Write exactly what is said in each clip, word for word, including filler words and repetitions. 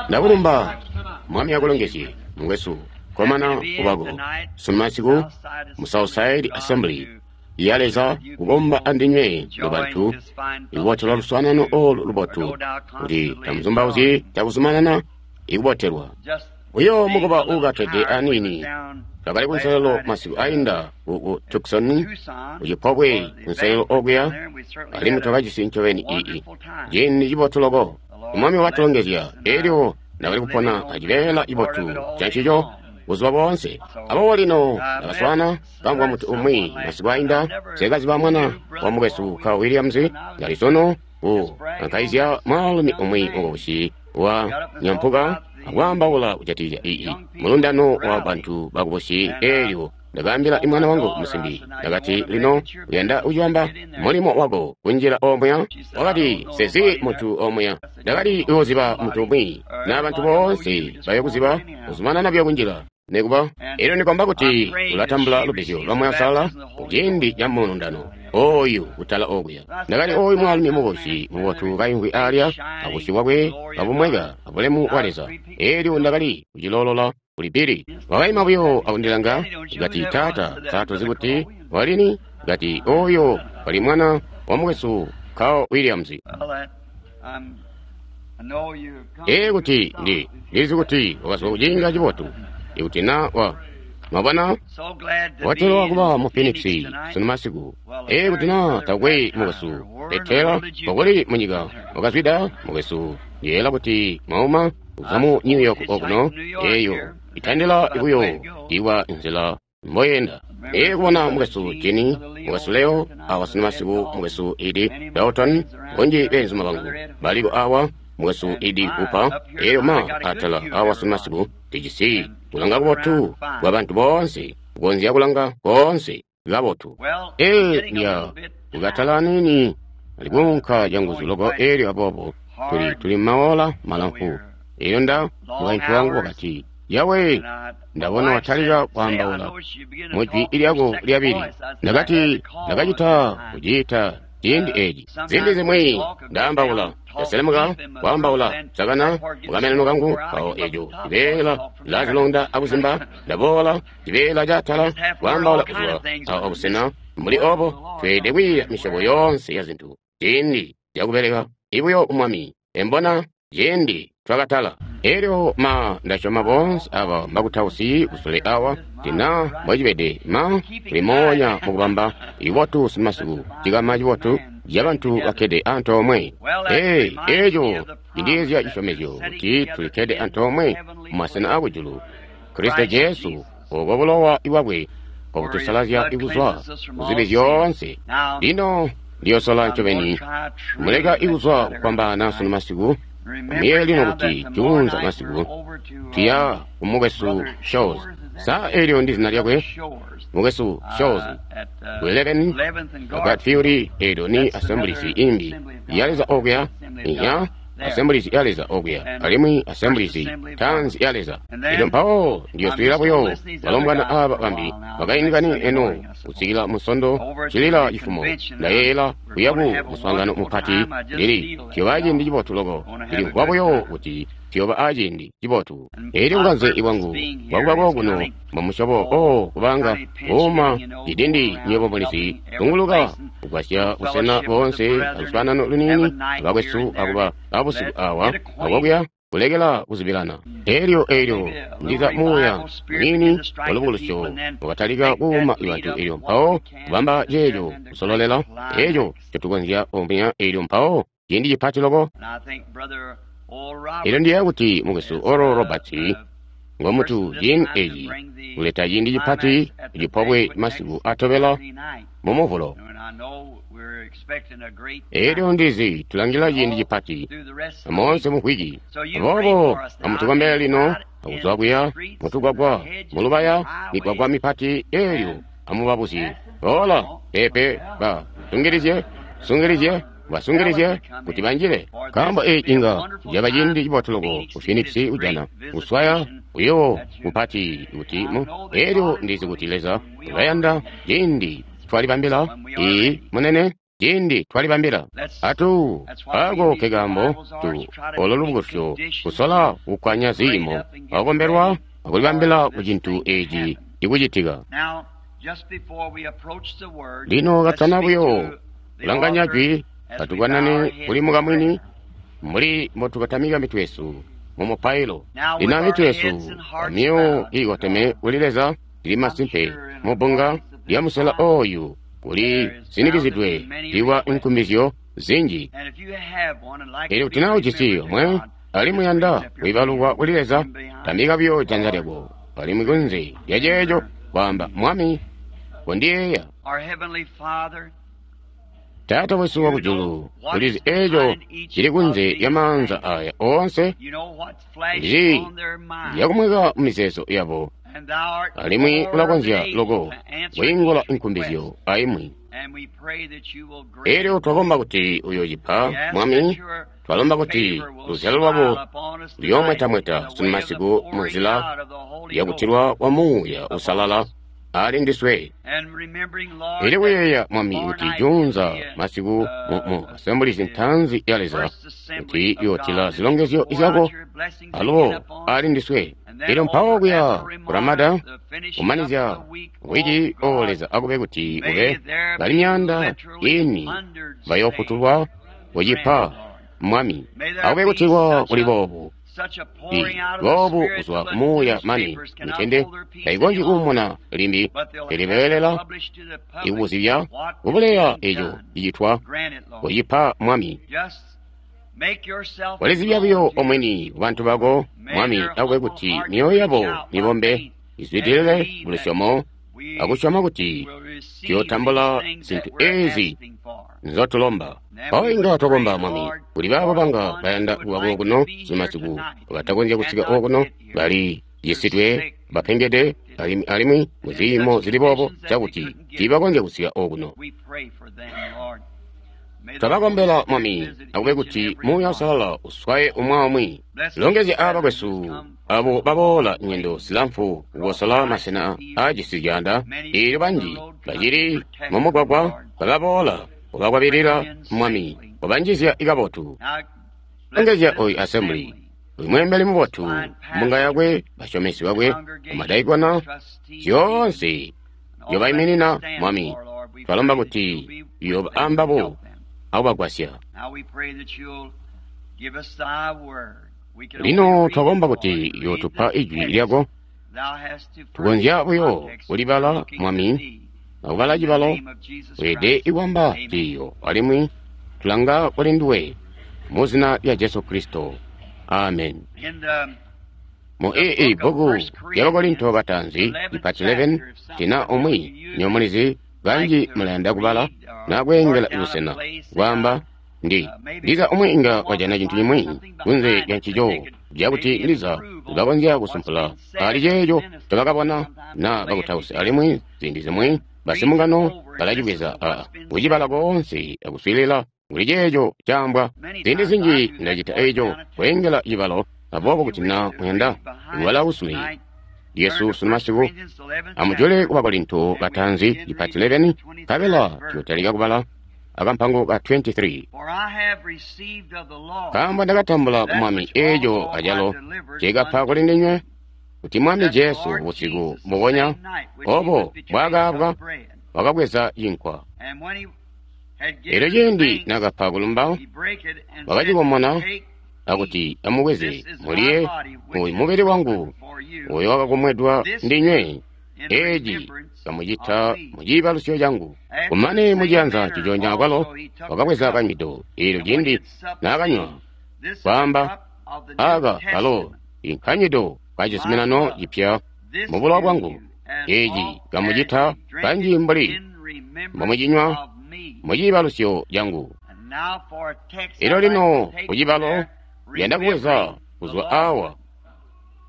Ndakulumba, Mwami akulongezye, mukwesu. Komana kubako sunumasiku mu Southside Assembly ya Leza kukomba andinywe nobantu ikubotelwa luswaanano olu lubotu kuti tamuzumbauzyi cakuzumanana ikubotelwa uyo mukuba uukatede aniini. Twakali kunselelo masiku ainda ku Tucson kucipobwe kunselelo okuya, alimwi twakajisi ncobeni ii ciindi cibotu loko. Mwami watulongezya, elyo ndakali kupona acibeela cibotu cancico buzuba boonse. Aboobo lino ndakaswaana kamvwa muntu umwi masiku ainda, nsekaziba mwana wa mukwesu Carl Williams, ndali sono ku kankaizya mwaalumi umwi mukubusi wa nyampuka akwaambaula kujatikizya ii mulundano wa bantu bakubusi. Elyo ndakaambila imwana wangu musimbi, ndakati, lino uyanda kucibamba mulimo wako kunjila omuya? Wakati, sezi muntu omuya. Ndakali kuziba muntu umwi, na bantu boonse bayo kuziba, kuzumanana buyo kunjila nekuba. Elyo ndikomba kuti ulatambula lubbizyo lwa Muuya Uusalala kuciindi ca mulundano oyu kutala okuya. Ndakali oyu mwaalumi mubusi mubotu kaimvwi alya, abusyu bwakwe kabumweka abulemu bwa Leza. Elyo ndakali kuciloolola kuli Billy. Wakaima buyo akundilanga, kati, Taata, sa tozi kuti walini? Kati, oyo wali mwana wa mukwesu Carl Williams. Ee, kuti ndi ndilizi kuti wakazwa kuciinga cibotu. Ikuti na wa mwabona, watelwa kuba mu Phoenix sunumasiku. Ee, kuti na takwe mukwesu Petera wakuli munyika wakazwida mukwesu, ndiyeela kuti mwauma kuzwa mu New York okuno, eyo itandila buyo iwa nzila mboyenda. Ee, kubona mukwesu Jenny, mukwesu Leo awa sunumasiku, mukwesu Eddie Dalton, bunji beenzuma bangu baliko awa, mukwesu Eddie Cooper, elyo ma atala awa sunumasiku tijisi kulanga kubotu kwa bantu boonse, kukonzya kulanga koonse kabotu. Ee, ndya kukatala aniini alikuunka canguzu loko, elyo aboobo tuli tuli maola malamfu. Elyo nda mukaintu wangu wakati, Yawe, ndabona watalika kwaambaula mujwi lyako lyabili. Ndakati, ndakacita kuciita ciindi eci. Ziindi zimwi ndaambaula, ndaselemuka kwaambaula, sakana mukameneno kangu, mpawo eco cibeela cilazilonda akuzimba, ndaboola cibeela catala kwaambaula kuzwa awo abusena mbuli obo. Tweelede kwiiya misyobo yoonse ya zintu ciindi cakubeleka ibuyo Mwami. Embona ciindi twakatala. Elyo ma ndasyoma boonse aba mbakutausi kusule awa, tina mbocibede ma tuli moonya mukubamba ibotu simasiku cikama cibotu cabantu bakkede antoomwe. Ee, eco cindiizya cisyomezyo kuti tulikkede antoomwe mumasena akujulu Kristo Jesu, oko bulowa bwakwe obutusalazya ikuzwa kuzibi zyoonse. Lino ndiyosola ncobeni muleka ikuzwa kufwambaana sunu masiku. Muyeeye lino kuti juunza masiku tuya ku mukwesu Shows. Sa elyo ndi zina lyakwe? Mukwesu Shows ku eleven Garfield, elyo ni Assemblies imbi ya Leza okuya, iya Assemblies ya Leza okuya, alimwi Assemblies Tanzi ya Leza. Elyo mpawo ndiyoswiilila buyo balombwana aba bambi bakaindikani eno kusikila musondo cilila cifumo. Ndayeeyela kuya ku muswaangano mupati ndili tuyoba aciindi cibotu loko. Ndilimvwa buyo kuti tuyoba aciindi cibotu. Elyo bukanze bwangu bwakuba kokuno mwamusyobo o kubanga kuuma cidindi, nywebo mulizi, kunguluka kugwasya busena boonse aluswaanano luniini abakwesu akuba abusiku awa akokuya kulekela kuzibilana. Elyo elyo ndiza muuya muniini walubukulusyo wakatalika kuuma bantu, elyo mpawo kubamba ceeco kusololela eco ncotukonzya omuya, elyo mpawo ciindi cipati loko. Elyo ndiyeeya kuti mukwesu Oral Roberts ngomutu ciindi eci kuleta ciindi cipati kucipobwe masiku atobela mu Muvulo. Elyo ndizi tulangila ciindi cipati moonse mumvwiki. Aboobo amutukombele lino akuzwa kuya mutugwagwa mulubaya migwagwa mipati, elyo amubabuzye boola pepe ba sungilizye sungilizye basungilizye kuti banjile, nkaambo eci inga caba ciindi cibotu loko ku Phoenix kujana kuswaya uyo mupati kuti mu. Elyo ndizi kuti Leza ulayanda ciindi twalibambila. Ii munene. Ciindi twalibambila atu ako kekambo tu olo lubukusyo kusola kukwanya ziimo akukombelwa akulibambila ku cintu eci ikucitika. Lino katana buyo kulanganya jwi, atukanane kuli mukamwini mbuli mbotukatamika mitwe yesu mu mupailo. Lino mitwe yesu amyoyo iikoteme kuli Leza lili masimpe mubbunga lya musela oyu kuli sinikizidwe liwa nkumbizyo zinji. Elyo kuti naa ujisi omwe alimwi yanda kuibalukwa kuli Leza, tambika buyo janza lyako alimwi kunze lya ceeco kwaamba, Mwami, kondiyeeya. Taata wesu wakujulu, ulizi eeco cili kunze lya maanza aya oonse, ulizi lyakumweka mumizeezo yabo, alimwi ulakonzya loko kwiingula nkumbizyo aimwi. Elyo twakomba kuti uyoocipa, Mwami. Twalomba kuti luzyalo lwabo luyoomwetamweta sunu masiku munzila yakutilwa kwa Muuya Uusalala ali ndiswe. Ili kuyeeya, Mwami, kuti juunza masiku mu asembulizi ntaanzi ya Leza kuti yootila zilongezyo zyako alubo ali ndiswe. Elyo mpawo kuya kuramada kumanizya wiki, o Leza, akube kuti kube bali myaanda ini bayoofutulwa kucipa, Mwami. Akube kuti kwa kuli boobu boobu kuzwa kumuuya mane mitende taikonzyi kuumuna limbi, pele beelela ikukuzibya kubuleya eco cicitwa kucipa, Mwami. Walizibya buyo omweni kubantu bako, Mwami, akube kuti myoyo yabo mibombe izwidilile mulusyomo akusyoma kuti tuyotambula zintu ezi nzotulomba. Mpawo inga twakomba, Mwami, kuli baabo banga bayanda kuba kokuno sumasiku batakonzya kusika okuno, bali cisidwe, bapengede, alimwi, alimwi muziimo zili boobo cakuti tiibakonzya kusika okuno. Twabakombela, Mwami, akube kuti Muuya Uusalala uswaye umwi aumwi. Longezya aaba bakwesu abo baboola nyendo zilamfu kukosola masena aajisi zyaanda, eelyo banji bacili mumugwagwa bababoola kubakwabilila, Mwami, kubanjizya kabotu. Longezya oyu assembly, uyu mweembeli mubotu, mbunga yakwe, basyomesi bakwe, amadaikona, zyoonse nzyobaiminina, Mwami. Twalomba kuti uyooba ambabo akubagwasya. Lino twakomba kuti uyootupa ijwi lyako. Tukonzya buyo kulibala, Mwami, akubala cibalo, weelede ikwamba ciiyo, alimwi tulanga kuli nduwe mu zina lya Jesu Kristo. Amen. Mu ii bbuku lya Bakorinto bataanzi ipati eleven, tina umwi nyomulizi kanji mulayanda kubala na kweengela busena kwaamba ndi ndiza umwi inga wajana cintu cimwi kunze lya ncico cakuti ndiza ulakonzya kusumpula ali ceeco ncobakabona na bakutausi, alimwi ziindi zimwi basimungano balacibweza a kucibala koonse akuswiilila kuli ceeco caambwa. Ziindi zinji ndacita eco kweengela cibalo, aboobo kuti na muyanda kubala kusule lyesu sunu masiku, amujule ku Bakorinto bataanzi ipati eleven, nkabela tuyotalika kubala akampango ka twenty-three. Nkaambo ndakatambula ku Mwami eeco acalo ncekapa kuli ndinywe, kuti Mwami Jesu busiku mbubonya obo bwakaabwa wakabweza cinkwa. Elyo ciindi nakapa kulumba, wakacikomona akuti, amubweze mulye, uyu mubili wangu uyo wakakomwedwa ndinywe, eeci kamucita muciibalusyo cangu. Kumane muciyanza nciconya akwalo wakabweza kanywido, eelyo ciindi naakanywa, kwaamba, aka kalo inkanywido kacizuminano cipya mu bulowa bwangu, eeci kamucita kanji mbuli mbomucinywa muciibalusyo cangu. Elyo lino kucibalo yanda kubweza kuzwa awa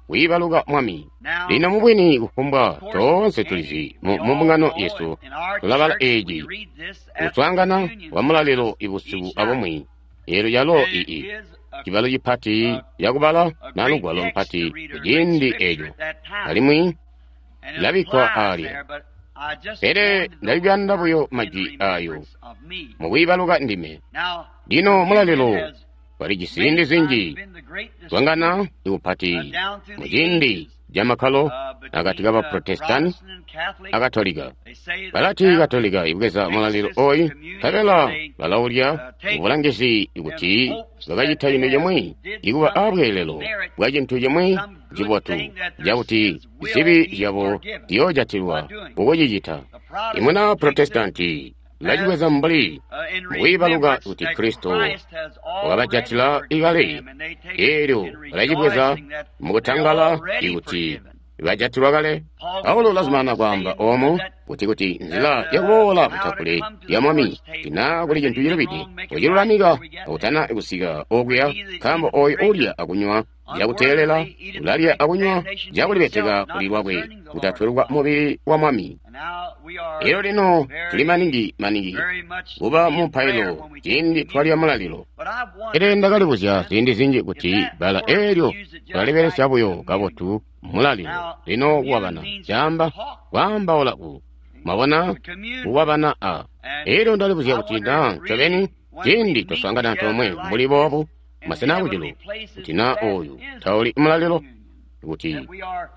kwiibaluka Mwami. Lino mubwini kufumbwa toonse tulizi mu mbungano yesu tulabala eeci kuswaangana kwa mulalilo ibusiku abumwi. Eelyo calo ii cibalo cipati cakubala na lugwalo mpati kuciindi eeco, alimwi labikkwa aalya. Pele ndali kuyanda buyo majwi ayo mukwiibaluka ndime. Lino mulalilo walijisi ziindi zinji zwangana ikupati muciindi camakkalo akati ka Baprotestanti a Katolika. Balati Katolika ibweza mulalilo oyu, nkabela balaulya mubulangizi kuti bakacita cintu cimwi, ikuba abweelelo bwa cintu cimwi cibotu cakuti zibi zyabo ziyoojatilwa kukucicita. Imuna Protestanti ulacibweza mbuli mukwiibaluka kuti Kristo wakabajatila ikale, eelyo balacibweza mukutangala ikuti bajatilwa kale. Paulo ulazumana kwaamba oomo kuti kuti nzila yakuboola kutafule lya Mwami tina kuli cintu cilubide kucilulamika akutana kusika okuya, nkaambo ooyo uulya akunywa cakuteelela ulalya akunywa cakulibeteka kuli lwakwe kutatweluka mubili wa Mwami. Elyo lino tuli maningi maningi kuba mu mpailo ciindi twalya mulalilo. Pele ndakalibuzya ziindi zinji kuti bbala eelyo tulalibelesya buyo kabotu mulalilo. Lino kuwabana caamba kwaambaula ku mwabona kuwabana a. Elyo ndalibuzya kuti na ncobeni ciindi twaswaangana antoomwe mbuli boobu masena akujulu kuti na ooyu tauli mulalilo, kuti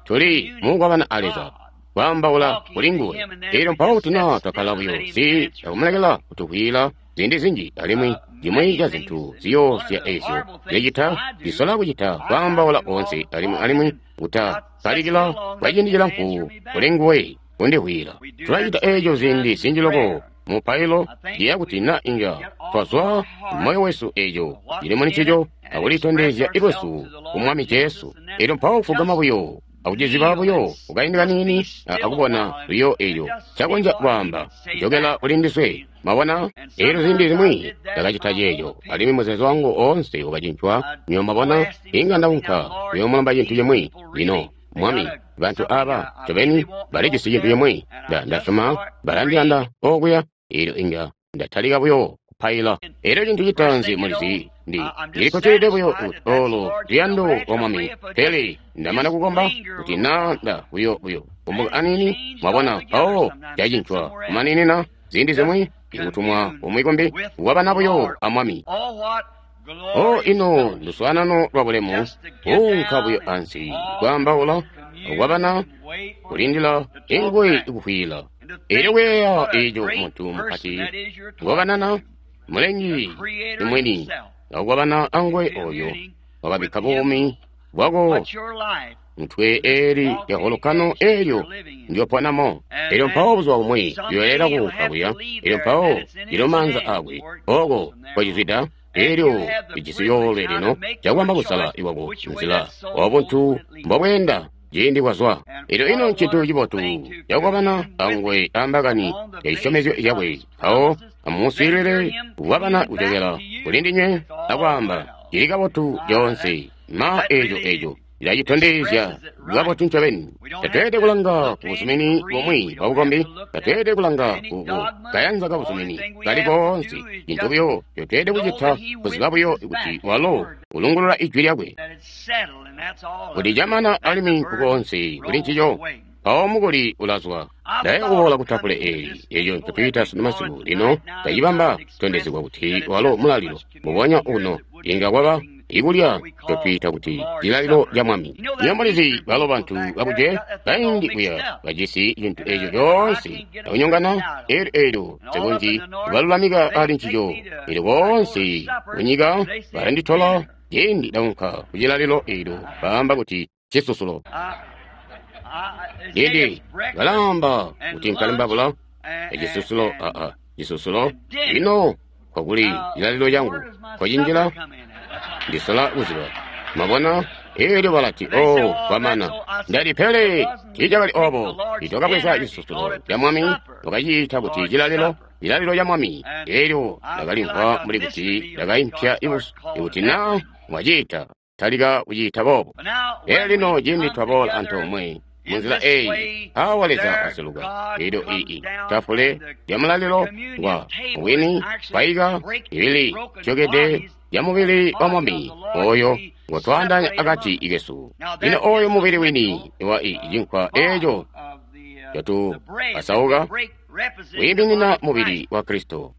tuli mukuwabana a Leza kwaambaula kuli nguwe. Elyo mpawo kuti na twakkala buyo si akumulekela kutukwila ziindi zinji, alimwi cimwi ca zintu ziyoosya ezyo zyacita zisola kucita kwaambaula koonse, alimwi alimwi kutakkalikila kwa ciindi cilamfu kuli nguwe kundihwila. Tulacita eeco ziindi zinji loko mupailo ndiya kuti na inga twazwa moyo wesu eeco cili muli ncico akulitondezya lwesu ku Mwami Jesu. Elyo mpawo kufugama buyo akuciziba buyo kukaindi kaniini akubona buyo eeco cakonzya kwaamba jokela kuli ndiswe. Mwabona? Elyo ziindi zimwi ndakacita ceeco, alimwi muzeezo wangu oonse wakacincwa. Nywebo mwabona, inga ndaunka kuyoomulomba cintu cimwi. Lino Mwami, bantu aba ncobeni balijisi cintu cimwi. Nda ndasyoma balandiyanda okuya. Elyo inga ndatalika buyo kupaila. Elyo cintu citaanzi mulizi ndi ndilikocelede buyo kuti olo luyando lwa Mwami. Pele ndamana kukomba kuti na nda buyo buyo kumbuka aniini. Mwabona, mpawo cacincwa kumaninina ziindi zimwi ikutumwa kumwi kumbi kuwabana buyo a Mwami. O ino luswaanano lwa bulemu kuunka buyo ansi kwaambaula kuwabana kulindila ingwe ikuhwila. Elyo kuyeeya eeco muntu mupati ngokanana mulengi imwini akuwabana angwe oyo wakabikka buumi bwako mutwe eeli lya holokano eelyo ndyoponamo. Elyo mpawo buzuba bumwi liyoyela kuunka kuya. Elyo mpawo lilo maanza akwe oko kwacizwida. Elyo lijisi yoolwe lino cakwamba kusala iwako nzila wabuntu mbobweenda ciindi kwazwa. Elyo ino ncintu cibotu cakukwabana angwe ambakani ya cisyomezyo cakwe. Mpawo amuswiilile kukwabana kujokela kuli ndinywe akwaamba cili kabotu lyoonse. Ma eeco eeco ilacitondezya kabotu ncobeni. Tatweelede kulanga ku buzumini bumwi bwa bukombi, tatweelede kulanga ku kayanza ka buzumini kali koonse. Cintu buyo ncotweelede kucita kuziba buyo kuti walo ulungulula ijwi lyakwe kuti camana alimwi nkukoonse kuli ncico. Mpawo mukuli ulazwa. Ndaye kuboola kutafule eeli eeco ncotwiita sunu masiku lino tacibamba kutondezegwa kuti walo mulalilo mubonya uno inga kwaba ikulya ncotwiita kuti cilalilo ca Mwami. Nywebo mulizi balo bantu bakuje kaindi kuya bajisi cintu eeco coonse akunyongana. Eelyo eelyo nsekonzyi kubalulamika ali ncico. Eelyo boonse kunyika balanditola ciindi ndaunka kucilalilo eelyo baamba kuti cisusulo. Ciindi balaamba kuti nkalimbabula ecisusulo aa cisusulo. Lino kwakuli cilalilo cangu kwacinjila ndisola kuziba. Mwabona? Elyo balati, oh, kwamana. Ndati pele tiicakali obo. Itwakabweza cisusulo ca Mwami wakaciita kuti cilalilo, cilalilo ca Mwami. Elyo ndakalimvwa mbuli kuti ndakaimpya ibusu ikuti na mwaciita talika kuciita boobo. Elyo lino ciindi twaboola antoomwe munzila eyi, awa Leza aseluka. Elyo ii tafule lya mulalilo ngwa wini paika ibili tyokede ya mubili wa Mwami oyo ngotwaandaanya akati kesu. Lino oyo mubili wini wa i cinkwa eeco ncotu pasauka wiiminina mubili wa Kristo.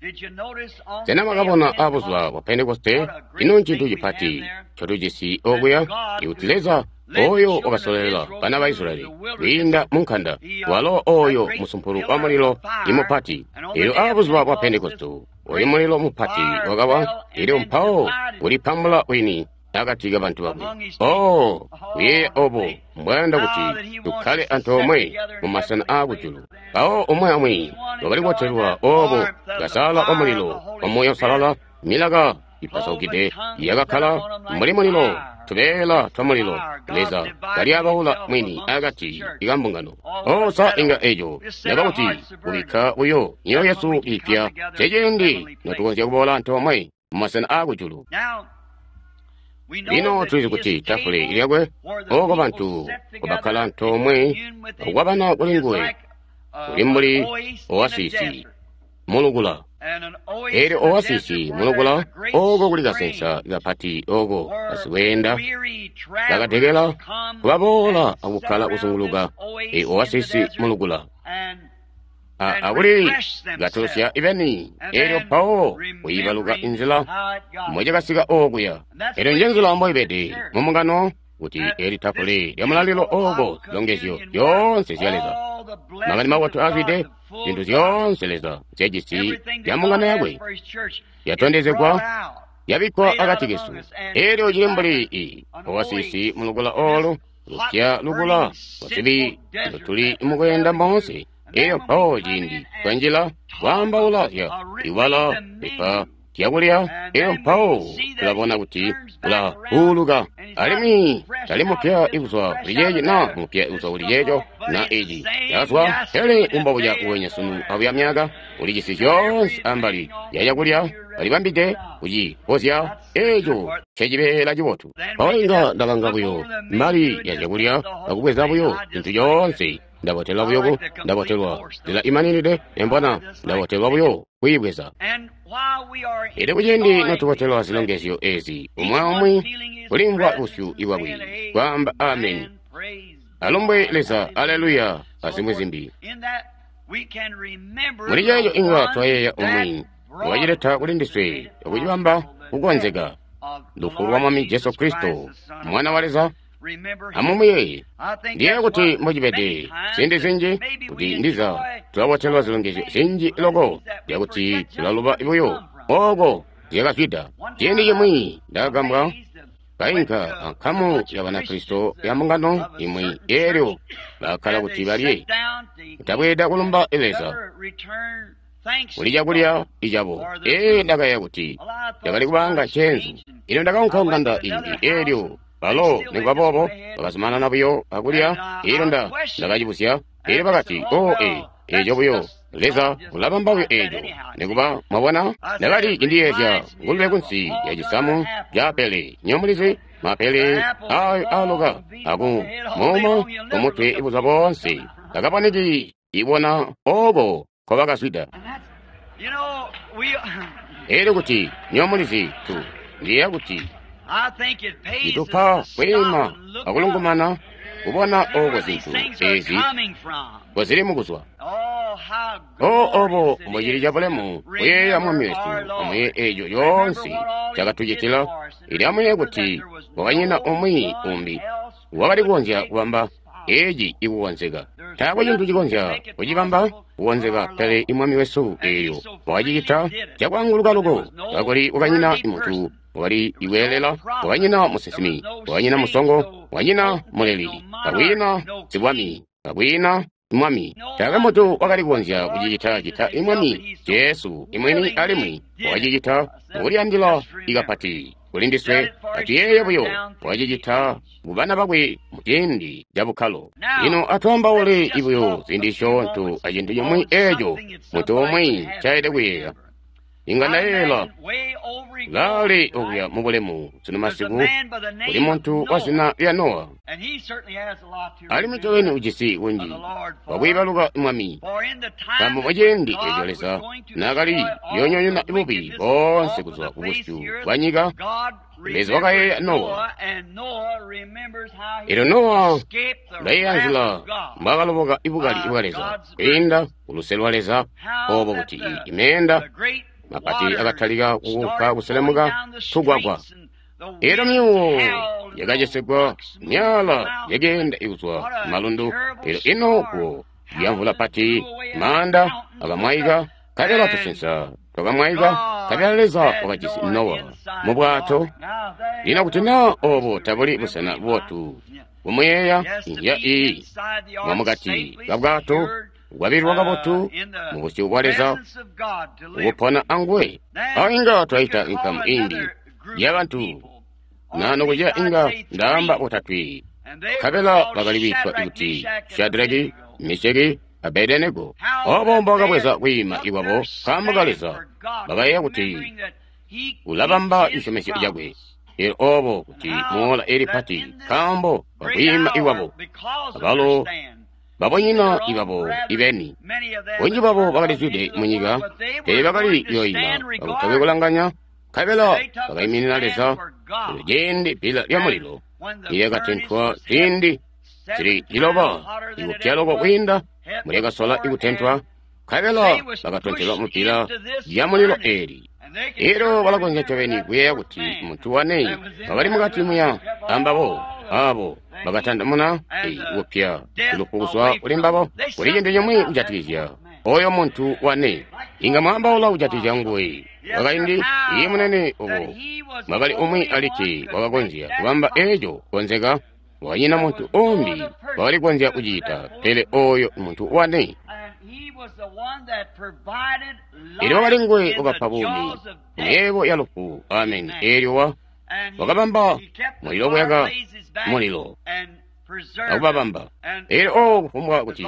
Sena mwakabona abuzuba bwa Pentekoste ino ncintu cipati ncotujisi okuya ikuti Leza oyo wakasololela bana ba Israyeli kwiinda mu nkanda, walo oyo musumpulu wa mulilo imupati. Elyo abuzuba bwa Pentekoste oyo mulilo mupati wakawa, elyo mpawo ulipambula wini akati ka bantu bakwe. Oh, kuyeeya obo mbwayanda kuti tukkale antoomwe mu masena aakujulu. Mpawo umwi amwi wakali kubotelwa obo kasaala wa mulilo wa Muuya Uusalala, milaka ipasaukide yakakkala mbuli mulilo, tubeela twa mulilo, Leza kalyabaula mwini akati ka mbungano. Oh, sa inga eco yaba kuti kubikka buyo myoyo yesu ipya ceciindi notukonzya kuboola antoomwe mu masena aakujulu. Lino tulizi kuti tafule lyakwe oko bantu kubakkala antoomwe okwabana kuli nguwe kuli mbuli oasisi mulukula. Elyo oasisi mulukula oko kuli kasensa kapati oko basikweenda bakatekela kubaboola akukkala kuzunguluka e oasisi mulukula. Akuli katulusya ibeni, elyo mpawo kuyibaluka inzila mocakasika okuya. Elyo njenzila mboibede mumbungano kuti eli tafule lya mulalilo oko zilongezyo zyoonse zya Leza, makani mabotu azwide, zintu zyoonse Leza nzyajisi zya mbungano yakwe yatondezegwa, yabikkwa akati kesu. Elyo cili mbuli i oasisi mulukula olu lupya lukula lwazibi lutuli mukweenda moonse. Elyo mpawo ciindi twanjila kwaambaula zya ibala lipa zyakulya, elyo mpawo tulabona kuti ulauluka alimwi tali mupya ikuzwa kuli ceeci na mupya ikuzwa kuli ceeco na eci yazwa, pele umbobuca uwenya sunu abuya myaka ulijisi zyoonse ambali ya cakulya alibambide kucipozya. Eco ncecibeela cibotu. Mpawo inga ndalanga buyo mali ya zyakulya akubweza buyo cintu coonse. Ndabotelwa buyo, ndabotelwa nzila imaninide, embona ndabotelwa buyo kuyibweza. Elyo kuciindi notubotelwa zilongezyo ezi, umwi aumwi kulimvwa busyu ibwakwe kwaamba ameni, alumbwe Leza, aleluya, azimwi zimbi. Muli ceeco inga twayeeya umwi wakacileta kuli ndiswe akucibamba kukonzeka, lufu lwa Mwami Jesu Kristo, Mwana wa Leza. Amumuyeeye. Ndiyeeya kuti mbocibede ziindi zinji kuti ndiza tulabotelwa zilongezyo zinji loko zyakuti tulaluba buyo oko zyakazwida. Ciindi cimwi ndakagambwa kainka ankamu ya Banakristo ya mbungano imwi, eelyo bakkala kuti balye, kutabweeda kulumba Leza kuli cakulya icabo. Ee, ndakayeeya kuti ndakali kubanga nceenzu. Ino ndakaunka kunganda imbi, eelyo balo nikuba boobo bakazumanana buyo akulya. Elyo nda ndakacibuzya, elyo bakati, o e eco buyo Leza ulabamba buyo eco. Nikuba mwabona, ndakali cindiyeezya ngulube kunsi ya cisamu ca apele. Nyomulizi mapele ayo aloka aku muuma kumutwe ibuza boonse takaboneki ibona oko nkobakazwida. Elyo kuti nyomulizi tu ndiyeeya kuti itupa kwiima akulungumana kubona oko zintu ezi kozili mukuzwa. O obo mbocili cabulemu kuyeeya Mwami wesu amuye eco coonse cakatucitila. Ili amuye kuti kwakanyina umwi umbi wakali kukonzya kubamba eci ikukonzeka. Taakwe cintu cikonzya kucibamba kukonzeka pele Mwami wesu eelyo wakacicita cakwaanguluka loko, kakuli kwakanyina muntu wakali iweelela, wakanyina musinsimi, wakanyina musongo, wakanyina muleli, kakwiina sibwami, kakwiina mwami. Taakwe muntu wakali kukonzya kucicita cita imwami Jesu imwini, alimwi wakacicita mukuliyandila ikapati kuli ndiswe. Atuyeeye buyo, wakacicita kubana bakwe muciindi ca bukkalo. Lino atwaambaule buyo ziindi zisyoonto acintu cimwi eeco muntu umwi ncaelede kuyeeya. Inga ndayeeyela laali okuya mubulemu sunu masiku kuli muntu wa zina lya Nowa, alimwi ncobeni ujisi kunji wakwiibaluka Mwami, nkaambo muciindi eco Leza naakali kuyoonyonyoona bubi boonse kuzwa kubusyu bwa nyika, Leza wakayeeya Nowa, Elyo Nowa ulayeeya nzila mbwaakaloboka ibukali bwa Leza kwiinda kuluse lwa Leza, obo kuti imeenda mapati akatalika kukunka kuselemuka tugwagwa. Elyo myuwo yakacesegwa, myala yakeenda ikuzwa malundu. Elyo ino guwo lyamvula pati, maanda akamwaika, nkabela tusensa twakamwaika, nkabela Leza wakajisi Nowa mu bwato. Lino kuti naa obo tabuli busena bubotu bumuyeeya, inzya iyi mwamukati ka bwato bwabililwa kabotu mu busyu bwa Leza, ukupona anguwe. Awo inga twaita inkamu imbi yabantu na nokuceya inga ndaamba botatwe, nkabela bakali kwiitwa kuti Shadraki, Mesheki, Abedenego. Obo mbobakabweza kwiima ikwabo nkaambo ka Leza, bakayeeya kuti ulabamba cisyomezyo cakwe. Elyo obo kuti muola eli pati nkaambo kakwiima ikwabo, abalo babonyina ibabo ibeni. Bunji bwabo bakalizwide munyika, pele bakali yoima kakutakwe kulanganya, nkabela bakaiminina Leza. Elyo ciindi bbila lya mulilo nilyakatentwa ziindi zili ciloba ikupya loko kwiinda mulyakasola ikutentwa, nkabela bakatontelwa mu bbila lya mulilo eeli. Elyo balakonzya ncobeni kuyeeya kuti muntu wane wakali mukati muya ambabo abo bakatandamuna kupya lufu kuzwa kuli mbabo. Kuli cintu cimwi kujatikizya oyo muntu wane, inga mwaambaula kujatikizya nguwe wakaindi iye munene obo mwakali umwi alikke wakakonzya kubamba eco kukonzeka. Wakanyina muntu umbi wakali kukonzya kucita, pele oyo muntu wane. Elyo wakali nguwe wakapa buumi kumyeebo ya lufu. Amen. Elyo wa wakabamba mulilo kuyaka mulilo akubabamba. Elyo o kufumbwa kuti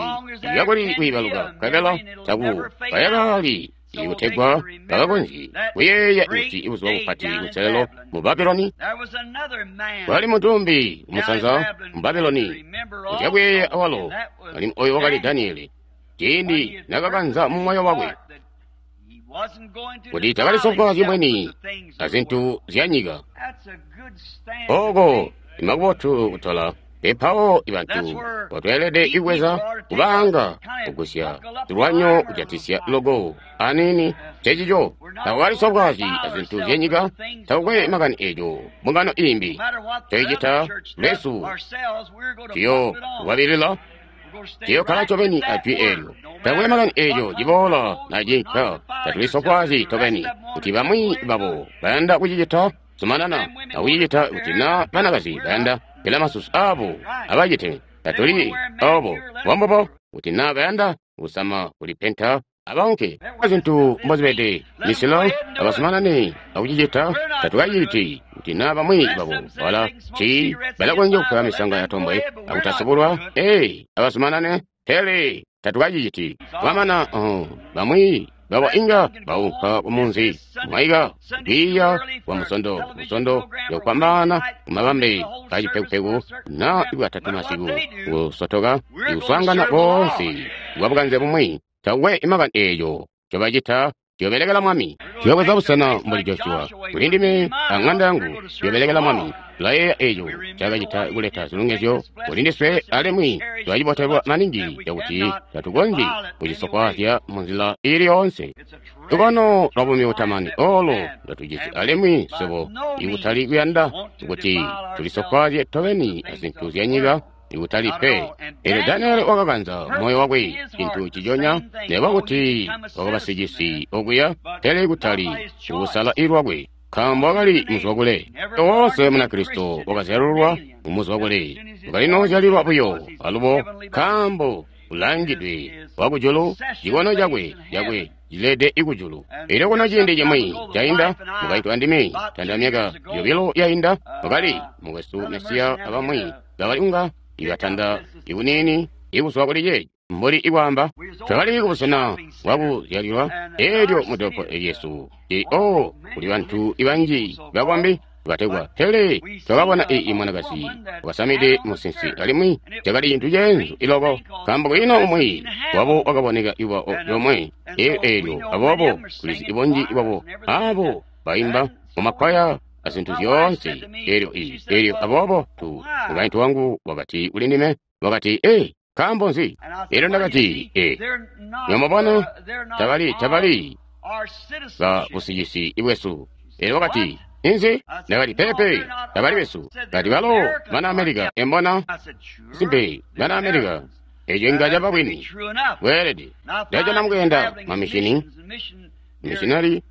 yakuli kwiibaluka, nkabela taku kayakali ikutegwa bakakonzye kuyeeya kuti ibuzuba bupati kuselelo mu Babuloni. Kwali muntu umbi umusanza mu Babuloni kuti akuyeeya awalo, alimwi oyo wakali Daniele. Ciindi nakakanza mu moyo wakwe kuti takalisofwaazyi mwini azintu zya nyika. Oko imakubotu kutola pepawo ibantu botweelede ibweza kubaanga kugusya tulwanyo kujatisya logo aniini cecico. Takukalisofwaazyi azintu zya nyika, takukwe makani eco mbungano imbi toicita lwesu tuyo kwabilila tuyokkala ncobeni ajwi eelyo. Takukwe makani eco ciboola na cinka, tatulisofwaazyi tobeni. Kuti bamwi babo bayanda kucicita, zumanana akucicita. Kuti na banakazi bayanda pela masusu abo abacite, tatuli obo mbombubo. Kuti na bayanda kusama kulipenta, abaunke. Zintu mbozibede misilo abazumanane akucicita, tatukaciti. Kuti na bamwi babo bala ci balakonzya kupewa misanga ya tombwe akutasubulwa, ee abazumanane, pele tatukaciciti. Kwamana uh, bamwi babo inga baunka kumunzi mwaika kwiiya kwa musondo musondo yokwambana kumabambe kacipekupeku na ibwatatu masiku kusotoka ikuswaangana boonse bwabukanze bumwi. Takukwe imakani eeco cobacita, tuyobelekela Mwami. Tuyobweza busena mbuli Joshua. Kuli ndime aŋanda yangu tuyobelekela Mwami. Tulayeeya eeco cakacita kuleta zilongezyo kuli ndiswe, alimwi tulacibotelwa maningi cakuti tatukonzyi kucisofwaazya munzila iili yoonse. Lukono lwa buumi butamani olo ndotujisi, alimwi swebo ikutali kuyanda kuti tulisofwaazye tobeni azintu zya nyika, ikutali pe. Elyo Daniele wakakanza moyo wakwe cintu ciconya, nekuba kuti wakabasicisi okuya, pele kutali kukusala ilwakwe, nkaambo wakali muzwakule. Woonse Munakristo wakazyalulwa mumuzwakule, wakalinozyalilwa buyo alubo, nkaambo ulangidwe wakujulu, cikono cakwe cakwe cilede ikujulu. Elyo kuno ciindi cimwi cainda, mukaintu andime, tanda myaka yobilo yainda, wakali mukwesu Mesiya abamwi bakali kunga ibatanda ikuniini ikuzwa kuli ceeci mbuli ikwaamba. Twakali kubusena bwakuzyalilwa eelyo mudolopo lyesu o kuli bantu ibanji bakombi bategwa, pele twakabona iyi mwanakazi wakasamide musinsi, alimwi cakali cintu ceenzu iloko, nkaambo kwiina umwi wabo wakaboneka iwa yomwe eelyo. Aboobo tulizi ibunji bwabo abo baimba mumakwaya a zintu zyoonse. Elyo i, elyo aboobo tu, mukaintu wangu wakati kuli ndime, wakati, ee, nkaambo nzi? Elyo ndakati, ee, mwamubona, tabali, tabali ba busicisi bwesu. Elyo wakati, inzi? Ndakati, pepe, tabali besu. Kati balo bana America, embona? Simpe, bana America. Eco inga caba bwini. Bweelede. Ndajana mukuyenda mamishini, missionary,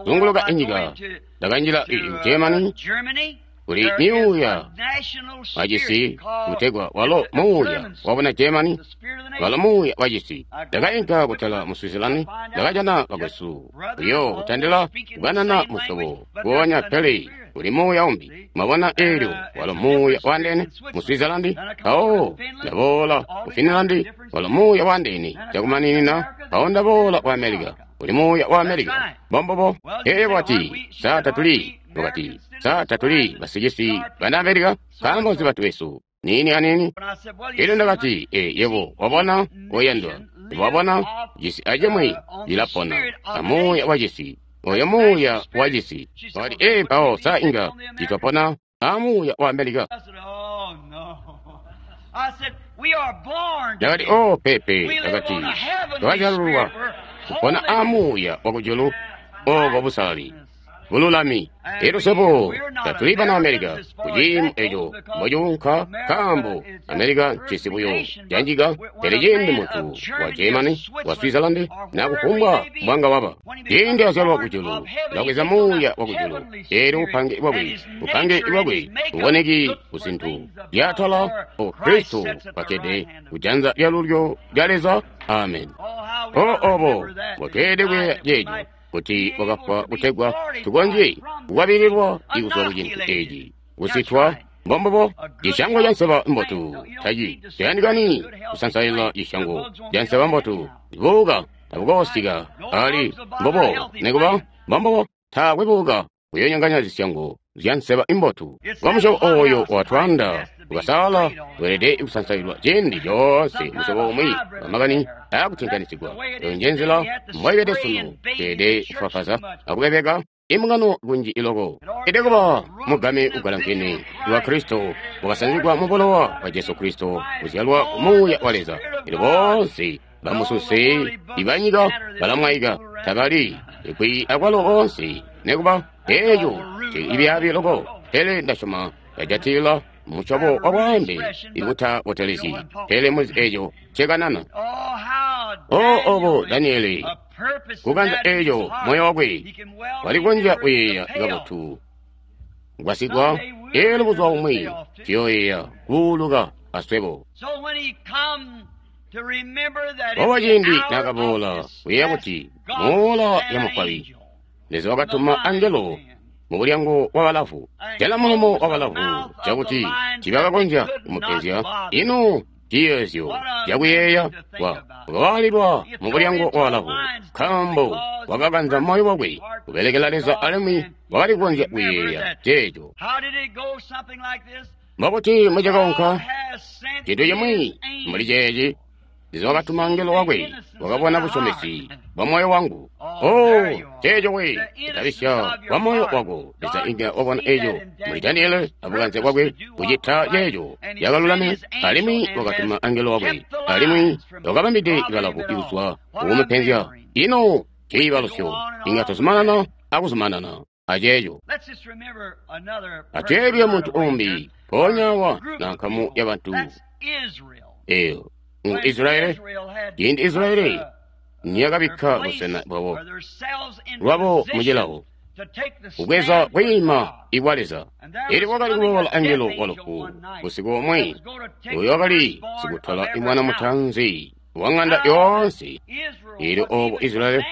zunguluka inyika. Ndakanjila i Germany, kuli myuuya wacisi kutegwa walo muuya wabona Germany, walo muuya wacisi. Ndakainka kutala mu Switzerland, ndakajana bakwesu uyo kutandila kukanana musyobo kuonya pele kuli muuya umbi. Mwabona elyo walo muuya wandene mu Switzerland, mpawo ndaboola ku Finland, walo muuya wandene cakumaninina, mpawo ndaboola ku America, kuli muuya wa America. Mbombobo. Elyo wakati, sa tatuli, wakati, sa tatuli basicisi bana America, nkaambo nzi bantu besu niini aniini? Elyo ndakati, e, yebo wabona oyandwa, wabona cisi acimwi cilapona amuuya wacisi, oyo muuya wacisi. Wakati, e, mpawo sa inga citwapona amuuya wa America? Ndakati, o, pepe. Ndakati, twazyalulwa kupona amuuya wakujulu obo busalali bululami. Elyo swebo tatuli bana America kuciimo eco mbocuunka, nkaambo America ncisi buyo canjika. Pele ciindi muntu wa Germany, wa Switzerland, na kufumbwa mbwanga waba, ciindi azyalwa kujulu, ulabweza muuya wakujulu. Elyo bupange bwakwe, bupange bwakwe buboneki kuzintu zyatala o Kristo kwakkede kujanza lyalulyo lya Leza. Amen. O obo mbotweelede kuyeeya ceeco, kuti wakafwa kutegwa tukonzye kukwabililwa ikuzwa ku cintu eci kusitwa. Mbombobo. Cisyango ca nseba mbotu taci tayandikani kusansaila cisyango ca nseba mbotu. Buuka tabukoosika ali mbobo, nekuba mbombobo taakwe buuka kuyonyanganya zisyango zya nseba imbotu. Kwa musyobo oyo watwanda ukasala weelede kusansailwa ciindi coonse, musyobo umwi wamakani aakutinganisigwa. Eyo nje nzila mboibede sunu. Teelede kufafaza akubebeka imbungano kunji iloko. Ede kuba mugame ugalankene wa Kristo wakasanzigwa mu bulowa bwa Jesu Kristo, kuzyalwa muuya wa Leza. Elyo boonse bamususe ibanyika balamwaika, tabali ikwi akwalo boonse nekuba eco cibyaabi loko. Pele ndasyoma bajatilila musyobo wa bwaambe ikutabotelezyi, pele muzi eco cekanana. O obo Daniele kukanza eco moyo wakwe walikonzya kuyeeya kabotu ngwasigwa. Elyo buzuba bumwi tuyoyeeya kuuluka aswebo. Obo ciindi nakaboola kuyeeya kuti moola ya mukwabi, Leza wakatuma angelo mu bulyango wa balavu, jala mulomo wa balavu cakuti tibakakonzya kumupenzya. Ino ciyeezyo cakuyeeya wa wakawaalilwa mu bulyango wa balavu, nkaambo wakakanza moyo wakwe kubelekela Leza alimwi wakali kukonzya kuyeeya ceeco. Mbokuti mucakaunka cintu cimwi mbuli ceeci, Leza wakatuma angelo wakwe, wakabona busyomesi bwa moyo wangu. Oh, ceeco we, kutabisya kwa moyo wako. Leza inga wabona eco muli Daniele abukanze bwakwe kucita ceeco yakalulame, alimwi wakatuma angelo wakwe, alimwi wakabambide balavu ikuzwa kukumupenzya. Ino ciibalusyo inga tuzumanana akuzumanana aceeco. Atweebye muntu umbi mpoonya wa na nkamu ya bantu eyo ngu Israeli. Ciindi Israeli niyakabikka busena bwabo lwabo mucilawo kubweza kwiima ikwa Leza, elyo kwakali kuboola angelo wa lufu busiku bumwi, uyo wakali sikutwala imwana mutanzi wa ng'anda yoonse. Elyo obo Israeli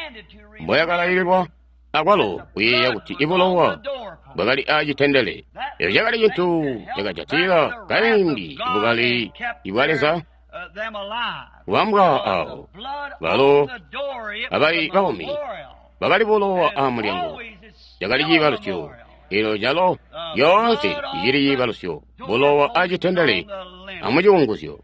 mboyakalaililwa akwalo kuyeeya kuti ibulowa bwakali aacitendele. Eco cakali cintu cakajatila kaindi ibukali ibwa Leza kubambwa awo balo abali baumi bakali bulowa aamulyango. Cakali ciibalusyo, elo calo yoonse icili ciibalusyo, bulowa aacitendele amuciunguzyo.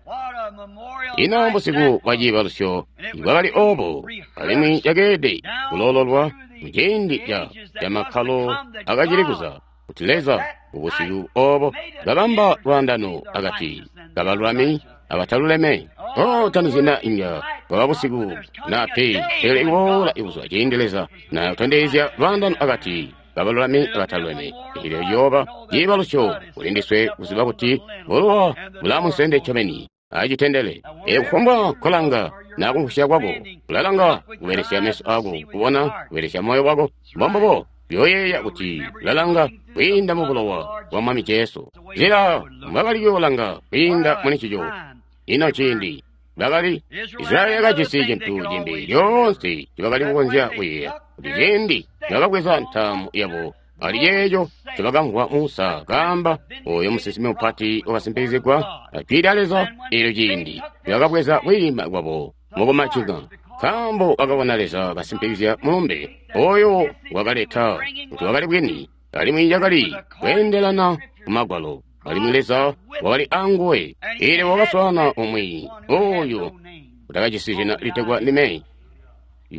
Ino busiku bwa ciibalusyo bwakali obo, alimwi cakeelede kuloololwa muciindi ca camakkalo akacili kuza. kuti Leza ubusiku obo kabamba lwaandano akati kabalulami abataluleme. Oh, tanizina inga bwaba busiku na pe, pele iboola ibuzwa ciindi Leza natondezya lwaandano akati kabalulami abataluleme. Eelyo liyooba ciibalusyo kuli ndiswe kuziba kuti bulowa bulamunsende ncobeni acitendele. Ee, kufumbwa kolanga na kumvwisya kwako, ulalanga kubelesya meso ako kubona, kubelesya moyo wako, mbombubo yoyeeya kuti ulalanga kwiinda mu bulowa bwa Mwami Jesu. Nzila mbwakali kuyoolanga kwiinda muli ncico. Ino ciindi bakali Israyeli yakajisi cintu cimbi lyoonse ncibakali kukonzya kuyeeya, kuti ciindi bakabweza ntaamu yabo ali ceeco ncobakamvwa Musa kaamba, oyo musinsimi mupati wakasimpikizigwa ajwi lya Leza. Eelyo ciindi bakabweza kwiima kwabo mukumacinga, nkaambo bakabona Leza kasimpikizya mulumbe oyo wakaleta kuti wakali bwini, alimwi yakali kweendelana ku Magwalo, alimwi Leza wakali anguwe. Eelyo wakaswaana umwi oyo utakajisi zina litegwa ndime,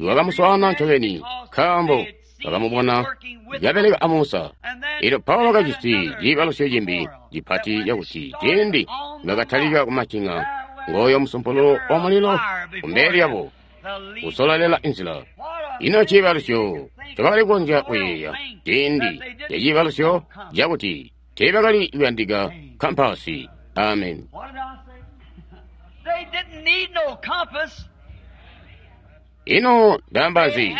wakamuswaana ncobeni, nkaambo bakamubona kabeleka a Musa. Eelyo Paulo wakajisi ciibalusyo cimbi cipati cakuti ciindi bakatalika kumacinga, ngooyo musumpululu wa mulilo kumbele lyabo kusololela inzila. Ino ciibalusyo ncobakali kukonzya kuyeeya ciindi caciibalusyo cakuti teebakali kuyandika kampasi. Amen. Ino ndaamba nzi?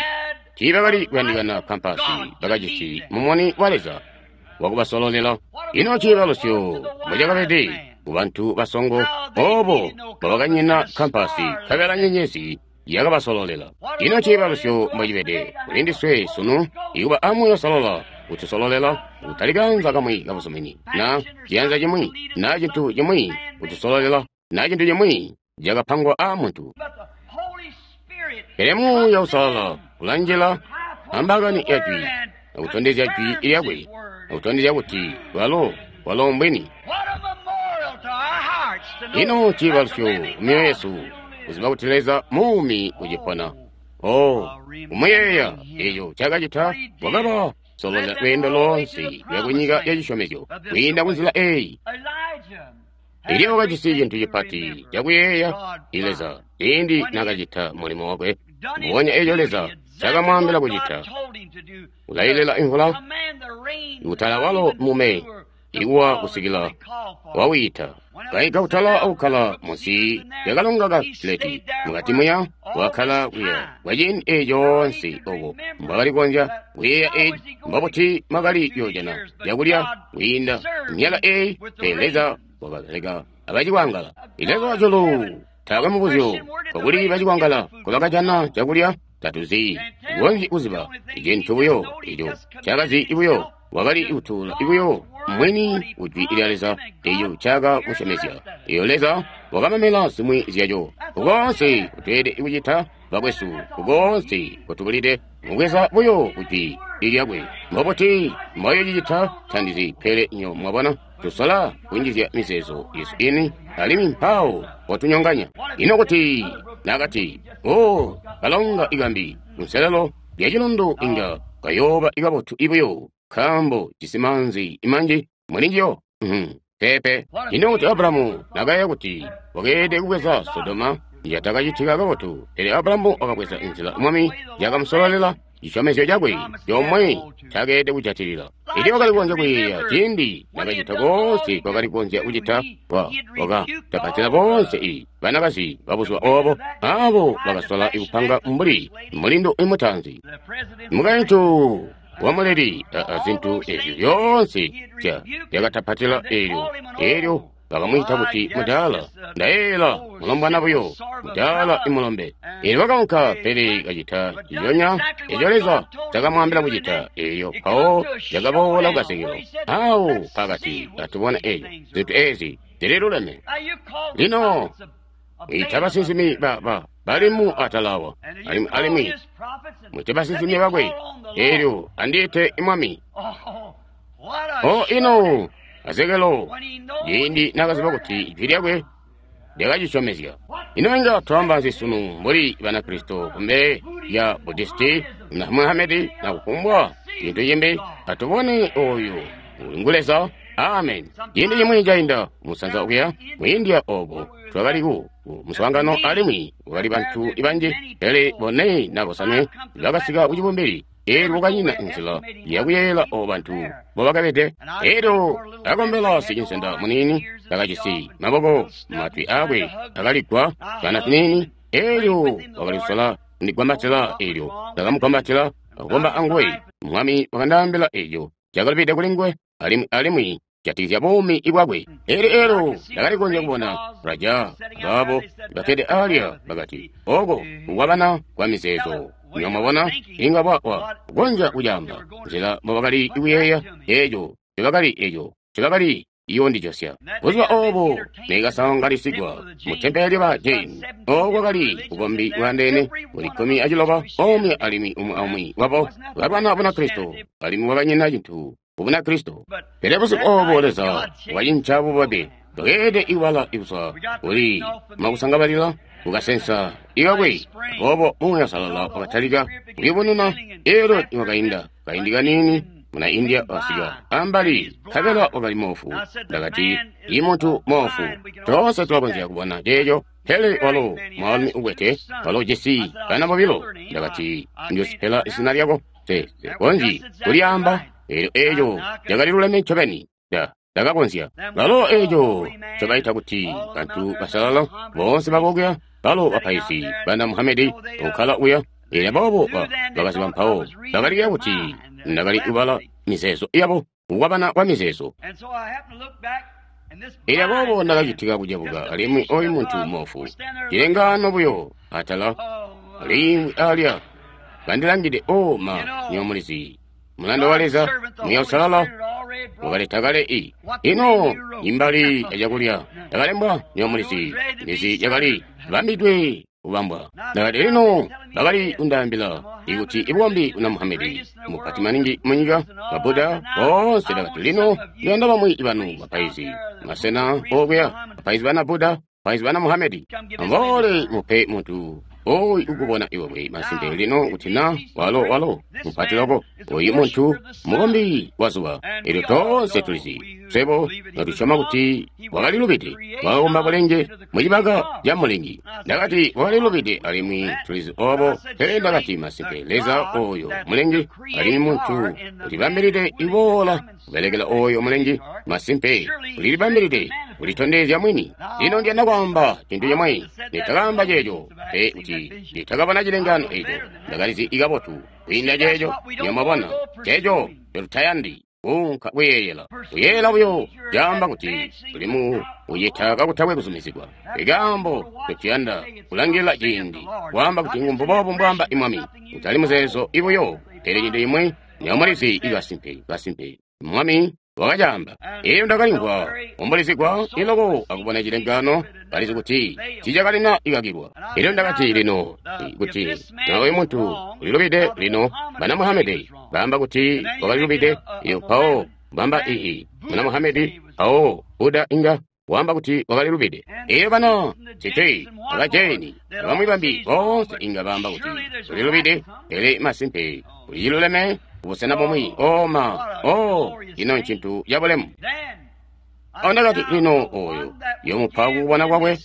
Tiibakali kuyandikana kampasi, bakajisi mumuni wa Leza wakubasololela. Ino ciibalusyo mbocakabede kubantu basongo obo mbobakanyina kampasi, nkabela nyenyezi yakabasololela. Ino ciibalusyo mbocibede kuli ndiswe sunu, ikuba amuuya usolola kutusololela, kutali kanza kamwi kabuzumini na ciyanza cimwi na cintu cimwi kutusololela na cintu cimwi cakapangwa a muntu. Pele Muuya Usalala ulanjila ambakani ya jwi akutondezya jwi lyakwe, akutondezya kuti walo walo mbwini. Ino ciibalusyo kumyoyo yesu kuziba kuti Leza muumi ucipona. Oh, kumuyeeya eco cakacita, wakaba sololela lweendo loonse lwa kunyika ya cisyomezyo kwiinda kunzila eyi. Eliya wakajisi cintu cipati cakuyeeya Leza ciindi nakacita mulimo wakwe, mbubonya eco Leza cakamwaambila kucita. Ulayilela imvula kutala walo mume ikuwa kusikila wawiita. Kaika kutala akukkala munsi lyakalonga ka Kileti, mukati muya wakkala kuya kwaciindi eco coonse obo mbwakali kukonzya kuyeeya eci. Mbobuti mwakali kuyoojana cakulya kwiinda myaka eyi? Pele Leza wakabeleka abacikwangala. Leza wajulu taakwe mubuzyo kokuli bacikwangala nkobakajana cakulya tatuzi konzyi kuziba. Icintu buyo eco cakazi buyo wakali kutuula buyo mwini kujwi lya Leza eco caka musyomezya. Eyo Leza wakamamela zimwi zyaco. Kukoonse kutweelede kucita bakwesu, kukoonse kutubulide mubweza buyo kujwi lyakwe. Mbobuti mboyocicita tandizi, pele nyo mwabona tusola kunjizya mizeezo yesu ini alimwi mpawo potunyonganya. Ino kuti nakati, o kalonga ikambi kunselelo lya cilundu inga kayooba ikabotu ibuyo nkaambo jisi maanzi manji mulinjiyo. Peepe. Ino kuti Abrahamu nakayeeya kuti wakeelede kubweza Sodoma, yatakacitika kabotu. Pele Abrahamu wakabweza inzila Mwami yakamusololela, cisyomezyo cakwe comwe ncakeelede kujatilila. Elyo wakali kukonzya kuyeeya ciindi nakacita koonse kwakali kukonzya kucita, wakatapatila boonse i banakazi babuzuba obo, abo bakasola kupanga mbuli mulindu imutaanzi, mukaintu wamuleli azintu ezyo zyoonse zyakatapatila. Eelyo eelyo bakamwiita kuti mudaala. Ndayeeyela mulombwana buyo, mudaala imulombe. Eelyo wakaunka, pele kacita ciyonya eco Leza cakamwaambila kucita. Eelyo mpawo cakaboola kukasekelo awo pakati atubona eco zintu ezi zililuleme. Lino mwita basinsimi ba ba balimu atalawa, alimwi alimwi mwite basinsimi bakwe. Eelyo andiite Mwami. O ino Azekelo ciindi nakaziba kuti ijwi lyakwe lyakacisyomezya. Ino inga twaamba nzi sunu mbuli Banakristo kumbele lya Budisti na Muhamedi na kufumbwa cintu cimbi? Atubone oyo Ngu Leza. Amen. Ciindi cimwi cainda musanza okuya mu India obo twakali ku muswaangano alimwi kwakali bantu banji, pele bone na bosanwe bakasika ku cibumbili. Eelyo kwakanyina nzila yakuyeeyela obo bantu mbobakabede. Eelyo akakombela sicinsenda muniini kakajisi maboko matwi aakwe akaligwa kana tuniini. Eelyo wakali kusola kundigwambatila, eelyo ndakamugwambatila akukomba anguwe. Mwami wakandaambila eeco cakalubide kuli nguwe alimwi alimwi jatikizya buumi bwakwe. Eelyo eelyo ndakali kukonzya kubona Raja baabo bakkede alya bakati, oko kukwabana kwa mizeezo. Nywebo mwabona, inga bwa kukonzya kucaamba nzila mbobakali kuyeeya eeco ncobakali eeco ncobakali iyondijosya. Buzuba oobo neikasanganisigwa mu tempele lya Jain, ooko kwakali bukombi bwaandeene buli kkumi aciloba, omwe alimwi umwi aumwi wabo bakalwana Bunakristo, alimwi kwakanyina cintu ku Bunakristo. Pele busiku oobo Leza wakacinca bubambe, bwakeelede kubala kuzwa kuli makusangabalila kukasensa ikakwe. Aboobo Muuya Uusalala wakatalika kuyubununa. Eelyo nikwakainda kaindi kaniini, muna India wakasika ambali, nkabela wakali moofu. Ndakati, i muntu moofu, toonse tulakonzya kubona ceeco, pele walo mwaalumi ukwete, walo ujisi bana bobilo. Ndakati, Njoosipela izina lyako, nse konzyi kulyaamba. Eelyo eeco cakali luleme ncobeni. Nda ndakakonzya. Balo eeco ncobaita kuti bantu basalala, boonse babo kuya, balo bapaizi bana Muhamedi kukkala kuya. Eelyo aboobo bakaziba mpawo bakaliya kuti ndakali kubala mizeezo yabo, kukwabana kwa mizeezo. Eelyo aboobo ndakacitika kucebuka, alimwi oyu muntu moofu, cilengaano buyo atala alimwi alya kandilangide. O ma, nywebo mulizi, mulanda wa Leza, Muuya Uusalala wakaleta kale i ino imbali ya cakulya yakalembwa. Nywebo mulizi, ndizi yakali bambidwe kubambwa. Ndakati, lino bakali kundaambila ikuti ibukombi buna Muhamedi mupati maningi munyika, ba Buddha boonse. Ndakati, lino ndiyanda bamwi banu bapaizi masena okuya, bapaizi bana Buddha, bapaizi bana Muhamedi, amboole mupe muntu oyu ukubona iwewe masimpe lino kuti na walo walo mupati loko oyu muntu mukombi wa zuba. Eelyo toonse tulizi swebo notusyoma kuti wakalilubide, wakakomba bulenge mucibaka ca mulengi. Ndakati wakalilubide alimwi tulizi obo, pele ndakati masimpe Leza oyo mulengi alimwi muntu ulibambilide iboola kubelekela oyo mulengi, masimpe ulilibambilide kulitondezya mwini. Lino ndiyanda kwaamba cintu cimwe. Nditakaamba ceeco pe kuti nditakabona cilengaano eeco, ndakalizi ikabotu kwiinda ceeco. Nywebo mwabona, ceeco ncotutayandi kuunka kuyeeyela. Kuyeeyela buyo caamba kuti tuli mu kucita kakutakwe kuzumizigwa. Ikaambo ncotuyanda kulangilila ciindi kwaamba kuti mbuboobu mbwaamba Mwami, kutali muzeezo ibuyo, pele cintu cimwi. Nywebo mulizi ikasimpe, kasimpe Mwami wakacaamba. Eelyo ndakalimvwa kuumbulizigwa iloko akubona cilengaano, kalizi kuti tiicakalina ikakilwa. Eelyo ndakati, lino kuti na oyu muntu ulilubide. Lino bana Muhamedi baamba kuti wakalilubide. Iyo mpawo bamba ii muna Muhamedi, mpawo Buddha inga waamba kuti wakalilubide. Eelyo bana Sikhi, aba Jaini, abamwi bambi boonse inga baamba kuti ulilubide, pele masimpe uliciluleme kubusena bumwi. O ma, o ino ncintu cabulemu. Ndakati, lino oyo yomupa kukubona kwakwe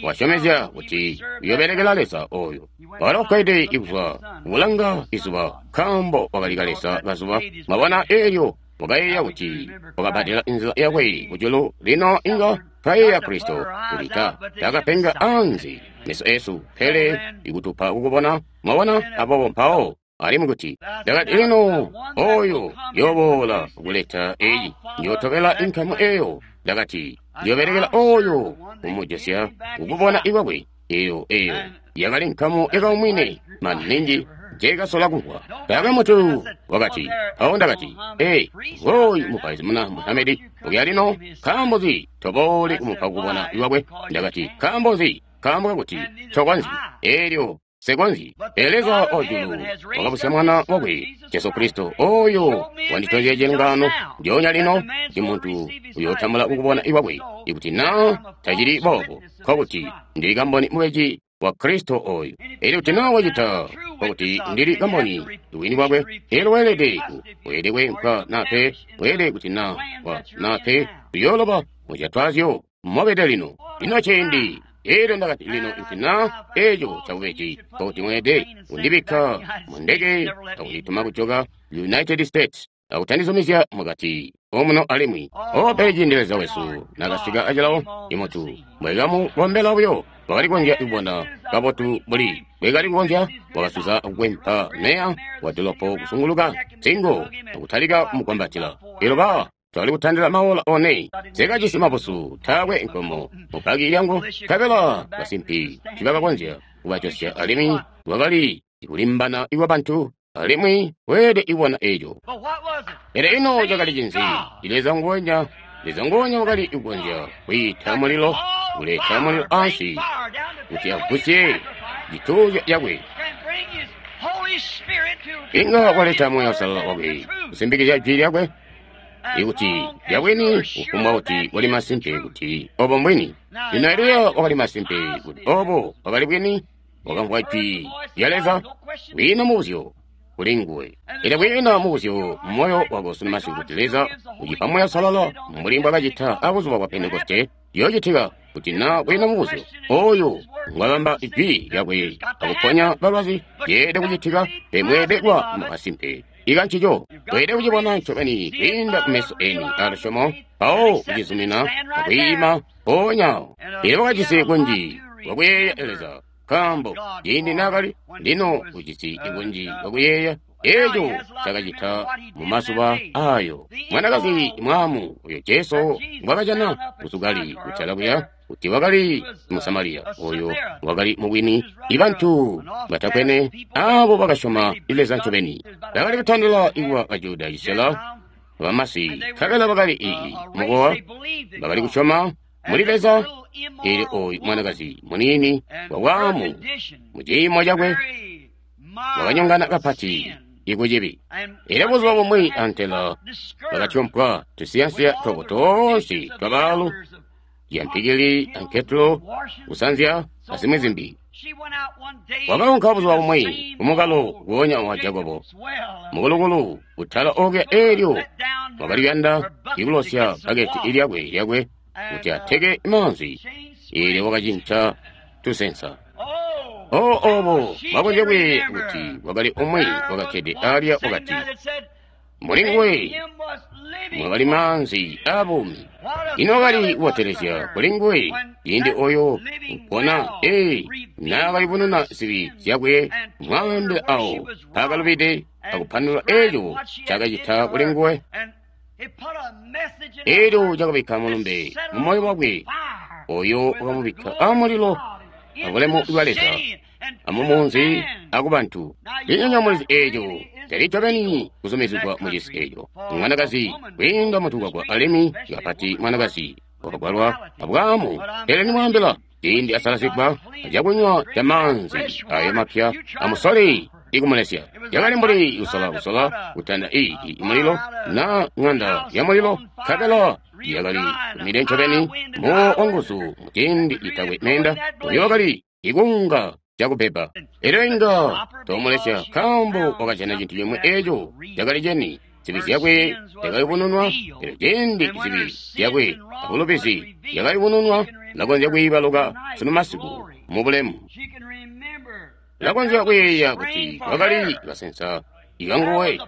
wasyomezya kuti uyobelekela Leza oyo walo ukkede kuzwa kulanga izuba, nkaambo wakali kaleza kazuba. Mwabona, eelyo wakayeeya kuti wakabbadela nzila yakwe kujulu. Lino inga twayeeya Kristo kuti ta takapenga anze meso esu, pele ikutupa kukubona. Mwabona, aboobo mpawo alimwi kuti ndakati, lino oyo yoboola kuleta eyi njotobela inkamu eyo. Ndakati njobelekela oyo kumujosya kukubona ikwakwe. Eyo eyo yakali nkamu yakaumwine maningi njekasola kumvwa. Taakwe muntu wakati. Mpawo ndakati, ee, ngooyu mupaizi muna Muhamedi okuya lino, nkaambo nzi tobooli kumupa kukubona ikwakwe? Ndakati, nkaambo nzi? Nkaambo kakuti tokonzyi. Eelyo sekonzyi. Pele Leza wajulu wakabusya Mwana wakwe Jesu Kristo, oyo wanditondezya cilengaano ndyoonya lino kuti muntu uyootambula kukubona ikwakwe. Ikuti na tacili boobo, nkokuti ndili kamboni mubeji wa Kristo oyu. Elyo kuti na wacita kwakuti ndili kamboni wini bwakwe, elyo weelede ku weelede kweempwa na pe, weelede kuti na wa na pe tuyooloba muzyatwazyo mobede lino. Lino ciindi elyo ndakati lino kuti na eco cabubeji kwakuti mweelede kundibikka mu ndeke akundituma kujoka United States akutandizumizya mukati omuno alimwi. O pele ciindi Leza wesu nakasika acilawo imutu mwekamubombela buyo wakali kukonzya kubona kabotu buli bwekali kukonzya wakasuza kukwempa meya wa dolopo kusunguluka nsingo akutalika kumukwambatila. Elyo ba twali kutandila maola one sekajisi mabusu taakwe nkomo mupaki lyangu nkabela basimpi tibakakonzya kubajosya alimwi lwakali kulimbana kwa bantu alimwi weelede ibona eco. Pele ino cakali cinzi? Leza nguwenya, Leza nguwenya wakali kukonzya kwiita mulilo, kuleta mulilo ansi kuti agusye cituuzyo cakwe. Inga waleta Muuya Uusalala wakwe kusimbikizya jwi lyakwe ikuti lyabwini kufumbwa kuti wali masimpe kuti obo mbwini. Lino Eliya wakali masimpe kuti obo bwakali bwini, wakamvwa jwi lya Leza kwiina mubuzyo kuli nguwe. Elyo kwiina mubuzyo mumoyo wako sunu masiku kuti Leza ucipa Muuya Uusalala mbuli mbwakacita abuzuba bwa Pentekoste yoocitika kuti na kwiina mubuzyo oyu ngwabamba jwi lyakwe akuponya balwazi yeelede kucitika pe mweelede kuba masimpe ika ncico. Weelede kucibona ncobeni kwiinda kumeso eni alusyomo mpawo kucizumina akwiima mpoonya. Elyo wakajisi kunji kwakuyeeya Leza nkaambo ciindi naakali lino ujisi kunji kwakuyeeya eco cakacita mu mazuba ayo. Mwanakazi mwaamu oyo Jesu ngwakajana kusukali kutala kuya kuti wakali Musamaliya oyo wakali mubwini ibantu batakwene abo bakasyoma Leza ncobeni. Bakali kutandila ikuba Bajuda cisela bamasi nkabela bakali ii mukowa bakali kusyoma muli Leza. Elyo oyu mwanakazi muniini wabwaamu muciimo cakwe wakanyongana kapati ikucibi. Elyo buzuba bumwi antela bakatyompwa tusiyansiya twabo toonse twabaalu yampikili anketulo kusanzya azimwi zimbi. Wakaunka buzuba bumwi kumukalo nguonya wa Jakobo mukulukulu kutala okuya elyo wakali kuyanda ikulosya bbaketi lyakwe lyakwe kuti ateke maanzi. Elyo wakacinca tusensa. O obo bakonzya kuyeeya kuti wakali umwi wakakkede alya wakati muli nguwe mwakali maanzi aabuumi. Ino wakali kubotelezya kuli nguwe ciindi oyo mpona ee naakayubununa zibi zyakwe mwaambila awo mpaakalubide akupandulula eco cakacita kuli nguwe. Elyo cakabikka mulumbe mu moyo wakwe oyo wakamubikka amulilo abulemu bwa Leza amumunzi akubantu. Linyonyomo mulizi eco tali ncobeni kuzumizigwa mucisi eco. Mwanakazi kwiinda mutukwakwa alimwi kapati mwanakazi wakagwalwa abwaamu. Pele nimwaambila ciindi asalazigwa acakunywa ca maanzi ayo mapya amusole ikumulesya. Yakali mbuli kusola kusola kutanda ii mulilo na ng'anda ya mulilo nkabela yakali kumide ncobeni muwo wanguzu muciindi itakwe menda uyo wakali ikunga cakubeba. Elyo inga tomulesya nkaambo wakajana cintu cimwe eco cakali ceni. Zibi zyakwe zyakayubununwa. Elyo ciindi zibi zyakwe abulubizi zyakayubununwa lakonzya kwiibaluka sunu masiku mu bulemu. Lakonzya kuyeeya kuti kwakali kasensa ikanguwe,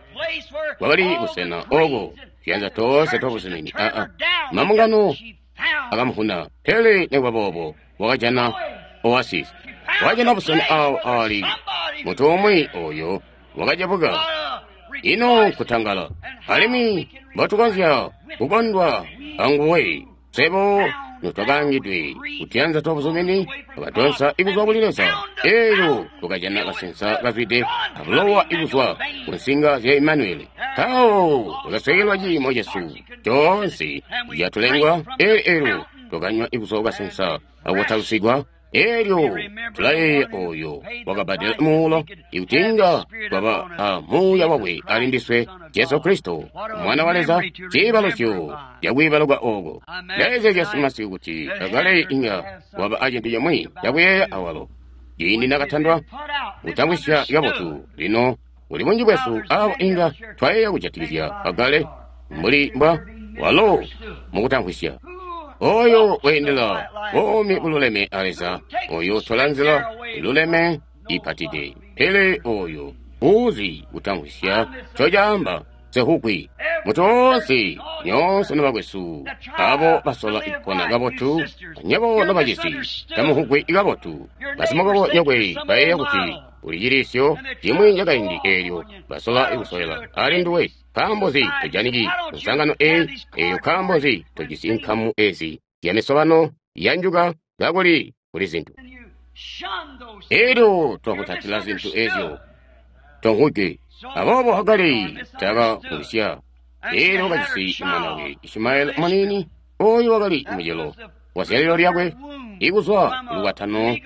kwakali kusena oko tuyanza toonse twabuzumini aa mambungano akamuvuna. Pele nikuba boobo wakajana oasis, wakajana busena awo aali mutu umwi oyo wakajabuka. Ino nkutangala alimwi mbotukonzya kukondwa anguwe swebo notwakaangidwe kutuyanza twabuzumini twakatonsa ikuzwa kuli Leza. Elyo tukajana kasensa kazwide abulowa ikuzwa ku nsinga zya Imanueli. Mpawo tukaswekelwa ciimo cesu coonse catulengwa. Elyo elyo tukanywa ikuzwa kukasensa akutalusigwa. Elyo tulayeeya oyo wakabbadela muulo ikuti inga twaba a Muuya wakwe ali ndiswe, Jesu Kristo Mwana wa Leza, ciibalusyo cakwiibaluka oko. Ndayeezezya masiku kuti akale inga waba acintu cimwi cakuyeeya awalo. Ciindi nakatandwa kutamvwisya kabotu. Lino kuli bunji bwesu abo inga twayeeya kujatikizya Hagare mbuli mbwa walo mukutamvwisya. Oyo weendela buumi bululeme a Leza, oyo utola nzila iluleme ipatide. Pele oyo uzi kutamvwisya ncocaamba sehukwi. Mutu woonse nyoonse nobakwesu abo basola kupona kabotu, nyebo nobacisi tamuhukwi kabotu. Basimukobo nyokwe bayeeya kuti uli cilisyo cimwi cakaindi eelyo basola kusolela ali nduwe. Nkaambo nzi tojaniki nsangano eyi eyo? Nkaambo nzi tojisi nkamu ezi zya misobano yanjuka kakuli kuli zintu elyo twakutatila zintu ezyo tonkuke. Aboobo Hagare takamvwisya. Elyo wakajisi mwana we Ishimaeli muniini, oyo wakali mucelo wa zyalilo lyakwe ikuzwa lukwatano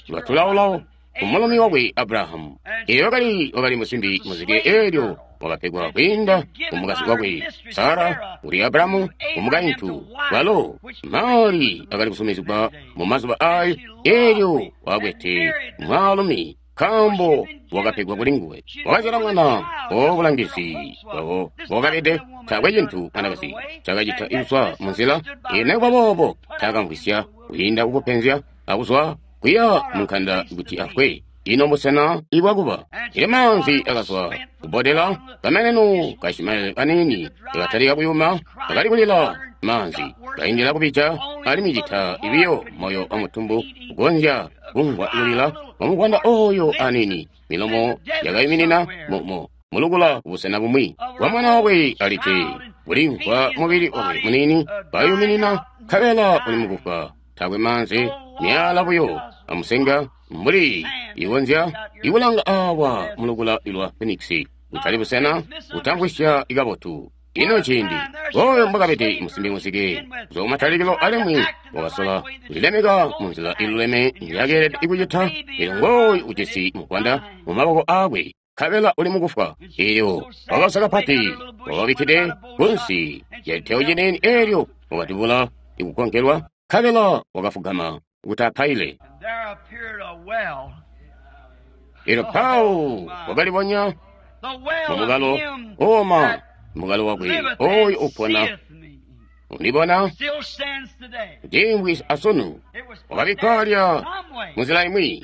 lwa tulaolao kumulumi wakwe Abrahamu. Elyo wakali wakali musimbi muzike, elyo wakapegwa kwiinda kumukazi wakwe Sara kuli Abrahamu kumukaintu walo mali akali kusumizigwa mu mazuba ayo. Elyo wakwete mwaalumi nkaambo wakapegwa kuli nguwe. Wakazyala mwana wobulangizi bwabo wakabede taakwe cintu mwanakazi cakacita ikuzwa munzila. Nekuba boobo taakamvwisya kwiinda kukupenzya akuzwa kuya munkanda kuti afwe. Ino busena ibwakuba ile maanzi akazwa kubodela kameneno ka Ishimaeli kaniini katalika kuyuma, kakali kulila maanzi kaindila kubija, alimwi cita ibiyo moyo wa mutumbu kugonzya kumvwa kulila wamuvwanda oyo anini. Milomo yakayuminina momo mulukula kubusena bumwi wa mwana wakwe alike kulimvwa mubili wakwe munini kayuminina, nkabela uli mukufa taakwe maanzi, myala buyo amusenga mbuli ikonzya ikulanga awa mulukula lwa Phoenix kutali busena kutamvwisya ikabotu. Ino ciindi oyo mbwakabede musimbi muzike kuzwa kumatalikilo, alimwi wakasola kulilemeka munzila iluleme njakeelede kucita. Elyo ngooyu ujisi muvwanda mu maboko aakwe, nkabela uli mukufwa. Elyo wakausa kapati, wakabikkide kunsi lyacitewo ciniini, elyo wakatubula ikugonkelwa, nkabela wakafugama kuti apaile. Elyo Paulo wakalibonya mumukalo oma mukalo wakwe oyo upona undibona ujingwi asunu wakabikkwa lya munzila imwi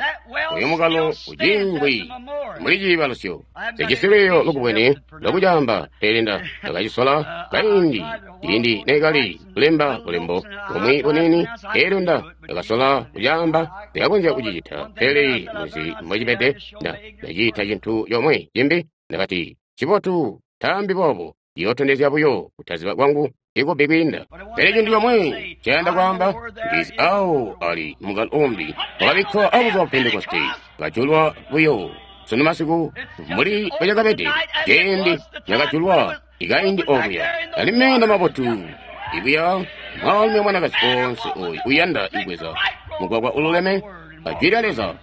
oyo mukalo ujingwi muli ciibalusyo. Sijisi lwiiyo lukubwene lwakucaamba, pele nda ndakacisola kaindi ciindi neekali kulemba bulembo bumwi buniini. Elyo nda ndakasola kucaamba, ndakakonzya kucicita, pele muzi mbocibede nda ndaciita cintu comwe cimbi. Ndakati cibotu taambi boobo, iyootondezya buyo kutaziba kwangu ikubbi kwiinda. Pele cintu comwe cayanda kwaamba ndizi awo ali mukalo umbi wakabikkwa abuzuba bwa Pentekoste, kajulwa buyo sunu masiku mbuli bwecakabede ciindi cakajulwa ikaindi okuya. Ali meenda mabotu ibuya mwaalumi amwanakazi onse oyu uyanda ibweza mugwagwa ululeme ajwi lya Leza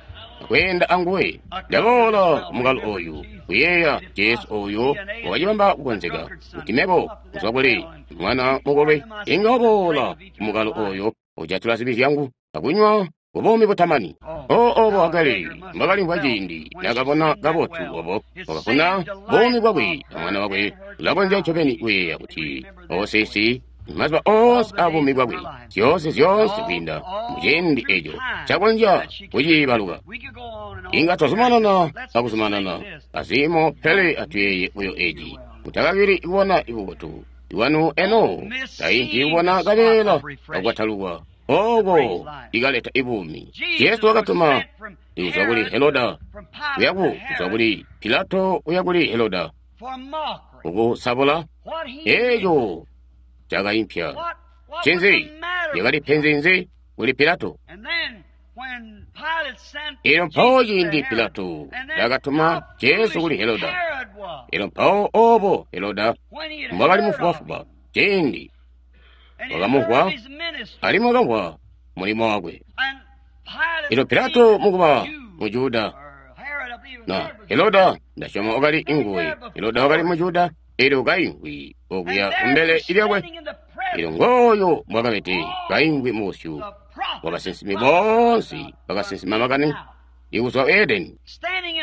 akweenda anguwe. Ndaboola kumukalo oyu kuyeeya Jesu oyo wakacibamba kukonzeka kuti mebo kuzwa kuli mwana mukolwe inga waboola kumukalo oyo ujatula zibi zyangu akunywa kubuumi butamani. O obo Hagare mbwakalimvwa ciindi nakabona kabotu obo wakafuna buumi bwakwe amwana wakwe. Ulakonzya ncobeni kuyeeya kuti osesi mazuba oonse abuumi bwakwe zyoonse zyoonse kwiinda muciindi eco cakonzya kuciibaluka. Inga twazumanana akuzumanana azimo, pele atuyeeye buyo eci. Mutakakili kubona ibubotu iwanu eno tainki kubona kabeela kakwatalukwa oko ikaleta ibuumi. Jesu wakatuma kuzwa kuli Heroda kuyaku kuzwa kuli Pilato kuya kuli Heroda kukusabula eco cakaimpya. Ncinzi lyakali penzi nzi kuli Pilato? Elyo mpawo ciindi Pilato nakatuma Jesu kuli Heroda, elyo mpawo obo Heroda mbwakali mufubafuba ciindi wakamumvwa alimwi wakamvwa mulimo wakwe. Elyo Pilato mukuba Mujuda na Heroda ndasyoma wakali inguwe. Heroda wakali Mujuda, elyo kaingwi okuya kumbele lyakwe. Elyo ngooyo mbwakabede kaingwi mubusyu bwa basinsimi boonse bakasinsima makani Ikuzwa Edeni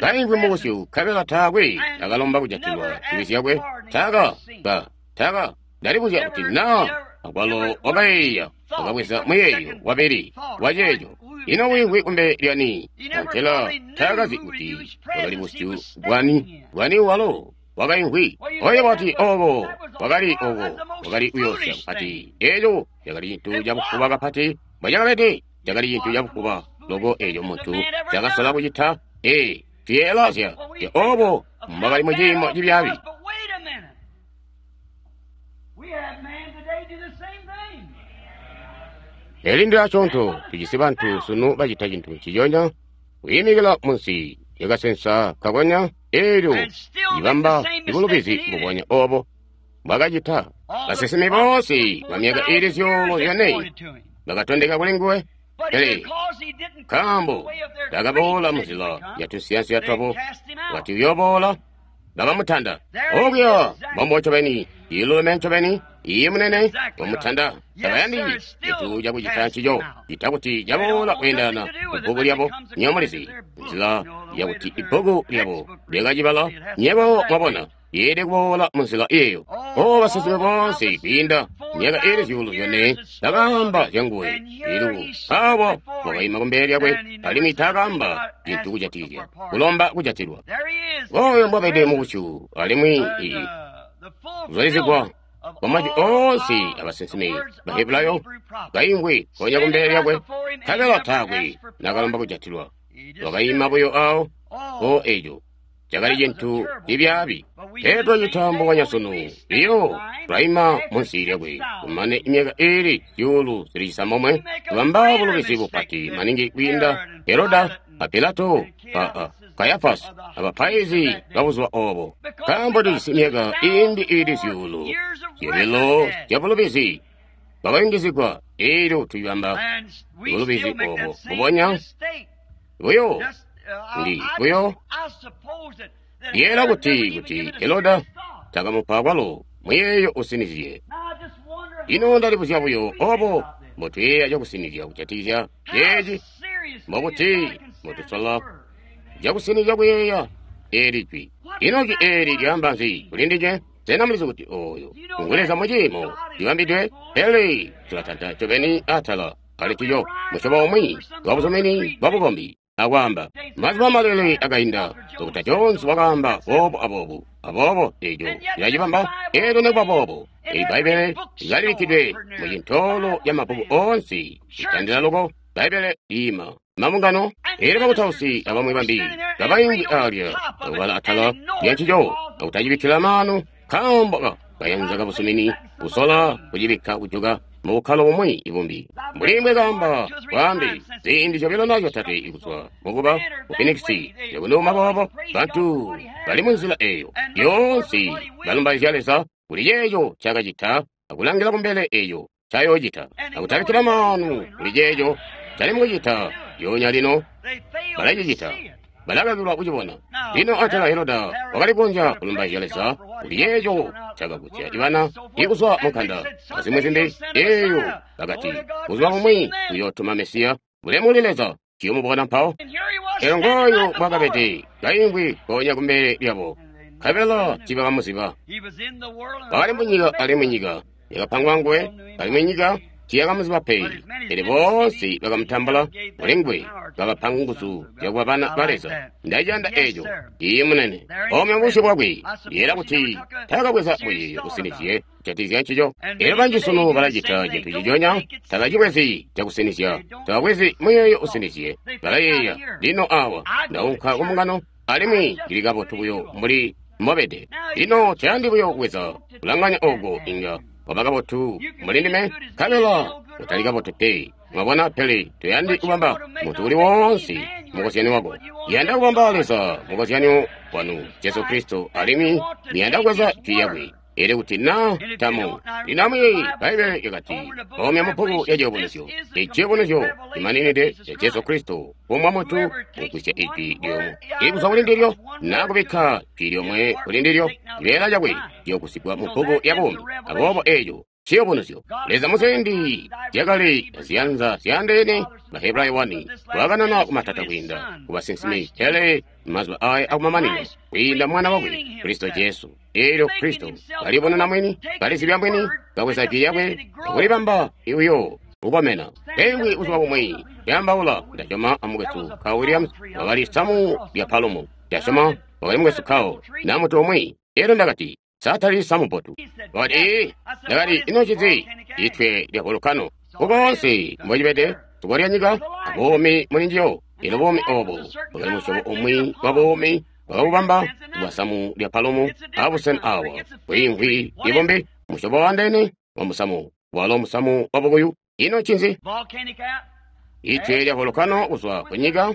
kaimvwi mubusyu nkabela taakwe akalomba kujatilwa zibi zyakwe. Taka ba taka ndalibuzya kuti na akwalo wakayeeya wakabweza muyeeyo wabili waceeco. Ino wiimvwi kumbele lyani? Antela taakazi kuti wakali busyu bwani bwani walo wakaimvwi. Oyo wati obo wakali obo wakali kuyoosya kapati. Eeco cakali cintu cabufuba kapati mbwacakabede. Cakali cintu cabufuba loko eeco muntu cakasola kucita. Ee, tuyeelazya obo mbwakali mu ciimo cibyaabi. Eli ndilachonto tujisi bantu sunu bacita cintu nciconya, kuyimikila munsi lyakasensa kakonya eelyo libamba ibulubizi mbubonya obo bwakacita. Basinsimi boonse ba myaka iili zyuulu zyone bakatondeka kuli nguwe, pele nkaambo takaboola munzila ya tunsiyansiya twabo, wakati uyooboola, bakamutanda. Okuya mbombo ncobeni, ilulume ncobeni, iye munene wamutanda. Tabayandi cintu cakucita ncico, cita kuti caboola kweendana kubbuku lyabo. Nywebo mulizi nzila yakuti ibbuku lyabo lyakacibala. Nywebo mwabona, yeelede kuboola munzila eeyo. O basinsimi boonse kwiinda myaka iili zyuulu zyone bakaamba zyanguwe. Ilu awa wakaima kumbele lyakwe, alimwi taakaamba cintu kujatikizya kulomba kujatilwa. Oyo mbwabede mubusyu, alimwi kuzulizigwa kwa majwi oonse abasinsimi Bahebulayo kaimvwi konya kumbele lyakwe, nkabela taakwe nakalomba kujatilwa. Wakaima buyo awo. O eco cakali cintu cibyaabi. Petro cita mbubonya sunu. Iyo tulaima munsi lyakwe kumane imyaka iili zyuulu zili cisambomwe, tubamba bulubizi bupati maningi kwiinda Heroda a Pilato a Kayafasi abapaizi babuzuba obo, nkaambo tujisi myaka iimbi iili zyuulu zyobilo zya bulubizi bwakayungizigwa. Eelyo tuyibamba bulubizi obo mbubonya buyo. Ndi buyo yeela kuti kuti Heroda takamupa kwalo muyeeyo usinizye. Ino ndalibuzya buyo obo mbotuyeeya cakusinizya kujatikizya ceeci, mbokuti mbotusola cakusinizya kuyeeya eeli jwi. Ino jwi eeli lyaamba nzi kuli ndinywe? Sena mulizi kuti oyo ngu Leza mu ciimo cibambidwe? Pele tulatanta ncobeni atala ali ncico musyobo umwi wabuzumini bwabukombi akwaamba mazuba malele akainda. Dokota Jones wakaamba boobo aboobo aboobo, eco cilacibamba. Eelyo nekuba boobo, eyi Bbaibbele lyalibikkidwe mu cintoolo ca mabbuku oonse kutandila loko. Bbaibbele liima mabungano. Eelyo bakutausi abamwi bambi kabaimvwi alya akubala atala lya ncico akutacibikkila maanu, nkaambo ka kayanza kabuzumini kusola kucibikka kujuka mubukkalo bumwi ibumbi. Mbuli mbwe kaamba bwaambe ziindi zyobilo na zyotatwe ikuzwa mukuba ku Phoenix yakunuma boobo, bantu bali munzila eyo yoonse balumbaizya Leza kuli ceeco cakacita akulangila kumbele eyo cayoocita, akutabikkila maanu kuli ceeco cali mukucita lyoonya lino. Balacicita, balakakilwa kucibona. Lino atala Heroda wakali kukonzya kulumbaizya Leza kuli ceeco cakagusya ibana ikuzwa munkanda azimwi zimbi. Eeyo bakati buzuba bumwi uyootuma Mesiya. Bulemu kuli Leza, ciyomubona mpawo. Elyo ngooyo bwakabede kaimvwi konya kumbele lyabo, nkabela tiibakamuziba. Wakali munyika, alimwi nyika yakapangwa nguwe, alimwi nyika tiyakamuziba pe. Pele boonse bakamutambula kuli nguwe, kabapa nguzu zyakuba bana ba Leza. Ndaciyanda eco. Iye munene. Omwe mubusyu bwakwe yeela kuti taakabweza muyeeyo usinizye kujatikizya ncico. Eelyo banji sunu balacita cintu ciconya, tabacibwezi cakusinizya, tababwezi muyeeyo usinizye. Balayeeya, lino awa ndaunka kumbungano alimwi ndili kabotu buyo mbuli mbobede. Lino tayandi buyo kubweza kulanganya oko, inga waba kabotu mbuli ndime, nkabela utali kabotu pe. Mwabona? Pele toyandi kubamba muntu uli woonse mukozyani wako. Yanda kubamba Leza mukozyani wanu, Jesu Kristo, alimwi muyanda kubweza jwi lyakwe. Elyo kuti na tamu lino amuyeeye, Bbaibbele lyakati omya mubbuku ya Ciyubunuzyo, iciyubunuzyo cimaninide ca Jesu Kristo, kumwa muntu kugwisya ijwi lyomwe ikuzwa kuli ndilyo na kubikka jwi lyomwe kuli ndilyo, cibeela cakwe ciyogusigwa mu bbuku ya buumi. Aboobo eco ciyubunuzyo. Leza muziindi zyakale aziyanza zyaandeene Bahebrayo wani, wakanana kumatata kwiinda ku basinsimi, pele mazuba aya akumamanino kwiinda mwana wakwe Kristo Jesu. Elyo Kristo kalibonena mwini, kalizibya mwini, kabweza jwi lyakwe akulibamba uyo kukomena. Pengwi buzuba bumwi lyambaula, ndasyoma amukwesu Carl Williams, wakali samu lya palumu, ndasyoma wakali mukwesu Carl na mutu umwi. Elyo ndakati, satali samu bbotu. Wakati, ee, ndakati, ino ncinzi? Itwe lya volcano. Kukoonse mbocibede, zuba lya nyika, abuumi muli njiyo. Ino buumi obo bwakali musyobo umwi wa buumi bwakabubamba bwa samu lya palumu abusena awa bwiimvwi ibombe, musyobo wandene wa musamu, walo musamu wa bukuyu. Ino ncinzi? Itwe lya volcano kuzwa ku nyika,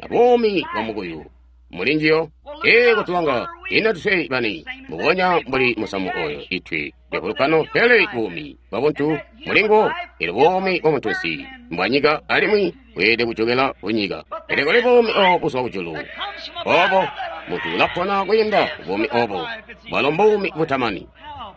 abuumi bwa mukuyu muli njiyo. Ee, kutulanga ino tuswe bani mbubonya mbuli musamu oyo itwe lya volcano, pele buumi bwa buntu mulingo. Elyo buumi bwa muntunsi mbwa nyika alimwi bweelede kujokela ku nyika. Pele kuli buumi obo buzwa kujulu, obo muntu ulapona kwiinda buumi obo, bwalo mbuumi butamani.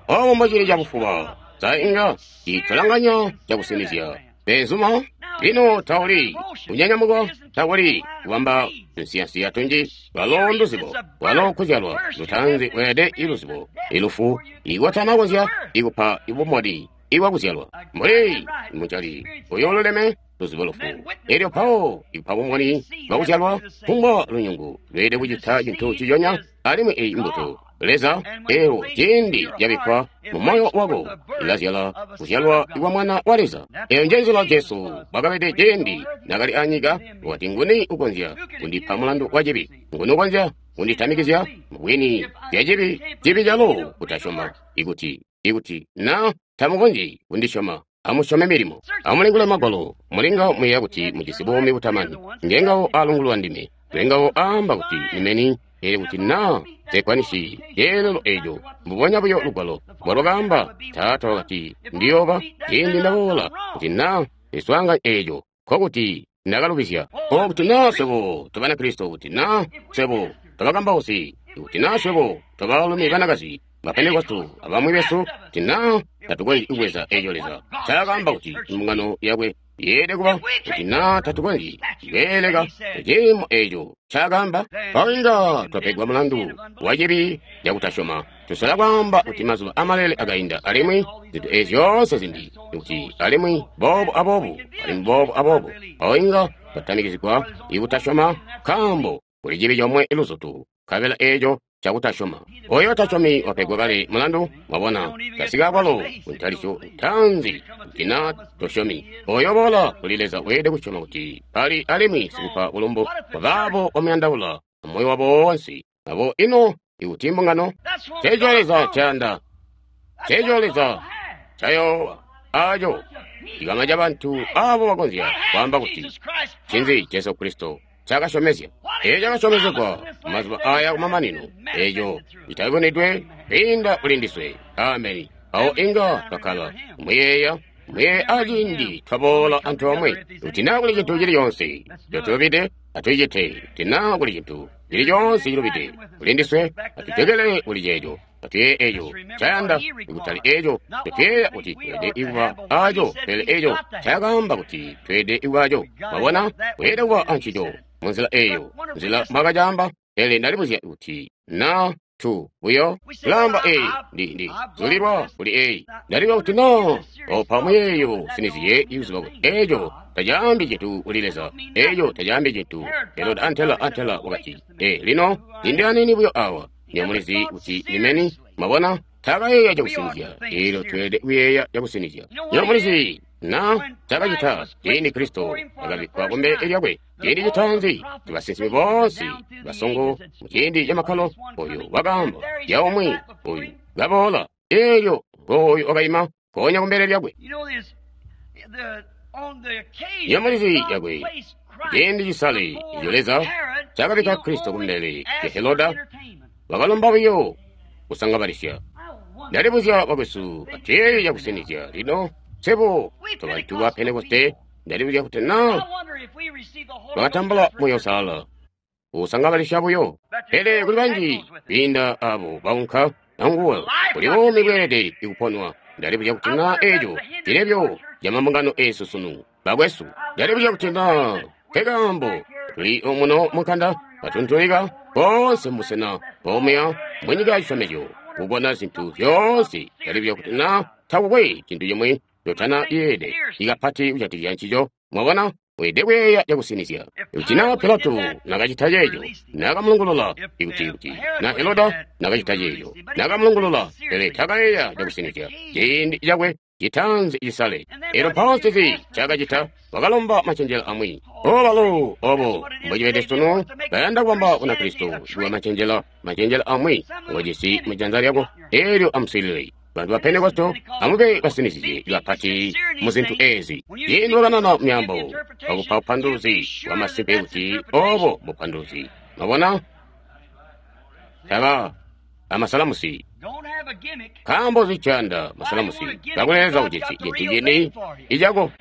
Obo mbocili cabufuba, sa inga citulanganya cakusinizya beenzuma. Lino tauli kunyanyamuka, takuli kubamba nsiyansiya tunji, lwalo nduzibo, lwalo kuzyalwa lutaanzi lweelede iluzibo ilufu ikwatanakonzya ikupa ibumodi iwakuzyalwa mbuli mucali uyo ululeme luzibo lufu. Elyo mpawo ikupa bumoni bwakuzyalwa kumbwa lunyungu lweelede kucita cintu ciconya, alimwi eyi mbuto Leza eyo ciindi yabikkwa mu moyo wako ilazyala kuzyalwa kwa mwana wa Leza. Eyo nje nzila Jesu bwakabede ciindi nakali anyika, wakati, nguni ukonzya kundipa mulandu wa cibi? Nguni ukonzya kunditamikizya mubwini zya cibi? Cibi calo kutasyoma. Ikuti ikuti na tamukonzyi kundisyoma, amusyome milimo. Amulingule Magwalo, mulinga muyeeya kuti mujisi buumi butamani. Ngengawo alungulwa ndime, ngengawo aamba kuti nimeni. Elyo kuti na zekwanisi ceelelo eco, mbubonya buyo lugwalo mbwalwakaamba, Taata wakati ndiyooba ciindi ndaboola, kuti na ziswaanga eco, nkokuti ndakalubizya. O kuti na swebo tobanakristo, kuti na swebo tobakambausi, kuti na swebo tobaalumi banakazi ba Pentekoste abamwi besu, kuti na tatukonzyi kubweza eco Leza ncaakaamba kuti mbungano yakwe yeelede kuba, kuti na tatukonzyi kweeleka ciimo eco ncaakaamba, mpawo inga twapegwa mulandu wa cibi cakutasyoma. Tusola kwaamba kuti mazuba amalele akainda, alimwi zintu ezi zyoonse zimbi, kuti alimwi boobu aboobu, alimwi boobu aboobu, mpawo inga twatamikizigwa ikutasyoma, nkaambo kuli cibi comwe luzutu, nkabela eco cakutasyoma. Oyo tasyomi wapegwa kale mulandu, mwabona, tasika kwalo kuntalisyo ntaanzi kuti na tosyomi. Oyo boola kuli Leza weelede kusyoma kuti pali alimwi sikupa bulumbu kwa baabo bamuyandaula amoyo wabo woonse. Abo ino ikuti mbungano, ceeco Leza ncayanda, ceeco Leza ncayoowa, aco cikama ca bantu abo bakonzya kwaamba kuti ncinzi Jesu Kristo cakasyomezya. Eco cakasyomezegwa mazuba aya kumamanino, eco citabonedwe kwiinda kuli ndiswe. Ameni. Awo inga twakkala muyeeya muyeeya aciindi twaboola antoomwe, kuti naa kuli cintu cili coonse cotulubide, atucite. Kuti naa kuli cintu cili coonse cilubide kuli ndiswe, atujokele kuli ceeco. Atuyeeye eco ncayanda, ikutali eco tutuyeeya kuti tweelede kuba aco, pele eco ncakaamba kuti tweelede kuba aco. Mwabona, weelede kuba ancico munzila eyo, nzila mbwakacaamba. Pele ndalibuzya kuti na tu buyo kulamba eyi ndi ndi zulilwa kuli eyi ndalibwa kuti na opa muyeeyo siniziye ikuziba kuti eco tacaambi cintu kuli Leza, eco tacaambi cintu. Herode antela antela wakati, e lino lindi anini buyo awa nyamulizi kuti nimeni. Mwabona, takayeeya cakusinizya. Elyo tweelede kuyeeya cakusinizya. Nyamulizi na cakacita ciindi Kristo akabikkwa kumbele lyakwe ciindi citaanzi, basinsimi boonse basongo muciindi camakkalo, oyo wakaamba ya umwi oyu kaboola, elyo ngooyu wakaima mpoonya kumbele lyakwe. Nyamulizi yakwe ciindi cisale eco Leza cakabikka Kristo kumbele lya Heroda, wakalomba buyo kusangabalisya. Ndalibuzya bakwesu atuyeeye cakusinizya lino. Sebo tobantu ba Pentekoste, ndalibuzya kuti na bakatambula Muuya Uusalala usangabalisya buyo. Pele kuli banji kwiinda abo baunka anguwe, kuli buumi bweelede kuponwa. Ndalibuzya kuti na eco cilebyo ca mambungano eesu sunu. Bakwesu, ndalibuzya kuti na nkekaambo tuli omuno munkanda katuntulika boonse mubusena bomuya munyika ya cisyomezyo kubona zintu zyoonse. Ndalibuzya kuti na takukwe cintu cimwi cotana yeede ikapati kujatikizya ncico. Mwabona, weelede kuyeeya cakusinizya. Ikuti na Pilato nakacita ceeco, nakamulungulula. Ikuti kuti na Heroda nakacita ceeco, nakamulungulula. Pele takayeeya cakusinizya ciindi cakwe citaanzi cisale. Elyo mpawo ncinzi ncaakacita? Wakalomba macenjela amwi. O balo, obo mbocibede sunu, bayanda kubamba Bunakristo kuba macenjela, macenjela amwi ngojisi mujanza lyako, elyo amuswiilile. Bantu ba Pentekosto, amube basinizizye kapati mu zintu ezi. Ciindi wakanana myaambo, wakupa bupanduluzi bwa masimpe kuti obo bupanduluzi. Mwabona? Taba amasalamusi. Nkaambo zicanda masalamusi kakuleza ujisi cintu cini icako.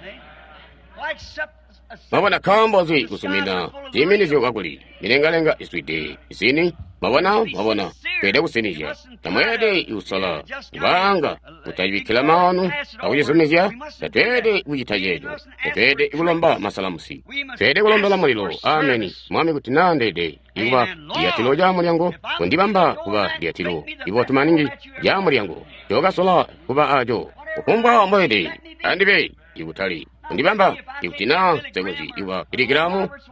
Mwabona, nkaambo nzi kusumina ciiminizyo kakuli milengalenga izwide zini? Mwabona, mwabona, tweelede kusinizya. Tamweelede kusola kubanga kutabikkila maanu akucizumizya. Tatweelede kucita ceeco. Tatweelede kulomba masalamusi. Tweelede kulombela mulilo. Ameni. Mwami, kuti naa ndeede ikuba lyatilo lya mulyango, kundibamba kuba lyatilo ibotu maningi lya mulyango njokasola kuba aco. Kufumbwa mbweelede andibe ikutali kundibamba ikuti naa nsekonzyi ikuba Billy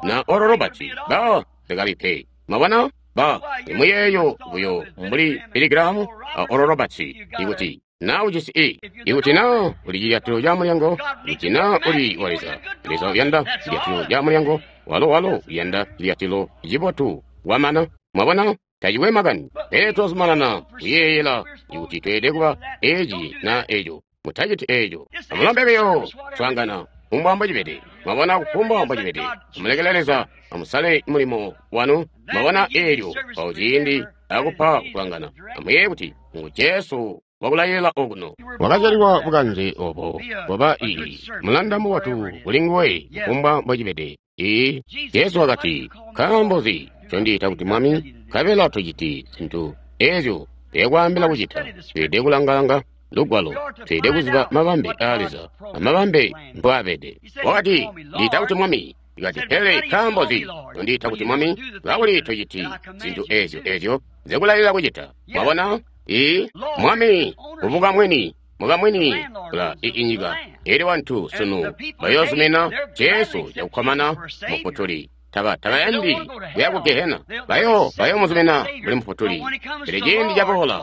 na Oral Roberts, ba sekabi pe. Mwabona? Ba imuyeeyo buyo mbuli Billy Graham a Oral Roberts. Ikuti naa ujisi i, ikuti naa uli cilyatilo ca mulyango, ikuti naa uli wa Leza, Leza uyanda cilyatilo ca mulyango, walo walo uyanda cilyatilo cibotu wamana. Mwabona? Tacikwe makani. Pele twazumanana kuyeeyela ikuti tweelede kuba eci na eco. Mutaciti eco. Amulombe buyo kuswaangana kufumbwa mbocibede. Mwabona, kufumbwa mbocibede. Amulekele Leza amusale mulimo wanu. Mwabona, eelyo mpawo ciindi akupa kuswaangana, amuyeeye kuti ngu Jesu wakulayilila okuno. Wakazyalilwa bukanze obo bwaba ii mulanda mubotu kuli nguwe kufumbwa mbocibede. Ii Jesu wakati, nkaambo nzi ncondiita kuti Mwami, nkabela tociti zintu ezyo nzekwaambila kucita? Tweelede kulangalanga Lugwalo, tweelede kuziba mabambe aa Leza amabambe mbwaabede. Wakati, ndiita kuti Mwami. Ikati, pele nkaambo nzi ncondiita kuti Mwami, kakuli tociti zintu ezyo ezyo nzekulayilila kucita? Mwabona? Ii Mwami kubuka mwini, mukamwini kula inyika. Elyo bantu sunu bayoozumina Jesu cakukkomana Mufutuli. Taba tabayandi kuya ku Gehena. Bayo bayoomuzumina mbuli Mufutuli. Pele ciindi caboola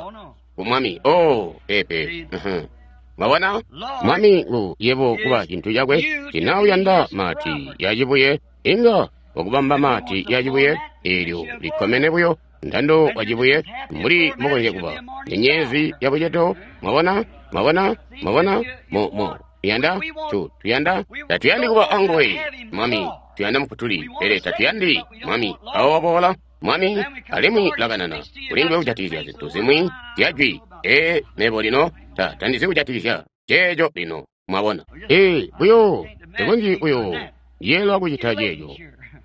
ku Mwami, oh, pepe. Mwabona? Mwami ngu yebo kuba cintu cakwe. Tina uyanda mati yacibuye, inga wakubamba mati yacibuye, eelyo likkomene buyo ndando wacibuye mbuli mukonzya kuba nyenyezi ya bucedo. Mwabona? Mwabona? Mwabona? Mo mo tuyanda tu tuyanda tatuyandi kuba anguwe Mwami, tuyanda Mufutuli, pele tatuyandi Mwami. Awo waboola Mwami alimwi lakanana kuli nduwe kujatikizya zintu zimwi zya jwi. Ee, mebo lino ta tandizi kujatikizya ceeco lino. Mwabona? Ee, buyo tekonzyi buyo yeelwa kucita ceeco.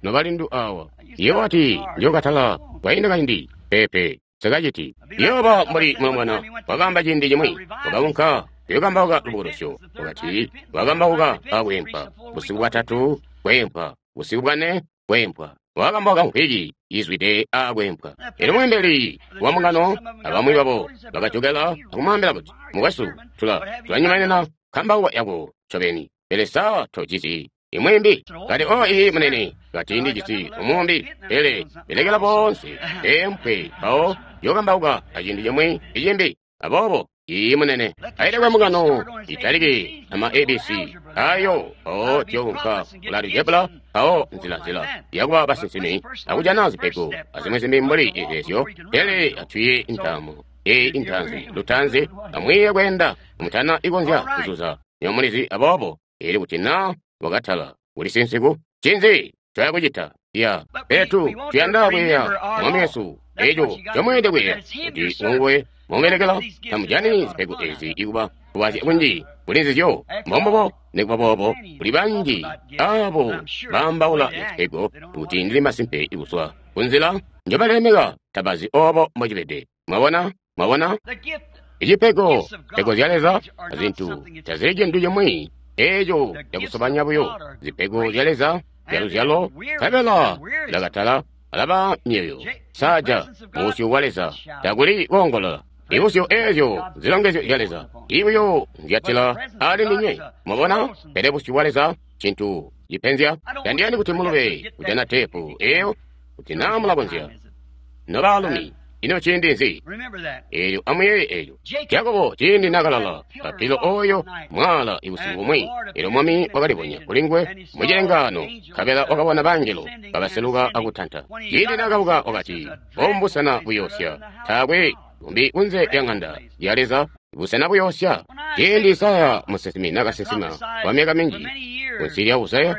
Nobalindu awa, yebo wati njokatala kwainda kaindi. Pepe, sekaciti. Yoba mbuli mulombwana wakaamba ciindi cimwi, wakaunka kuyokambauka lubukulusyo. Wakati wakambauka akweempwa busiku bwatatu, kweempwa busiku bwane, kweempwa. Wakambauka mvwiki izwide akweempwa. Elyo mweembeli wa mbungano abamwi babo bakajokela akumwaambila kuti, mukwesu, tula tulanyumanina kambauka yako ncobeni, pele sa tojisi imwimbi? Kati, o ii munene, kati ndijisi umumbi, pele belekela boonse beempwe mpawo yokambauka aciindi cimwi icimbi. Aboobo ii munene, ailekwe mbungano italike ama A B C ayo mpawo tyounka kula algebra, mpawo nzila-nzila yakuba basinsimi akujana zipego azimwi zimbi mbuli ezyo. Pele atwiye ntaamo eyi intaanzi lutaanzi, amwiiye kweenda mutana ikonzya kuzuza nyomulizi. Aboobo eli kuti na wakatala uli sinsiku, ncinzi ncoya kucita? Ya petu tuyanda kuyeeya Mwami Yesu. Eco ncomweelede kuyeeya kuti nguwe mubelekela. Tamujani zipego ezi ikuba kubazya kunji kuli nzizyo. Mbombobo nikuba boobo kuli banji abo baambaula zipego kuti ndili masimpe ikuzwa kunzila njobalemeka tabazi obo mbocibede. Mwabona? Mwabona? Icipego, pego zya Leza azintu tazili cintu cimwi Eeco cakusobanya buyo, zipego zya Leza zya luzyalo, nkabela lakatala alaba myoyo saja busyu bwa Leza takuli koongolola. Ibusyu eezyo zilongezyo zya Leza ibuyo nzyatila ali ndinywe. Mwabona? Pele busyu bwa Leza cintu cipenzya. Tandiyandi kuti mulube kujana teepu eyo kuti naa mulakonzya. Nobaalumi, ino ciindi nzi? Eelyo amuyeeye eelyo. Jakobo ciindi nakalala papilo oyo mwaala ibusiku bumwi, eelyo Mwami wakalibonya kuli nguwe mucilengaano, nkabela wakabona bangelo kabaseluka akutanta. Ciindi nakabuka wakati, "Obu mbusena buyoosya, taakwe bumbi kunze lya ŋanda ya Leza, busena buyoosya." Ciindi Isaya musinsimi nakasinsima kwa myaka minji kunsi lya Uzaya,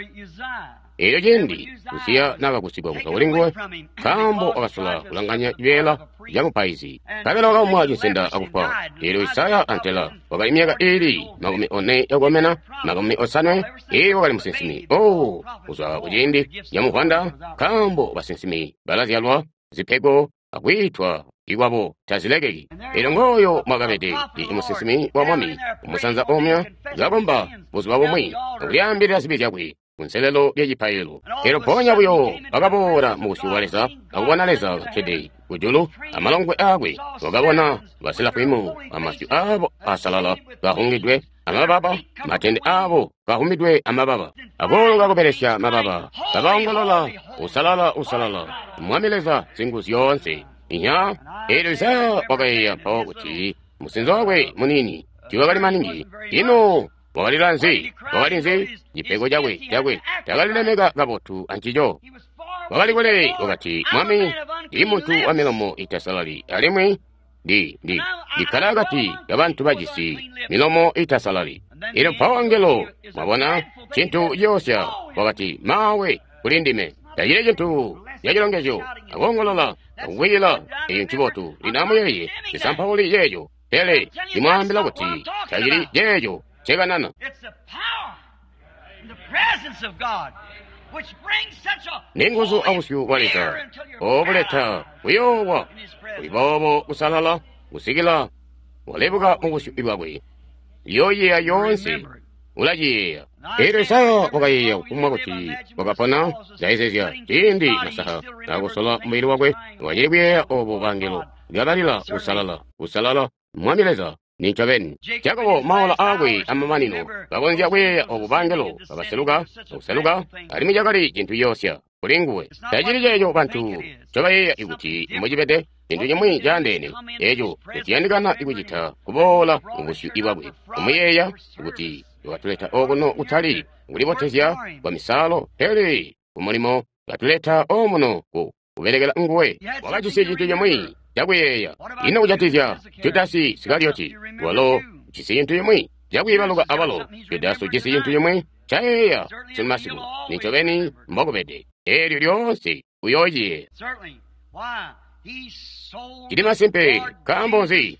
eelyo ciindi Uziya nakagusigwa kuzwa kuli nguwe, nkaambo wakasola kulanganya cibeela ca mupaizi, nkabela wakaumwa cinsenda akufwa. Eelyo Isaya antela wakali myaka iili makumi one yakukomena, makumi osanwe, eelyo wakali musinsimi. Oh, kuzwa kuciindi ca muvwanda, nkaambo basinsimi balazyalwa zipego akwiitwa ikwabo tazilekeki. Eelyo ngooyo mwakabede i musinsimi wa Mwami umusanza omya kakomba buzuba bumwi akulyaambilila zibi zyakwe kunselelo lyacipaililo. Eelyo mpoonya buyo wakaboola mu busyu bwa Leza akubona Leza kakkede kujulu amalongwe aakwe. Wakabona baserafimu amasyu aabo asalala kahungidwe amababa, matende aabo kahumidwe amababa, akooloka kubelesya mababa, kabaongolola, "Usalala, usalala, Mwami Leza Singuzyoonse." Inya, eelyo Isaya wakayeeya mpawo kuti musinzo wakwe muniini tiiwakali maningi. Ino wakalila nzi? Wakali nzi? Cipego cakwe cakwe takalilemeka kabotu ancico. Wakali kule, wakati, "Mwami, ndi muntu wa milomo itasalali, alimwi ndi ndi ndikkala akati kabantu bajisi milomo itasalali." Eelyo mpawo angelo, mwabona, cintu ciyoosya, wakati, "Mawe kuli ndime." Tacili cintu cacilongezyo akoongolola akukwiila, eyo ncibotu. Lino amuyeeye, ndisampauli ceeco, pele ndimwaambila kuti tacili ceeco ncekanana. Ninguzu abusyu bwa Leza obuleta kuyoowa kuli boobo kusalala kusikila walebuka mu busyu bwakwe. Yoyeeya yoonse ulaciyeeya. Eelyo Isaya wakayeeya kumwa kuti wakapona ndaizezya ciindi masaha nakusola mubili wakwe, wakacili kuyeeya obo bangelo kabalila, "Usalala, usalala, Mwami Leza." Nincobeni, Jakobo maola aakwe amamanino kakonzya kuyeeya obo bangelo kabaseluka akuseluka, alimwi cakali cintu ciyoosya kuli nguwe. Tacili ceeco bantu ncobayeeya kuti mbocibede, cintu cimwi caandeene eeco nciyandikana kucita kuboola mu busyu bwakwe, kumuyeeya kuti wakatuleta okuno kutali kulibotezya kwa misalo, pele kumulimo katuleta omuno ku kubelekela nguwe. Wakajisi cintu cimwi cakuyeeya. Ino kujatikizya Judasi Isikarioti? Walo ujisi cintu cimwi cakwiibaluka abalo. Judasi ujisi cintu cimwi cayeeya sunu masiku. Nincobeni mbokubede. Eelyo lyoonse uyoociyeeya. Cili masimpe. Nkaambo nzi?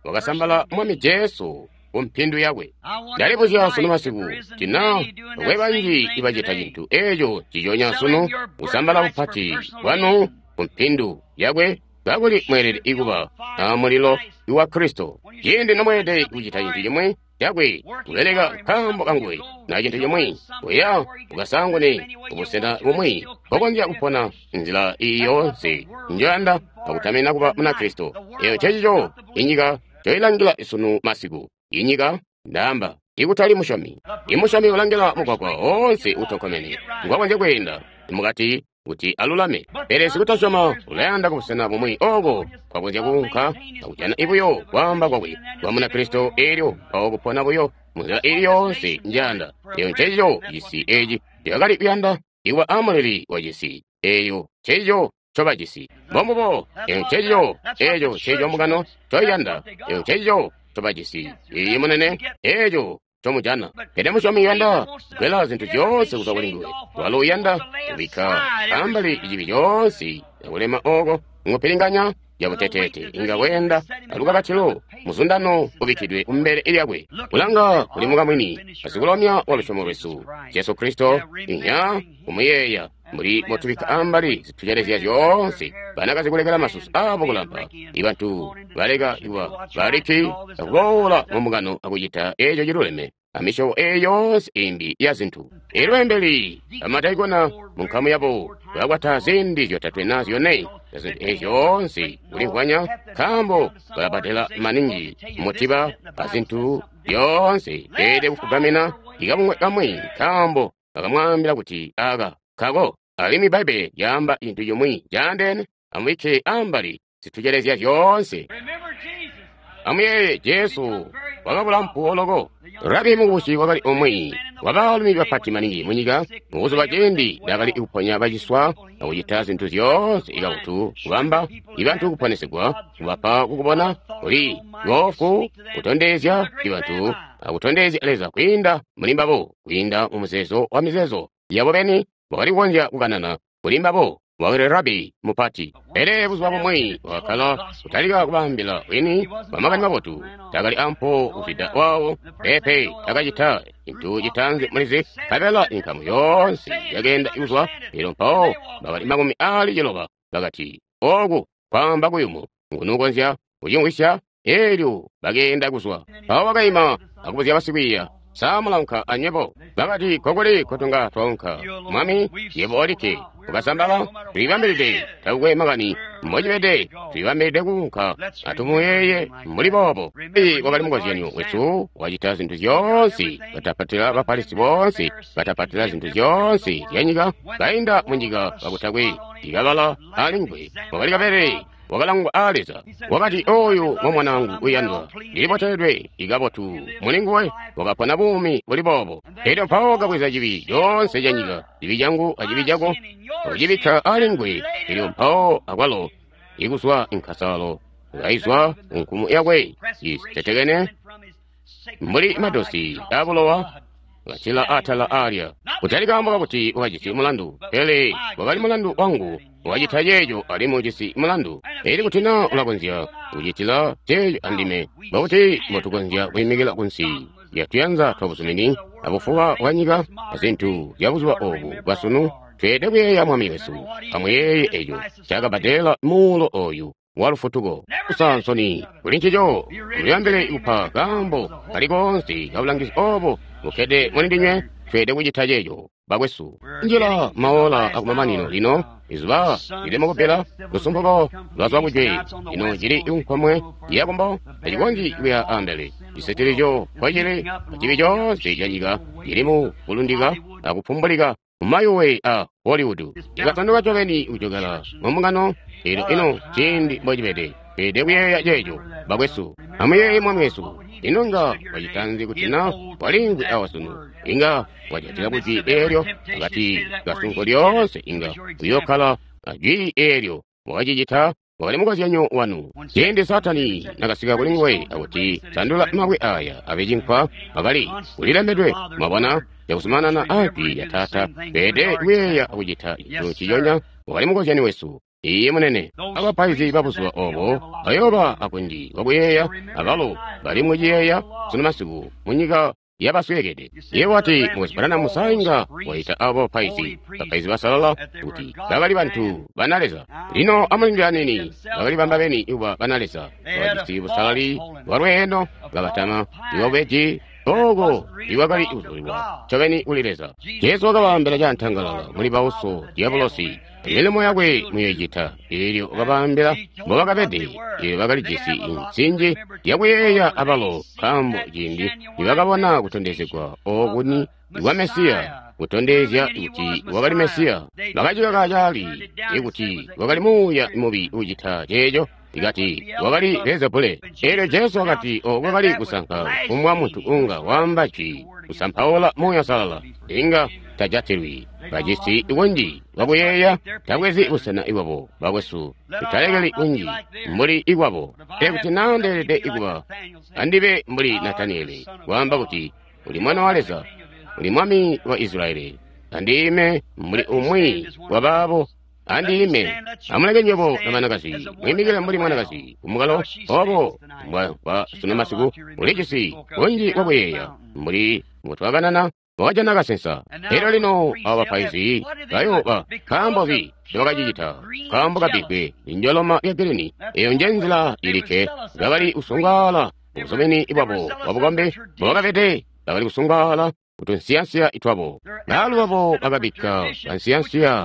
Wakasambala Mwami Jesu ku mpindu yakwe. Ndalibuzya sunu masiku tina bakwe banji ibacita cintu eeco ciconya sunu, kusambala bupati bwanu ku mpindu yakwe, kakuli mweelede kuba a mulilo wa Kristo. Ciindi nomweelede kucita cintu cimwi cakwe, kubeleka nkaambo kanguwe, na cintu cimwi, kuya ukasangune kubusena bumwi kokonzya kupona nzila iyi yoonse njoyanda akutamina kuba Munakristo. Eyo ncecico inyika ncoilangila sunu masiku. Inyika, ndaamba, ikutali musyomi. Imusyomi ulangila mugwagwa oonse utonkomene ngwakonzya kweenda mukati kuti alulame. Pele sikutasyoma ulayanda kubusena bumwi ooko kwakonzya kuunka akujana ibuyo kwaamba kwakwe kwa Munakristo, eelyo mpawo kupona buyo munzila ili yoonse njayanda. Eyo ncecico cisi eci cakali kuyanda ikuba amuleli wa cisi. Eyo ncecico ncobajisi. Mbombubo. Eyo ncecico eeco ncecico mbungano ncoiyanda. Eyo ncecico ncobajisi. Iyi munene, eeco ncomujana. Pele musyomi uyanda kugwela zintu zyoonse kuzwa kuli nguwe. Walo uyanda kubikka ambali cibi coonse akulema ooko ngupilinganya yabuteteete inga weenda alukakatilo muzundano ubikkidwe kumbele lyakwe. Kulanga kuli mukamwini asikulomya wa lusyomo lwesu Jesu Kristo, inya kumuyeeya mbuli botubikka ambali zitucelezya zyoonse. Banakazi kulekela masusu aabo kulampa, ibantu baleka kuba baliki akuboola mu mbungano akucita eeco ciluleme, amisyobo eyi yoonse imbi ya zintu. Elyo beembeli bamadaikona mu nkamu yabo bakwata ziindi zyotatwe na zyone na zintu ezi zyoonse kulimvwanya, nkaambo balabadela maningi mutiba a zintu zyoonse beelede kufugamina ikabungwe kamwi, nkaambo bakamwaambila kuti aka kako. Alimwi Bbaibbele lyaamba cintu cimwi caandeene. Amubikke ambali zitucelezya zyoonse. Amuyeeye Jesu wakabula mpuwo loko. Rabi mukubusi wakali umwi wa baalumi bapati maningi munyika mubuzuba ciindi ndakali kuponya baciswa akucita zintu zyoonse ikabotu, kubamba ibantu kuponesegwa, kubapa kukubona kuli boofu, kutondezya ibantu akutondezya Leza kwiinda muli mbabo, kwiinda mu muzeezo wa mizeezo yabo beni wakali kukonzya kukanana kuli mbabo. Wakali rabi mupati. Pele buzuba bumwi wakakkala kutalika kubaambila bwini bwa makani mabotu. Takali ampuwo kuzwida waawo. Peepe, takacita cintu citaanzi mulizi, nkabela inkamu yoonse yakeenda kuzwa. Elyo mpawo bakali makumi aali ciloba bakati, Ooku kwaamba kuyumu, nguni ukonzya kucimvwisya? Elyo bakeenda kuzwa. Mpawo wakaima akubuzya basikwiiya, Sa mulaunka anywebo? Bakati, Kokuli kotunga twaunka, Mwami? Yebo olikke ukasambala. Tulibambilide, takukwe makani mbocibede, tulibambilide kuunka. Atumuyeeye mbuli boobo. Eyi wakali mukozyanyo wesu, wacita zintu zyoonse, batapatila Bafarisi boonse, batapatila zintu zyoonse zyanyika, kainda munyika kakutakwe ikabala alinguwe. Wakali kabelele wakalangwa aa Leza. Wakati, Oyu ngo mwanaangu uyandwa, ndiliboteledwe ikabotu muli nguwe. Wakapona buumi buli boobo. Elyo mpawo kabweza cibi coonse ca nyika, cibi cangu acibi cako, akucibikka ali nguwe. Elyo mpawo akwalo ikuzwa inkasalo kaizwa kunkumu yakwe isetekene mbuli madosi abulowa katila atala alya. Kutali kaambo kakuti wakajisi mulandu, pele wakali mulandu wangu. Wacita ceeco alimwi ujisi mulandu. Elyo kuti na ulakonzya kucitila ceeco andime, mbokuti mbotukonzya kwiimikila kunsi lyatuyanza twabuzumini abufuba bwanyika azintu zya buzuba obu bwasunu? Tweelede kuyeeya Mwami wesu. Amuyeeye eco cakabbadela muulo oyu wa lufutuko. Kusa nsoni kuli ncico. Mulibambile kupa kaambo kali koonse kabulangizi obo bukkede muli ndinywe. Tweelede kucita ceeco, bakwesu. Njila maola akumamanino lino. Izuba lili mukubbila, lusumpuko lwazwa kujwe. Ino cili nkomwe yakumbo, tacikonzyi kuya ambele. Cisetelezyo kwacili acibi coonse canyika cili mu kulundika akupumbulika mumayuwe a Hollywood. Ikasanduka ncobeni kujokela mu mbungano. Elyo ino ciindi mbocibede, tweelede kuyeeya ceeco, bakwesu. Amuyeeye Mwami wesu. Ino nga wacitanzi kuti na walimvwi awa sunu? Inga wajatila kujwi eelyo akati kasunko lyoonse. Inga uyokkala ajwi eelyo. Wakacicita, wakali mukozyanyo wanu. Ciindi Saatani nakasika kuli nguwe akuti, Sandula mabwe aya abe cinkwa, wakali kulilembedwe. Mwabona, cakuzumanana ajwi lya Taata. Tweelede kuyeeya akucita cintu nciconya. Wakali mukozyanyo wesu. Iye munene. Abapaizi babuzuba obo bayooba akunji kwakuyeeya, abalo bali muciyeeya sunu masiku munyika yabasweekede. Iye wati, Mukwesu Branham, sainga waita abo bapaizi, bapaizi basalala, kuti bakali bantu bana Leza. Lino amulindile aniini. Bakali bamba beni kuba bana Leza. Bakajisi busalali bwalweeno, kabatama iwabubeji oko iwakali kuzulilwa ncobeni kuli Leza. Jesu wakabaambila cantangalala, muli bauso Diabolosi, milimo yakwe muyoicita. Elyo wakabaambila mbobakabede. Elyo bakalijisi insinji yakuyeeya abalo, nkaambo ciindi nibakabona kutondezegwa okuni kwa Mesiya, kutondezya kuti wakali Mesiya, bakacikaka caali ikuti wakali muuya mubi ucita ceeco. Ikati wakali Beelzebule. Elyo Jesu wakati oko kwakali kusanka kumwa muntu unga waamba jwi kusampaula Muuya Uusalala, inga tajatilwi. Bajisi kunji kwakuyeeya, tabwezi busena ibwabo, bakwesu. Tutalekeli kunji mbuli ikwabo. Pele kuti naa ndeelede kuba, andibe mbuli Nataniyeli, kwaamba kuti uli Mwana wa Leza, uli Mwami wa Israyeli. Andiime mbuli umwi wabaabo. Andiime. Amuleke nywebo na banakazi mwiimikile mbuli mwanakazi kumukalo obo mbwa sunu masiku. Ulijisi kunji kwakuyeeya mbuli mbutwakanana, wakajana kasensa. Elyo lino abo bapaizi bayooba, nkaambo nzi ncobakacicita? Nkaambo kabbigwe linjoloma lya girini. Eyo nje nzila ilikke. Bakali kusungwaala ubuzumini bwabo bwabukombi mbobakabede. Bakali kusungwaala kutunsiyansiya twabo. Baalu babo bakabikka kansiyansiya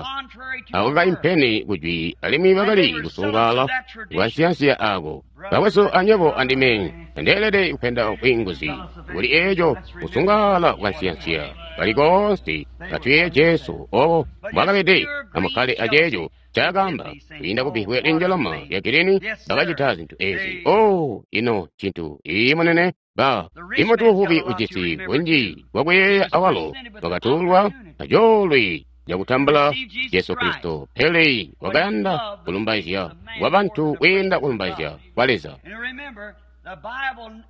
ako kaimpene kujwi, alimwi bakali kusungwaala kukansiyansiya aako. Bakwesu, anywebo andime ndeelede kupenda bwiinguzi kuli eeco kusungwaala kukansiyansiya kali koonse. Atuyeeye Jesu obo mbwakabede, amukkale aceeco ncaakaamba. Kwiinda kubbivwe linjeloma lya gilini bakacita zintu eezi. Oh, ino ncintu ii munene. Ba imutu uvubi ujisi bunji bwakuyeeya awalo wakatulwa acoolwe cakutambula Jesu Kristo, pele wakayanda kulumbaizya kwa bantu kwiinda kulumbaizya kwa Leza.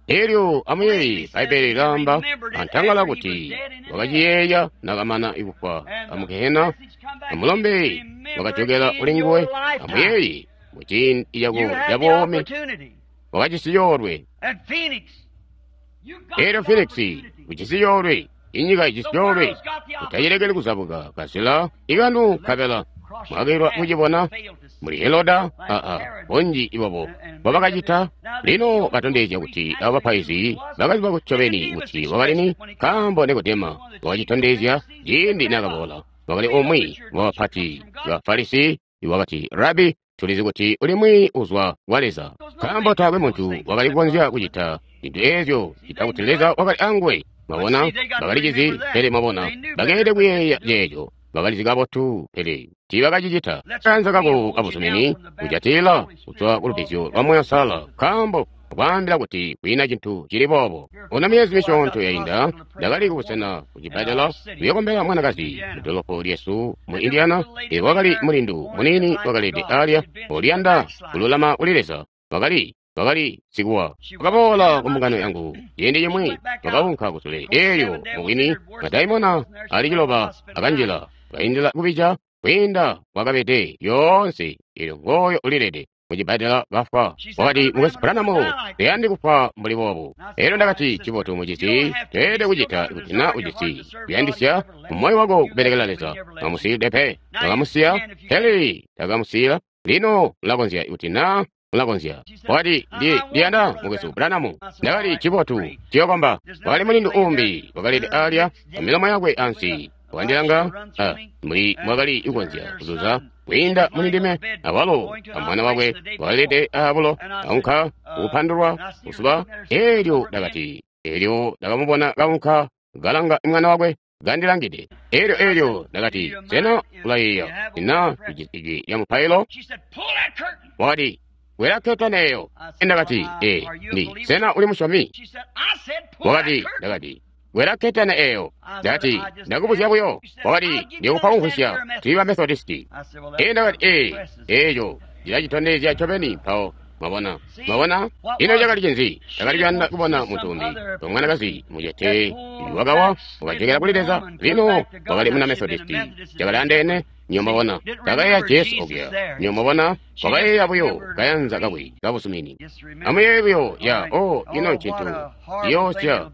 Elyo amuyeeye, Bbaibbele lilaamba antangala kuti wakaciyeeya nakamana kufwa amugehena, amulombe wakajokela kuli nguwe. Amuyeeye, muciindi cako cabuumi wakajisi coolwe. Elyo Phoenix ujisi coolwe, inyika ijisi coolwe, utacilekeli kuzabuka kazila ikanu nkabela mwakilwa kucibona muli Heroda. Aa, bunji ibabo mbobakacita. Lino batondezya kuti abo bapaizi bakaziba ncobeni kuti wakalini, nkaambo Nikodema wakacitondezya ciindi nakaboola. Wakali umwi wabapati ba Farisi iwakati, Rabi, tulizi kuti ulimwi uzwa kwa Leza, nkaambo taakwe muntu wakali kukonzya kucita zintu eezyo cita kuti Leza wakali anguwe. Mwabona, bakalicizi, pele mwabona, bakeelede kuyeeya ceeco. Bakalizi kabotu, pele tiibakacicita. Kaanza kako kabuzumini kujatila kuzwa kulubbizyo lwa Muuya Uusalala, nkaambo akwaambila kuti kwiina cintu cili boobo. Ona, myezi misyoonto yainda ndakali kubusena kucibbadela kuyokombela mwanakazi mudolopo lyesu mu Indiana. Elyo wakali mulindu muniini wakalede alya oliyanda kululama kuli Leza. Wakali wakali sikuwa. Wakaboola ku mbungano yangu ciindi cimwi, wakaunka kusule. Elyo mubwini madaimona ali ciloba akanjila, kaindila kubija kwiinda wakabede lyoonse. Elyo ngooyo ulilede mucibbadela kafwa. Wakati, Mukwesu Branham, teyandi kufwa mbuli boobu. Elyo ndakati, Cibotu mucisi, toyelede kucita kuti na ujisi kuyandisya mumoyo wako kubelekela Leza. Tamusiide pe. Takamusiya, pele takamusiyila. Lino ulakonzya kuti na ulakonzya. Wakati, ndi ndiyanda Mukwesu Branham. Ndakati, Cibotu, ciyokomba. Wakali mulindu umbi wakalede alya amilomo yakwe ansi, wakandilanga mbuli mwakali kukonzya kuzuza kwiinda muli ndime. Awalo amwana wakwe wakalede abulo, kaunka kupandulwa kusuba. Elyo ndakati, elyo ndakamubona kaunka kalanga mwana wakwe kandilangide. Elyo elyo ndakati, sena ulayeeya na ijwi lya mupailo? Wakati, kwela ketani eyo. Ndakati, ee, ndi sena uli musyomi? Wakati, ndakati, kwela ketani eyo. Ndakati, ndakubuzya buyo. Wakati, ndikupa kumvwisya, tuli ba Methodisti. Ee, ndakati, ee, eeco cilacitondezya ncobeni mpawo. Mwabona, mwabona, ino cakali cinzi? Ndakali kuyanda kubona muntu umbi, mwanakazi mucete wakawa wakajokela kuli Leza. Lino wakali muna Methodisti, cakali andeene. Niyo mwabona, takayeeya Jesu okuya. Niyo mwabona, wakayeeya buyo kayanza kakwe kabuzumini. Amuyeeye buyo ya, oh, ino ncintu ciyoosya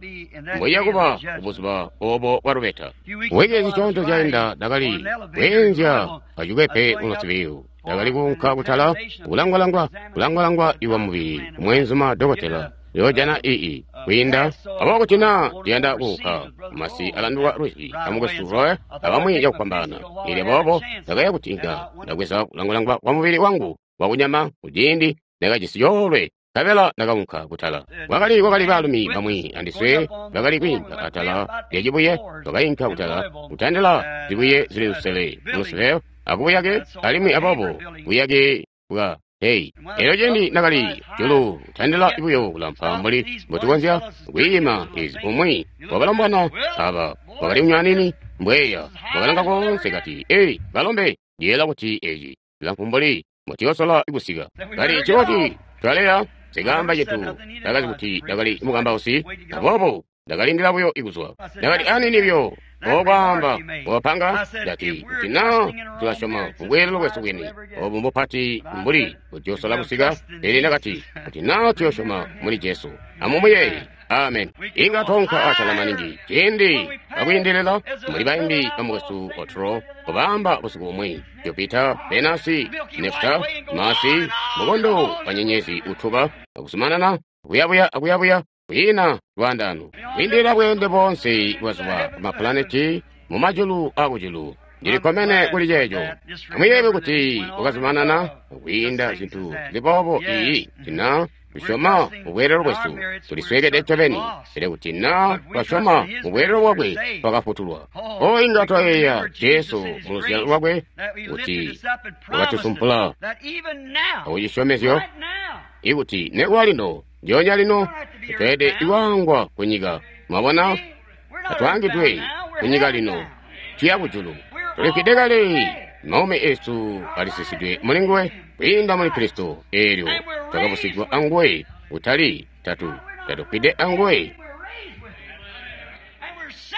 mbwiya kuba kubuzuba obo bwa lubeta. Wiki zisyoonto zyainda ndakali kweenzya kacikwepe mulosibiyu. Ndakali kuunka kutala kulangwalangwa kulangwalangwa iwa mubili kumweenzuma dokotela yoojana ii kwiinda abo kuti na ndiyanda kuunka masi alanduka lwizi amukwesu Roy abamwi cakufwambaana. Elyo boobo ndakaya kuti inga ndabweza kulangwalangwa kwa mubili wangu wakunyama kuciindi ndakajisi coolwe, nkabela ndakaunka kutala. Kwakali kwakali baalumi bamwi andiswe bakali kwiinka atala lya cibuye. Twakainka kutala kutandila zibuye zili lusele mulusele akubuyake, alimwi aboobo buyake bwa Hey, elyo ciindi ndakali julu kutandila buyo kulampa mbuli mbotukonzya kwiima ezi, umwi wabalombwana aba wakali kunywanini mbweya wakalanga koonse kati, ei balombe, ndiyeela kuti eci cilamfu mbuli mbotiyosola kusika. Kali ciboti twaleya, sikaamba cintu. Ndakazi kuti ndakali mukambausi, aboobo ndakalindila buyo ikuzwa. Ndakati, anini buyo okwaamba wapanga. Ndati, kuti na tulasyoma kubweelelo bwesu bwini obu mbupati mbuli butyosola kusika. Pele ndakati, kuti na tuyosyoma muli Jesu, amumuyeeye. Amen. Inga tonka atala maningi ciindi akwiindilila muli baimbi bamukwesu Otro kubaamba busiku bumwi. Jupiter, Venasi, Nefta, Masi, mukondo wa nyenyezi utuba akuzumanana kuyabuya akuyabuya. Kwiina lwaandaano. Kwiindilila bweende boonse bwazuba mapulaneti mu majulu akujulu. Ndili kkomene kuli ceeco. Amuyeebe kuti wakazumanana kwiinda zintu zili boobo iyi tina tusyoma mu bweelelo bwesu tulisweekede ncobeni, pele kuti na twasyoma mu bweelelo bwakwe twakafutulwa. O inga twayeeya Jesu mu luzyalo lwakwe kuti wakatusumpula akucisyomezyo ikuti nekuba lino ndyoonya lino tweelede iwaangwa ku nyika. Mwabona, atwaangidwe ku nyika lino, tuya kujulu. Tulifwide kale, maumi esu alisisidwe muli nguwe kwiinda muli Kristo. Eelyo twakabusigwa anguwe, kutali tatu tatufwide anguwe,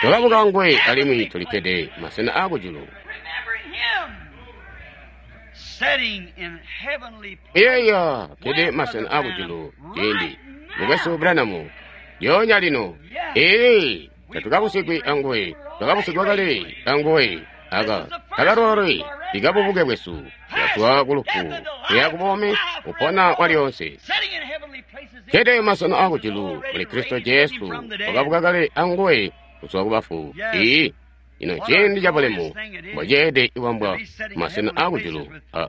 twakabuka anguwe alimwi tulikkede masena aakujulu. Iyeeya kkede masena aakujulu ciindi mukwesu Branham lyoonya lino. Ee, tatukabusigwi anguwe, twakabusigwa kale anguwe. Aka takalole likabubuke bwesu, bwazwa kulufu kuya kubuumi kupona kwalyonse. Kkede masena aakujulu muli Kristo Jesu, wakabuka kale anguwe kuzwa kubafu. Ii, ino ciindi cabulemu mbwaceede iwambwa masena aakujulu aa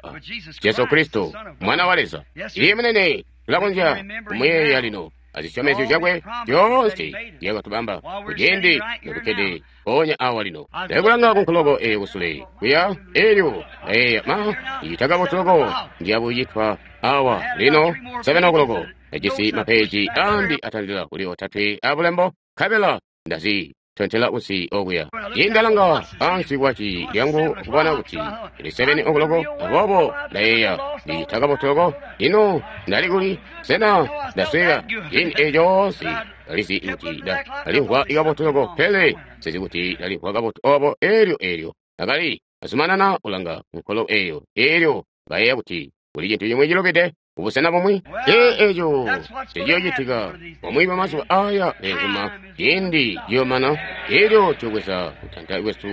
Jesu Kristo Mwana wa Leza. Iye munene, tulakonzya kumuyeeya lino azisyomezyo zyakwe zyoonse zyakatubamba kuciindi notukkede mpoonya awa lino. Ndakulanga kunkoloko eyo kusule kuya elyo ndayeeya ma icita kabotu loko ndiyakucitwa awa lino seven o'clock. Ndajisi mapeji ambi atandila kuli otatwe abulembo nkabela ndazi tontela kunsi okuya. Indalanga ansi kwaci lyangu kubona kuti ili seven o'clock, aboobo ndayeeya ndicita kabotu loko. Ino ndali kuli? Sena ndasweka? Ciindi eco coonse ndalizi kuti ndalimvwa kabotu loko, pele sizi kuti ndalimvwa kabotu obo. Elyo elyo akali azumanana kulanga nkolo eyo, elyo bayeeya kuti kuli cintu cimwi cilubide kubusena bumwi. Ee, eco teciyoocitika bumwi bwamazuba aya beenzuma. Ciindi ciyoomana, elyo tuyobweza kutanta kwesu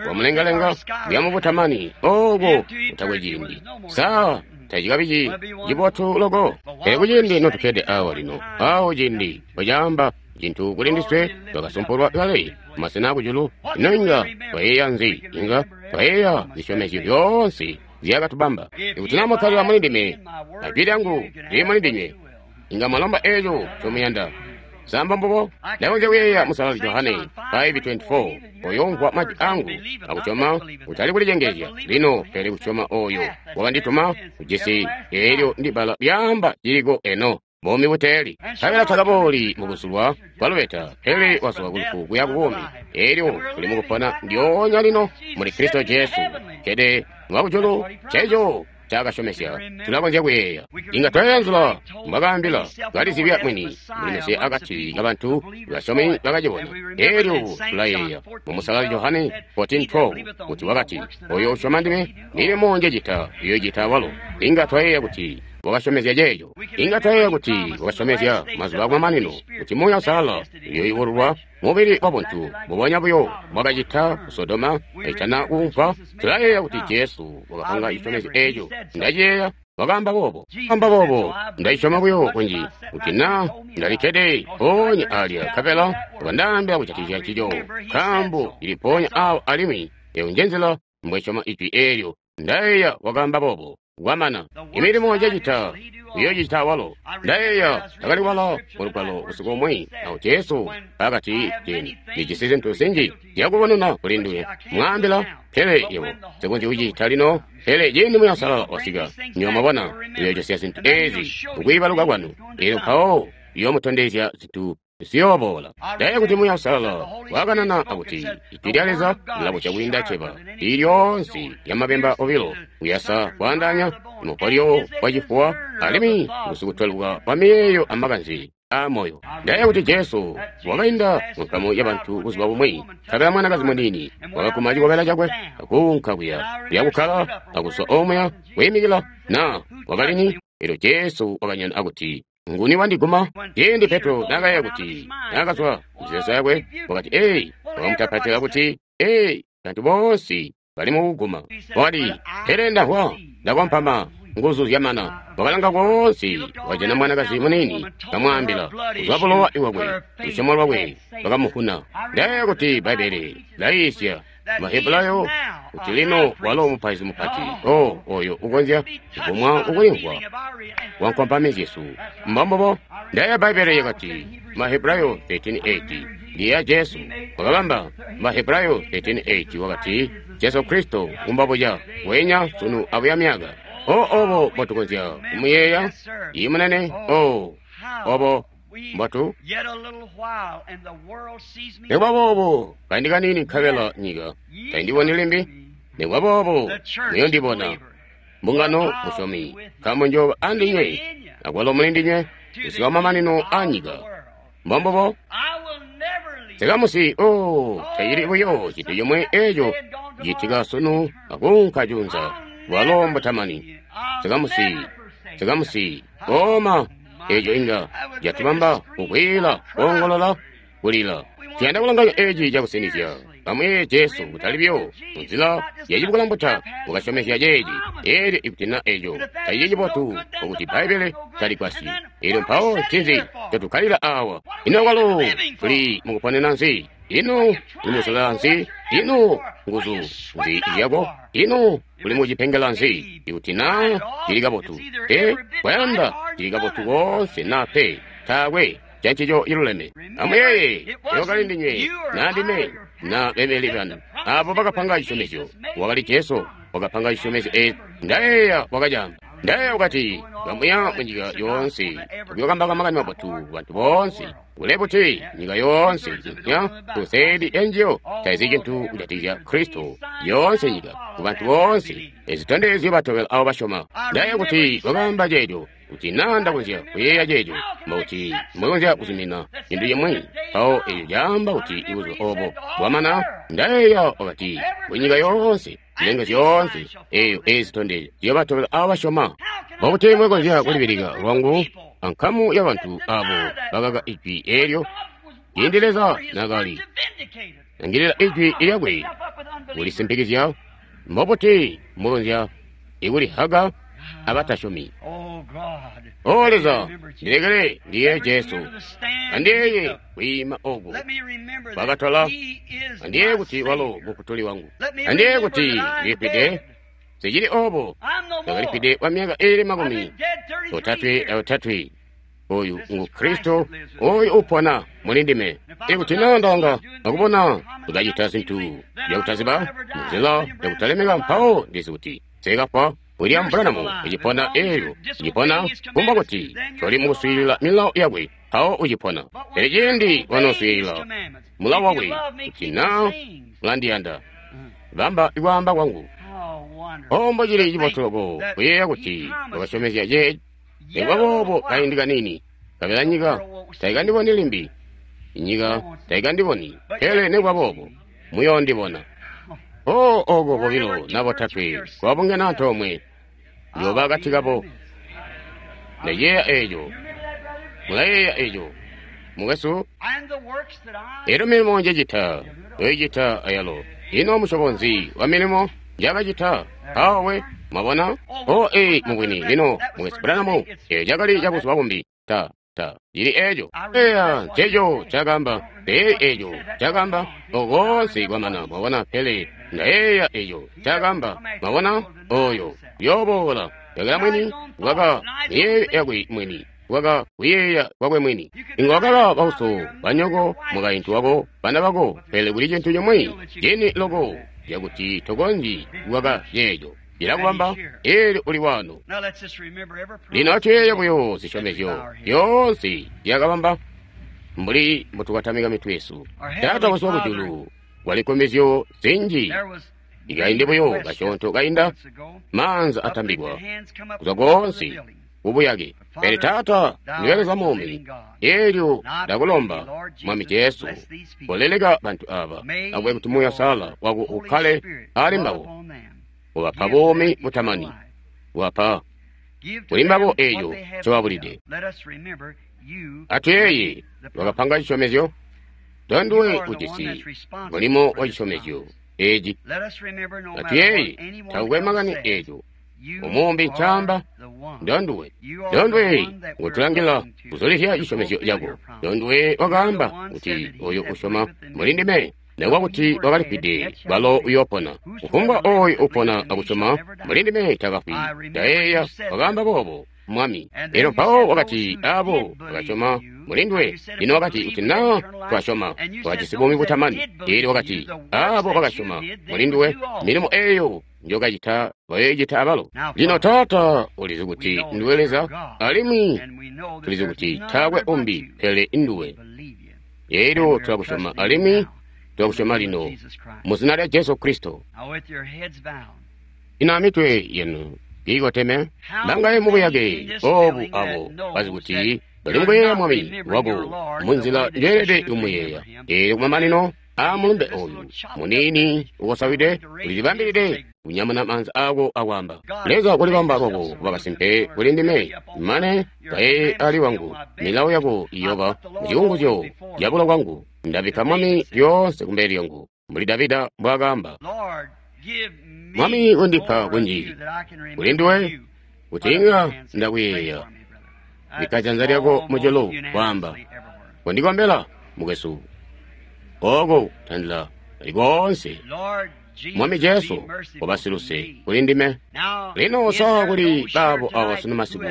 kwamulengalenga kuya mubutamani oko kutakwe ciindi. Sa tacikabi cibotu loko? Pele kuciindi notukkede awa lino, awo ciindi bwacaamba cintu kuli ndiswe, twakasumpulwa kale masena akujulu. Ino inga twayeeya nzi? Inga twayeeya zisyomezyo zyoonse zyakatubamba. Ikuti na mukkalila muli ndime, ajwi lyangu lili muli ndinywe, inga mwalomba eco ncomuyanda. Samba mbubo? Ndakonzya kuyeeya Musalali Johane five twenty-four, oyomvwa majwi angu akusyoma, kutali kulicengezya lino, pele kusyoma oyo wakandituma, ujisi eelyo ndi bbala lyaamba ciliko eno, buumi buteeli. Nkabela takabooli mukuzulwa kwa lubeta, pele wazwa kulufu kuya kubuumi. Eelyo tuli mukupona ndyoonya lino muli Kristo Jesu, kkede mwakujulu. Ceeco cakasyomezya tulakonzya kuyeeya. Inga twayeeya nzila mbwakaambila kalizibya mwini muli Mesiya akati kabantu basyomi bakacibona. Eelyo tulayeeya mu Musalali Johane fourteen twelve kuti wakati, oyo usyoma ndime, milimo njecita uyoicita walo. Inga twayeeya kuti wakasyomezya ceeco. Inga twayeeya kuti wakasyomezya mazuba akumamanino kuti Muuya Uusalala uyoyubululwa mubili wabuntu mbubonya buyo mbwakacita ku Sodoma kaitana kuumpa. Tulayeeya kuti Jesu wakapanga cisyomezyo eeco. Ndaciyeeya wakaamba boobo, amba boobo. Ndacisyoma buyo kunji kuti na ndalikkede mpoonya alya nkabela wakandaambila kujatikizya ncico, nkaambo cili mpoonya awo alimwi eyo njenzila mbwesyoma ijwi eelyo. Ndayeeya wakaamba boobo. Kwamana imilimo njecita uyoocita walo. Ndayeeya ndakaliwala mulugwalo usiku umwi awo Jesu akati, ndijisi zintu zinji zyakubonena kuli nduwe, mwaambila, pele yebo sikonzyi kucita lino. Pele ciindi Muuya Uusalala wasika, nywebo mwabona, uyoocosya zintu ezi kukwiibaluka kwanu, elyo mpawo uyoomutondezya zintu ziyooboola. Ndayeeya kuti Muuya Uusalala wakanana akuti ijwi lya Leza lilabosya kwiinda ceba lilyoonse lyamabemba obilo, kuyasa kwaandaanya mupolyo wacifuwa alimwi ngusikutweluka kwa miyeeyo amakanze aamoyo. Ndayeeya kuti Jesu wakainda munkamu yabantu buzuba bumwi, nkabela mwanakazi muniini wakaguma cikobela cakwe akuunka kuya kuya kukkala akuzwa omuya kwiimikila na wakalini. Elyo Jesu wakanyana akuti, nguni wandiguma? Ciindi Petro naakayeeya kuti naakazwa mumizeezo yakwe, wakati, ee, wakamutapatila kuti, ee, bantu boonse bali mukuguma. Wakati, pele ndamvwa, ndakompama, Nguzu zyamana. Wakalanga koonse, wajana mwanakazi muniini, kamwaambila, kuzwa bulowa iwakwe, lusyomo lwakwe lwakamuvuna. Ndayeeya kuti Bbaibbele laiisya Mahebulayo kuti lino walo mupaizi mupati, o oyo ukonzya kugumwa ukulimvwa kwa nkompami zyesu. Mbombubo. Ndayeeya Bbaibbele yakati Mahebulayo thirteen eight ndiya Jesu wakabamba Mahebulayo thirteen eight wakati Jesu Kristo umbabuja wenya sunu abuya myaka. O obo mbotukonzya kumuyeeya iyi munene. O obo mbotu nikuba boobo kaindi kaniini nkabela nyika taindiboni limbi, nikuba boobo muyondibona. Mbungano musyomi, nkaambo njooba andinywe akwalo mulindinywe kusika mamanino a nyika. Mbombubo. Sikamusi, o tacili buyo cintu comwe eco citika sunu akunka junza bwalo mbutamani. Sikamusi, sikamusi, oma eco inga catubamba kukwila, koongolola, kulila. Tuyanda kulanganya eci cakusinizya. Amuyeeye Jesu kutali buyo munzila yacibukulambuta wakasyomezya ceeci. Eelyo ikuti na eco tacili cibotu okuti Bbaibbele taligwasyi. Eelyo mpawo ncinzi ncotukkalila awa? Ino kwalo tuli mukuponena nzi? Ino tuli mukusolela nzi? Ino nguzu nzi zyako? Ino tuli mucipengela nzi? Ikuti na cili kabotu, pe kwayanda cili kabotu koonse na pe taakwe cancico ciluleme. Amuyeeye, wakali ndinywe na ndime na bemeli banu abo bakapanga cisyomezyo. Wakali Jesu wakapanga cisyomezyo eeci. Ndayeeya wakacaamba. Ndayeeya wakati kamuya munyika yoonse kuyokambauka makani mabotu bantu boonse. Kule buti nyika yoonse nya tuseedi enjiyo taizi cintu kujatikizya Kristo. Yoonse nyika kubantu boonse ezitondezyo batobela abo basyoma. Ndayeeya kuti wakaamba ceeco. Kuti naa ndakonzya kuyeeya ceeco, mbokuti mbokonzya kuzumina cintu cimwi. Mpawo eco caamba kuti ibuzuba obo bwamana. Ndayeeya wakati kunyika yoonse, zilenge zyoonse, eyo ezitondezyo ziyobatobela abo basyoma. Mbokuti mwekonzya kulibilika lwangu ankamu y'abantu abo bakaka ijwi eelyo ciindi Leza nakali langilila ijwi lyakwe kulisimpikizya. Mbobuti mbokonzya ikulihaga abatasyomi? O Leza, ndilekele ndiye Jesu, andiyeeye kwiima oku kwakatola, andiyeeye kuti walo mufutuli wangu, andiyeeye kuti ndilifwide. Sicili obo, ndakalifwide kwa myaka iili makumi otatwe aotatwe. Oyu ngu Kristo, oyu upona muli ndime. Ikuti na ndanga akubona ukacita zintu zyakutaziba munzila yakutalemeka, mpawo ndizi kuti nsikafwa. William Branham ucipona eelyo ucipona kumba kuti toli mukuswiilila milawo yakwe, mpawo ucipona. Pele ciindi wanoswiilila mulawo wakwe, kuti na mulandiyanda, bamba ikwaamba kwangu. O mbocili cibotu loko kuyeeya kuti wakasyomezya ceeci. Nikuba boobo kaindi kaniini nkabela nyika taikandiboni limbi, inyika taikandiboni, pele nikuba boobo muyoondibona. O oko bobilo na botatwe kwabungana antoomwe, njooba akati kabo. Ndayeeya eeco. Mulayeeya eeco, mukwesu? Eelyo milimo njecita, yoicita ayalo. Ino musyobo nzi wa milimo njakacita? Mpawo we, mwabona? O ee, mubwini, lino, mukwesu Branham, eeco cakali cabuzuba bumbi. Ta, ta, cili eeco. Eya, nceeco cakaamba. Pele eeco cakaamba. Okoonse kwamana, mwabona, pele ndayeeya eeco cakaamba. Mwabona? Oyo uyooboola yakala mwini, waka miyeeyo yakwe mwini, waka kuyeeya kwakwe mwini. Inga wakaba bauso, banyoko, mukaintu wako, bana bako, pele kuli cintu cimwi cini loko cakuti tokonzyi kukaka ceeco. Cilakubamba eelyo uli wano. Lino atuyeeye buyo zisyomezyo zyoonse zyakabamba mbuli mbotukatamika mitwe yesu. Taata wesu wakujulu, kwali nkomezyo zinji. Ikaindi buyo kasyoonto kainda, maanza atambikwa kuzwa koonse kubuyake. Pele Taata, ndiwe Leza muumi, eelyo ndakulomba Mwami Jesu, koleleka bantu aba, akube kuti Muuya Uusalala wako ukkale ali mbabo, ubapa buumi butamani, ubapa kuli mbabo eeco ncobabulide. Atuyeeye, wakapanga cisyomezyo, tonduwe ujisi mulimo wa cisyomezyo eeci. Atuyeeye, takukwe makani eeco Umumbi ncaamba ndonduwe ndonduwe ngutulangila kuzulizya cisyomezyo cako. Ndonduwe wakaamba kuti oyo usyoma muli ndime nekuba kuti wakalifwide balo uyoopona. Kufumbwa oyo upona akusyoma muli ndime takafwi. Ndayeeya wakaamba boobo Mwami. Elyo mpawo wakati abo bakasyoma muli nduwe. Lino wakati kuti naa twasyoma twajisi buumi butamani. Elyo wakati abo bakasyoma muli nduwe milimo eyo njokacita bayoicita abalo. Lino Taata ulizi kuti nduwe Leza, alimwi tulizi kuti taakwe umbi pele nduwe. Elyo tulakusyoma alimwi tulakusyoma lino mu zina lya Jesu Kristo. Ino amitwe yenu kiikoteme bangaye mubuyake obu abo bazi kuti bali mukuyeeya Mwami wako munzila njeelede kumuyeeya. Elyo kumamanino aa mulumbe oyu muniini ukosawide ulilibambilide kunyamuna maanza ako akwaamba, Leza kulibamba kwako kuba kasimpe kuli ndime, mane kaye ali wangu milawo yako iyoba mucikunguzyo cabulo kwangu. Ndabikka Mwami lyoonse kumbele lyangu, mbuli Davida mbwaakaamba. Mwami undipa kunji kuli nduwe kuti inga ndakuyeeya. Bikka janza lyako mujulu kwaamba, kondikombela mukwesu. Oko tandila likoonse. Mwami Jesu kobasiluse kuli ndime. Lino sa kuli baabo awa sunu masiku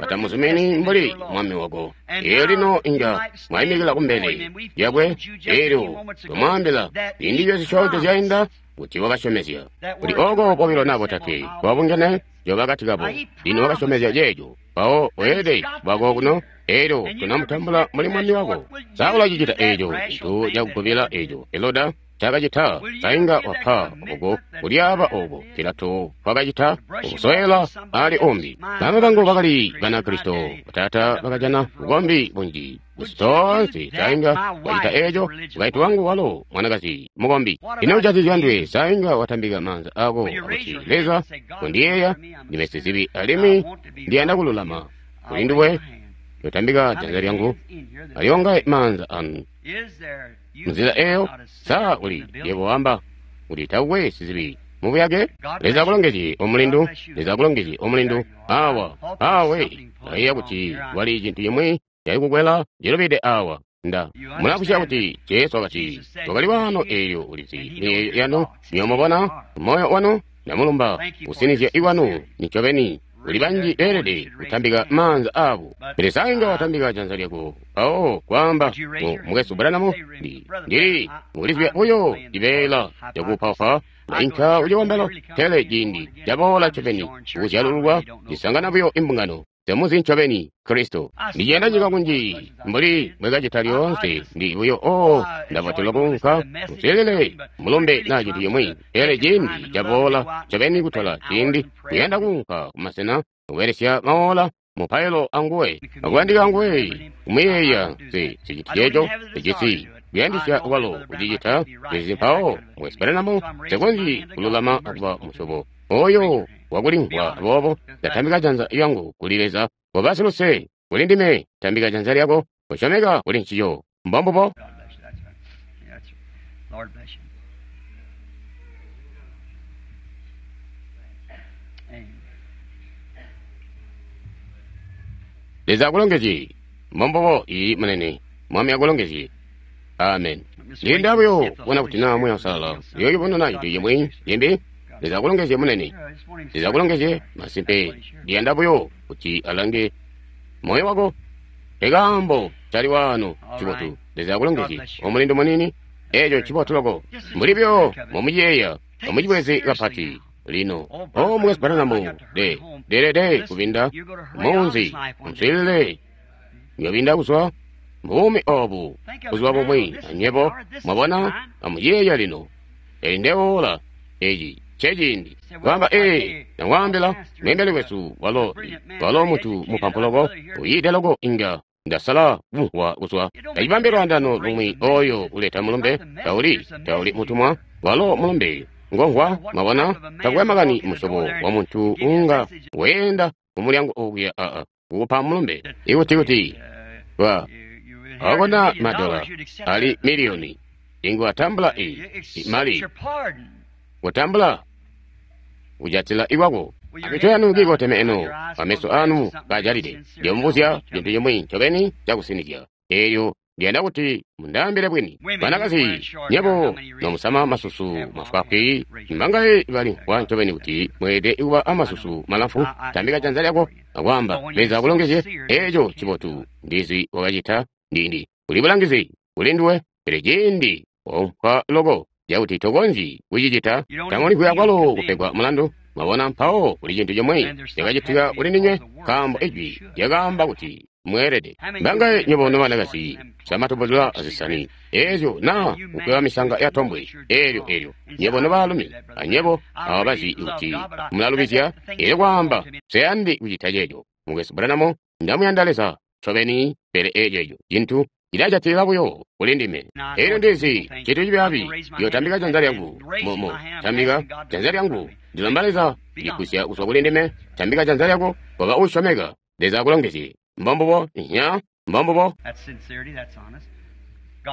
batamuzumini mbuli Mwami wako. Elyo lino inga mwayimikila kumbele lyakwe, elyo twamwaambila indilyo zisyoonto zyainda kuti wakasyomezya kuti oko bobilo naa botatwe twabungene njoba kati kabo. Lino wakasyomezya ceeco, mpawo weelede bwako kuno, elyo tunamutambula mbuli Mwami wako. Sa ulacicita eeco cintu cakugubila eeco Heroda cakacita? Sainga wapa oko kulyaaba oko Pilato kwakacita ukusowela ali umbi. Bama bangu bakali Banakristo, bataata bakajana bukombi bunji kusi toonse. Sainga wacita eeco mukaintu wangu walo mwanakazi mukombi. Ino ujatizya ndwe? Sainga watambika maanza ako akuti, Leza kondiyeeya ndime sizibi alimwi ndiyanda kululama kuli nduwe. Yotambika janza lyangu aliyongaye maanza anu munzila eyo. Sa uli yebo wamba kuti takwe sizibi mubuyake? Leza akulongezye omulindu. Leza akulongezye omulindu. Awa awe ndayeeya kuti wali cintu cimwi cali cilubide awa. Nda mulakusya kuti Jesu wakati wakali wano eelyo ulizi miyeeyo yanu niyomubona moyo wanu. Ndamulumba kusinizya ikwanu nicobeni. Kuli banji beelede kutambika maanza abo, pele sainga watambika janza lyako mpawo kwaamba, mukwesu Branham, ndili mukulizibya buyo cibeela cakuupaupa ndainka kucikombelo, pele ciindi caboola ncobeni kukuzyalululwa cisangana buyo imbungano. Temuzi ncobeni Kristo. Ndiciyanda nyika kunji mbuli mbwekacita lyoonse. Ndi buyo o ndabotelwa kuunka musilile mulumbe naa cintu cimwi, pele ciindi caboola ncobeni kutola ciindi kuyanda kuunka kumasena kubelesya maola mupailo anguwe akuyandika anguwe kumuyeeya. Se siciti ceeco sicisi kuyandisya kwalo kucicita ezi mpawo mukwesu Branham sekonzyi kululama akuba musyobo oyo wakulimvwa. Aboobo ndatambika janza lyangu kuli Leza. Koba siluse kuli ndime. Tambika janza lyako kosyomeka kuli ncico. Mbombubo. Leza akulongezye. Mbombubo. Iyi munene. Mwami akulongezye. Amen. Ndiyenda buyo kubona kuti naa Muuya Uusalala uyoocibonana cintu cimwi cimbi. Leza akulongezye munene. Leza akulongezye. Masimpe ndiyanda buyo kuti alange moyo wako. Ekaambo cali waano cibotu. Leza akulongezye omulindu munini. Eeco cibotu loko mbuli buyo momuciyeeya omucibweze kapati lino. O mukwesu Branham, de delede kubinda munzi muswiilile nyobinda kuzwa buumi obu buzuba bumwi anywebo mwabona. Amuciyeeya lino. Eli ndeola eci ceciindi kwaamba, ee, ndamwaambila mweembeli wesu walo walo muntu mupampu loko uyiide loko inga ndasala kumvwa kuzwa tacibambi lwaandano lumwi oyo uleta mulumbe tauli tauli mutumwa walo mulumbe ngomvwa. Mwabona, takwe makani musyobo wa muntu unga weenda kumulyango okuya aa kukupa mulumbe ikuti kuti wa akona madola ali miliyoni ingu atambula i mali kutambula kujatila ikwako. Amitwe yanu kiikoteme eno, ameso anu kaajalide. Ndiyomubuzya cintu cimwi ncobeni cakusinizya. Eelyo ndiyanda kuti mundaambile bwini. Banakazi, nyebo nomusama masusu mafwaafwi, mbangaye balimvwa ncobeni kuti mweelede kuba amasusu malamfu, tambika janza lyako akwaamba, Leza akulongezye, eeco ncibotu. Ndizi wakacita ndindi. Kuli bulangizi kuli nduwe, pele ciindi waumpa loko cakuti tokonzyi kucicita, tamulimvwi kwalo kupegwa mulandu. Mwabona, mpawo kuli cintu cimwe cakacitika kuli ndinywe, nkaambo ijwi lyakaamba kuti mweelede. Mbangaye nywebo nobanakazi samatubulula azisani eezyo naa kukweba misanga ya tombwe eelyo eelyo nyebo nobaalumi anyebo ababazi kuti mulalubizya, eelyo kwaamba nseyandi kucita ceeco. Mukwesu Branham, ndamuyanda Leza ncobeni, pele eeco cintu cilajatilila buyo kuli ndime. Eelyo ndizi cintu cibyaabi, ndiyotambika janza lyangu momo tambika janza lyangu, ndilomba Leza kuligusya kuzwa kuli ndime. Tambika janza lyako, koba uusyomeka. Leza akulongezye. Mbombubo, nya, mbombubo.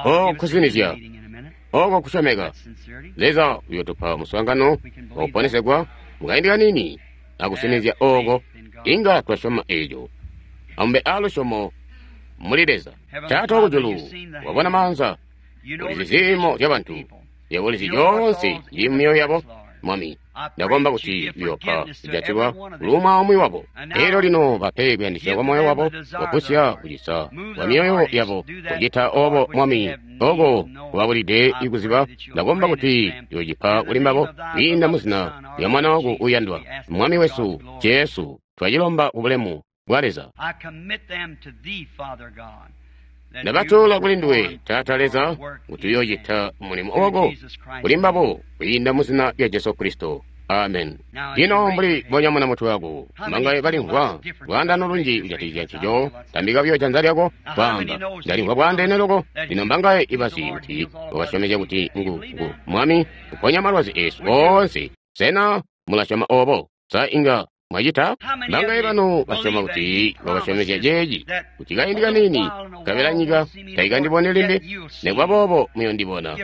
Oh, kusinizya, oko kusyomeka. Leza uyotupa muswaangano wakuponesegwa mukaindi kanini akusinizya oko, inga twasyoma eeco. Amube aalusyomo muli Leza. Taata wakujulu, wabona maanza, ulizi ziimo zyabantu, yebo ulizi zyoonse zili mumyoyo yabo. Mwami, ndakomba kuti uyopa kujatilwa kuli umwi wabo. Eelyo lino bape kuyandisya kwa moyo wabo, wagusya kucisa kwa myoyo yabo. Kucita obo, Mwami, oko kubabulide ikuziba, ndakomba kuti uyocipa kuli mbabo kwiinda muzina lya Mwana wako uyandwa, Mwami wesu Jesu. Twacilomba kubulemu bwa Leza. Ndabatola kuli nduwe, Taata Leza, kuti uyoocita mulimo wako kuli mbabo kwiinda muzina lya Jesu Kristo. Amen. Lino mbuli bonyamuna mutwe wako, mangaye balimvwa lwaandano lunji kujatikizya ncico, tambika buyo janza lyako, kwaamba, ndalimvwa bwaandeene loko. Lino mbangaye ibazi kuti wakasyomezya kuti ngu, ngu Mwami uponya malwazi esu oonse. Sena mulasyoma obo? Sa inga mwacita? Mbangaye banu basyoma kuti wakasyomezya ceeci, kuti kaindi kaniini nkabela nyika taikandiboni limbi, nikuba boobo muyondibona.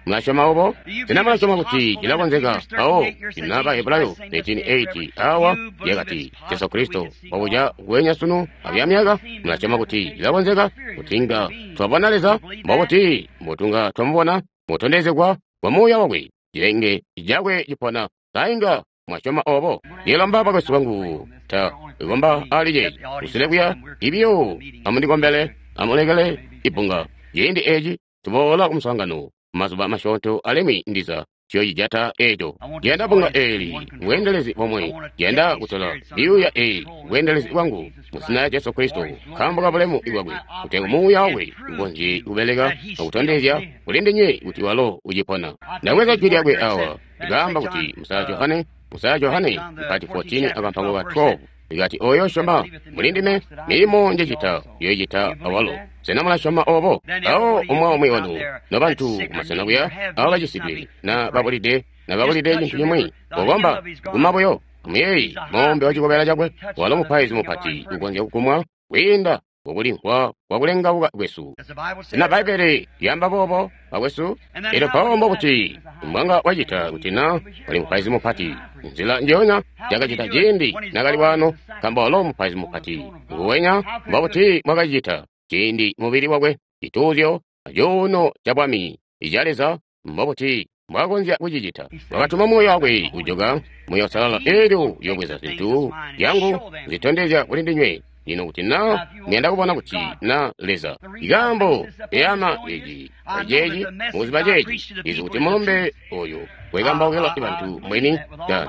Mulasyoma obo? Sena mulasyoma kuti cilakonzeka? Mpawo ina Bahebulayo thirteen eight awa lyakati Jesu Kristo wabuca nguwenya sunu abuya myaka. Mulasyoma kuti cilakonzeka kuti inga twabona Leza? Mbobuti mbotunga twamubona? Mutondezegwa kwa Muuya wakwe, cilenge cakwe cipona. Sa inga mwasyoma obo? Ndilomba bakwesu bangu, ta ikomba ali ceeci kusile kuya ibiyo. Amundikombele, amulekele ibunga. Ciindi eci tuboola kumuswaangano mazuba masyoonto, alimwi ndiza ciyocijata eeco. Ndiyanda bunga eeli bweendelezi bomwe. Ndiyanda kutola myuuya eeyi bweendelezi bwangu muzina lya Jesu Kristo, nkaambo ka bulemu bwakwe, kutegwa Muuya wakwe ukonzye kubeleka akutondezya kuli ndinywe kuti walo ucipona. Ndabweza jwi lyakwe awa likaamba kuti Musala Johane, Musala Johane mpati fourteen akampango ka twelve, likati oyo syoma muli ndime, milimo njecita uyoicita awalo. Sena mulasyoma obo? Awo umwi umwi wanu nobantu kumasena kuya awo bacisidwe na babulide na babulide cintu cimwi, kokomba guma buyo. Amuyeeyi moombe wa cikobela cakwe, walo mupaizi mupati ukonzya kugumwa kwiinda kukulimvwa kwakulengauka kwesu. Sena Bbaibbele lyaamba boobo, bakwesu? Elyo mpawo mbokuti mbwanga wacita kuti na wali mupaizi mupati nzila njoonya yakacita ciindi nakali wano, nkaambo walo mupaizi mupati nguwenya. Mbokuti mwakacita ciindi mubili wakwe cituuzyo acuuno ca bwami ica Leza, mbokuti mbwakonzya kucicita. Wakatuma Muuya wakwe kujoka, Muuya Uusalala, eelyo uyobweza zintu zyangu zitondezya kuli ndinywe. Lino kuti na muyanda kubona kuti na Leza ikaambo eyama eci aceeci mukuziba ceeci, izi kuti mulumbe oyu wekambaukila bantu mwini.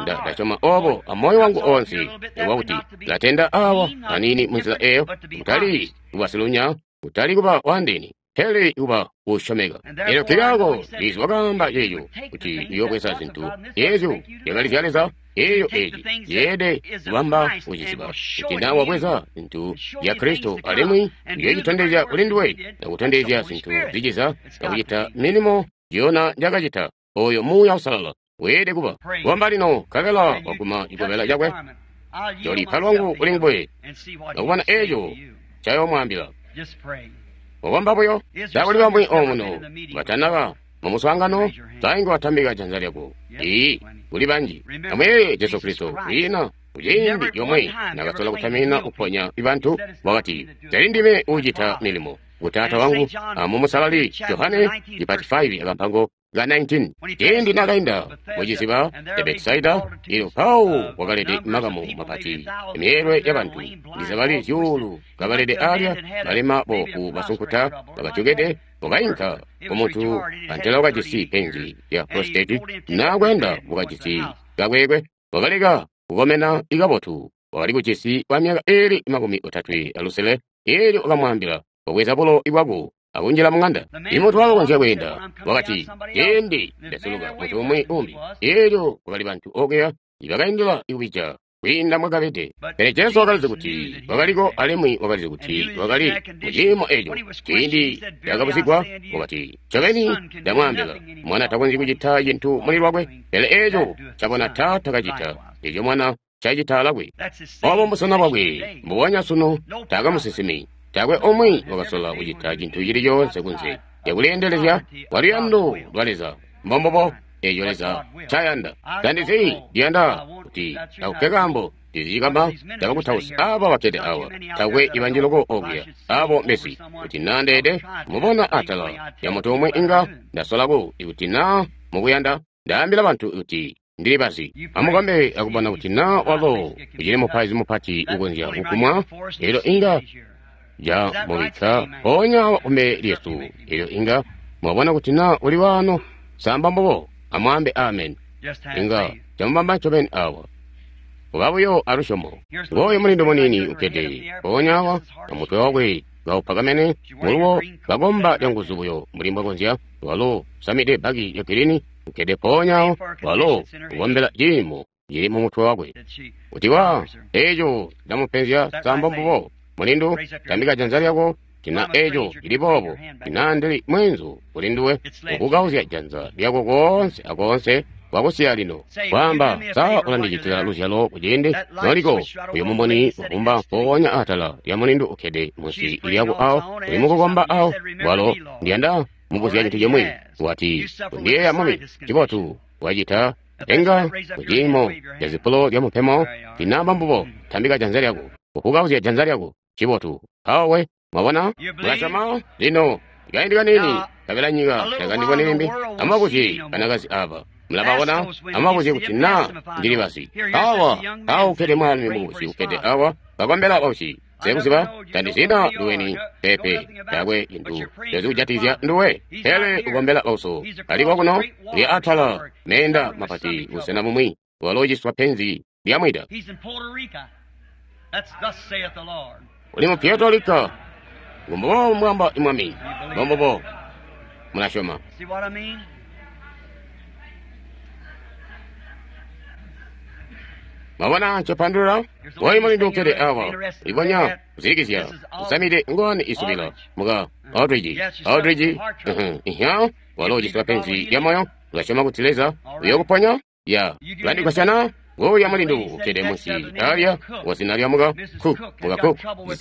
Ndasyoma obo amoyo wangu onse, nikuba kuti latenda awa anini munzila eyo, kutali kuba silunya, kutali kuba wandini, pele kuba usyomeka. Elyo nkikaako Leza wakaamba ceeco kuti uyobweza zintu ezyo zyakali zya Leza, eyo eci yeede kubamba kuciziba kuti na wabweza zintu zya Kristo alimwi uyocitondezya kuli nduwe nakutondezya zintu ziciza nakucita milimo yona njakacita. Oyo Muuya Uusalala weede kuba wamba lino nkabela waguma cikobela cakwe, jolipa lwangu kuli nguwe nakubona eco ncayomwaambila. Wakomba buyo. Takuli bamwi omuno batanaba mumuswaangano, sainga watambika janza lyako. Ii, kuli banji. Amuyeeye Jesu Kristo kwiina Kuciindi comwe nakasola kutamina kuponya bantu, wakati, "Tali ndime uucita milimo, ngu Taata wangu." Amumusalali Johane chipati five akampango ka nineteen. Ciindi nakainda muciziba ca Betisaida, ilyo mpawo kwakalede makamu mapati, myeelwe yabantu ndizabali zyuulu kabalede alya, balema boofu basunkuta bakatyokede. Wakainka kumuntu antela wakajisi penzi lya prositeti, naakweenda wakajisi kakwekwe, wakaleka kukomena ikabotu, wakali kujisi kwa myaka iili makumi otatwe alusele. Eelyo wakamwaambila, "Wabweza bulo bwako akunjila mung'anda." Imuntu wakakonzya kweenda wakati, "Ciindi ndasuluka muntu umwi umbi." Eelyo kwakali bantu okuya ibakaindila kubija kwiinda mwakabede. Pele Jesu wakalizi kuti wakaliko, alimwi wakalizi kuti wakali muciimo eco. Ciindi yakabuzigwa, wakati, "Ncobeni ndamwaambila, mwana takonzyi kucita cintu muli lwakwe, pele eco cabona Taata kacita, eco mwana cacita alakwe." Obo mbusena bwakwe mbubonya sunu. Taakwe musinsimi, taakwe umwi wakasola kucita cintu cili coonse kunze lyakuleendelezya kwa luyando lwa Leza. Mbombubo eco Leza ncayanda. Tandizi ndiyanda kuti takupe kaambo ndizicikamba tabakutausi aba bakkede awa, takwe ibanji loko okuya abo mbezi kuti naa ndeede mubona atala ya muntu umwi inga ndasolako. Ikuti naa mukuyanda ndaambila bantu kuti ndili bazi, amukombe akubona kuti naa walo ucili mupaizi mupati ukonzya kukumwa, elyo inga jamubikka mpoonya awa kumbele lyesu. Elyo inga mwabona kuti naa uli waano. Samba mbubo, amwaambe amen. Inga camubamba ncobeni awa. Kuba buyo alusyomo. Ngooyo mulindu muniini ukkede mpoonya awa, amutwe wakwe kaupakamene muluwo, kakomba canguzu buyo mbuli mbwakonzya. Walo usamide bbaki lya girini, ukkede mpoonya awo. Walo ukombela ciimo cili mu mutwe wakwe. Kuti wa eco ndamupenzya. Samba mbubo, mulindu, tambika janza lyako. Tina eco cili boobo, tina ndili mweenzu kuli nduwe, ukukauzya janza lyako koonse akoonse wakusiya lino. Kwaamba, sa ulandicitila luzyalo kuciindi noliko uyo mumuni wabumba mpoonya atala lya mulindu ukkede munsi lyako awo, uli mukukomba awo. Walo ndiyanda mubuzya cintu cimwi. Wati, "Kundiyeeya mwami." Cibotu, wacita enga kuciimo ca zipulo lya mupemo. Tinamba mbubo, tambika janza lyako, ukukauzya janza lyako. Cibotu, awe mwabona, mulasyoma lino. Kaindi kaniini kabela nyika takandiboni limbi. Amubabuzye banakazi aba, mulababona. Amubabuzye kuti naa ndili bazi. Awa awo ukkede mwaalumi mubusi ukkede awa, kakombela bausyi. Sekuziba tandizina nduweni pepe, taakwe cintu cazikujatikizya nduwe, pele ukombela bauso. Aliko kuno lya atala meenda mapati busena bumwi, walo uciswa penzi lya mwida. Uli mu Puerto Rico. Ngumbubo mwamba imwami. Mbombubo mulasyoma. Mwabona ncopandulula? Woyi mulindu ukkede awa, ulibonya kuzilikizya, usamide ngowani isubila muka Aldridge. Aldridge, ihya, walo uciswa penzi lya moyo. Ulasyoma kuti Leza uyokuponya? Ya, ulandigwasyana? Ngoya mulindu ukkede munsi alya wazina lya muka Cook. Muka Cook,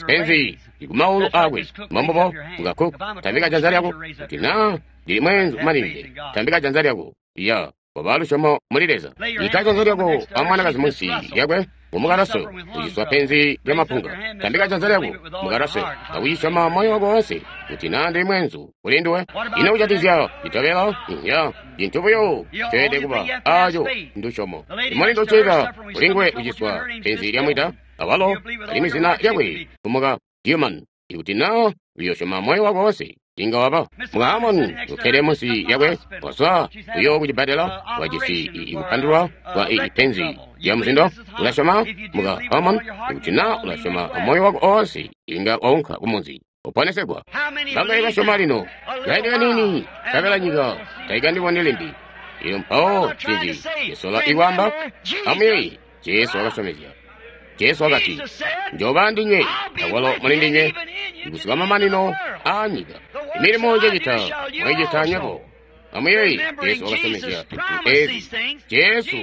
penzi likumaulu akwe. Mbombubo, muka Cook, tambika janza lyako. Kuti naa ndili mweenzu kumalinde, tambika janza lyako. Ya, waba lusyomo muli Leza. Ika janza lyako amwanakazi munsi lyakwe, mumukalaso uciswa penzi lya mapunga. Tambika janza lyako, mukalaso, akucisyoma moyo wako wonse. Kuti naa ndili mwenzu kuli nduwe, ino kucatizya citobela? Ya, cintu buyo ceelede kuba aco ndusyomo. Imulindu ucilila kuli nguwe uciswa penzi lya mwida, awalo alimwi zina lyakwe kumuka Human. Ikuti naa uyosyoma moyo wako wonse, inga waba. Muka Amoni ukkede munsi lyakwe, wazwa uyo kucibbadela, wajisi ikupandulwa kwa ipenzi lya muzindo. Ulasyoma, muka Amoni? Ikuti naa ulasyoma amoyo wako oonse, inga waunka kumunzi uponesegwa. Bangaye basyoma lino? Kaindi kaniini kabela nyika taikandiboni limbi. Iyo mpawo cinzi cisola ikwaamba? Amuyeeye, Jesu wakasyomezya. Jesu wakati, "Njoba ndinywe, akwalo muli ndinywe, kusika mamanino aa nyika. Milimo njecita mwayicita nywebo." Amuyeeye, Jesu wakasyomezya zintu ezi. Jesu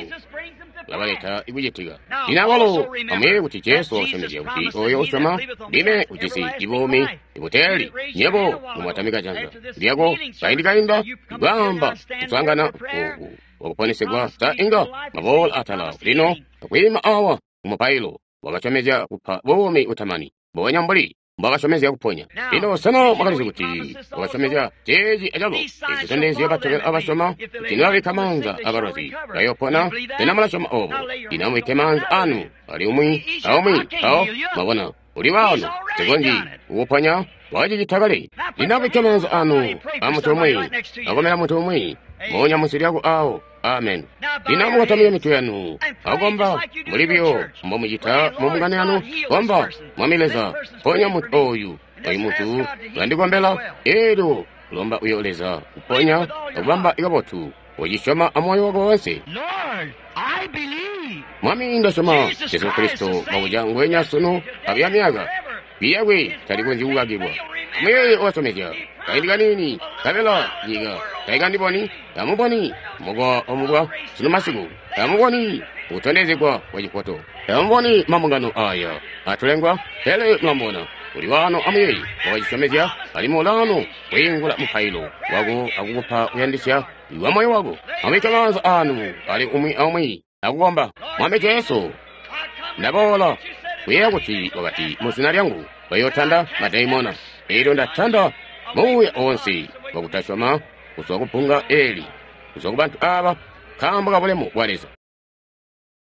ulabaleta ikucitika. Lino awalo amuyeeye kuti Jesu wakasyomezya kuti oyo usyoma ndime ujisi ibuumi ibuteeli. Nywebo mumwatamika janza lyako kaindi kainda ikwaamba kuswaangana oku wakuponesegwa, sa inga maboola atala lino akwiima awa ku mupailo. Wakasyomezya kupa buumi butamani, mbubonya mbuli mbwakasyomezya kuponya. Lino sena mwakalizi kuti wakasyomezya ceeci acalo? Ezi zitondezyo batobela abasyoma kuti nibabikka maanza abalwazi bayopona. Sena mulasyoma obo? Lino amubikke maanza anu ali umwi aumwi mpawo mwabona uli waano. Nsikonzyi kukuponya, wakacicita kale. Lino amubikke maanza anu a muntu umwi, akomela muntu umwi moonya munsi lyako awo. Amen. Lino amukotamike mitwe yanu akukomba mbuli buyo mbomucita mu mbungano yanu. Komba, Mwami Leza, ponya muntu oyu. Oyu muntu ulandikombela. Elyo lomba uyo Leza kuponya akubamba kabotu. Ucisyoma amoyo wako wonse. Mwami, ndasyoma Jesu Kristo wabuca ngwenya sunu abuya myaka. Biyakwe talikonzyi kukakilwa. Amuyeeye wakasyomezya kaindi kaniini, nkabela nyika taikandiboni, tamuboni mubwa omubwa sunu masiku, tamuboni kutondezegwa kwa cifoto, tamuboni mambungano aya atulengwa, pele mulamubona uli waano. Amuyeeye wakacisyomezya, alimwi ulaano kwiingula mupailo wako akukupa kuyandisya kwa moyo wako. Amubikke maanza anu ali umwi aumwi akukomba. Mwami Jesu, ndaboola kuyeeya kuti wakati mu zina lyangu bayootanda madaimona. Elyo ndatanda muuya oonse wakutasyoma kuzwa ku bbunga eli, kuzwa ku bantu aba, nkaambo ka bulemu bwa Leza.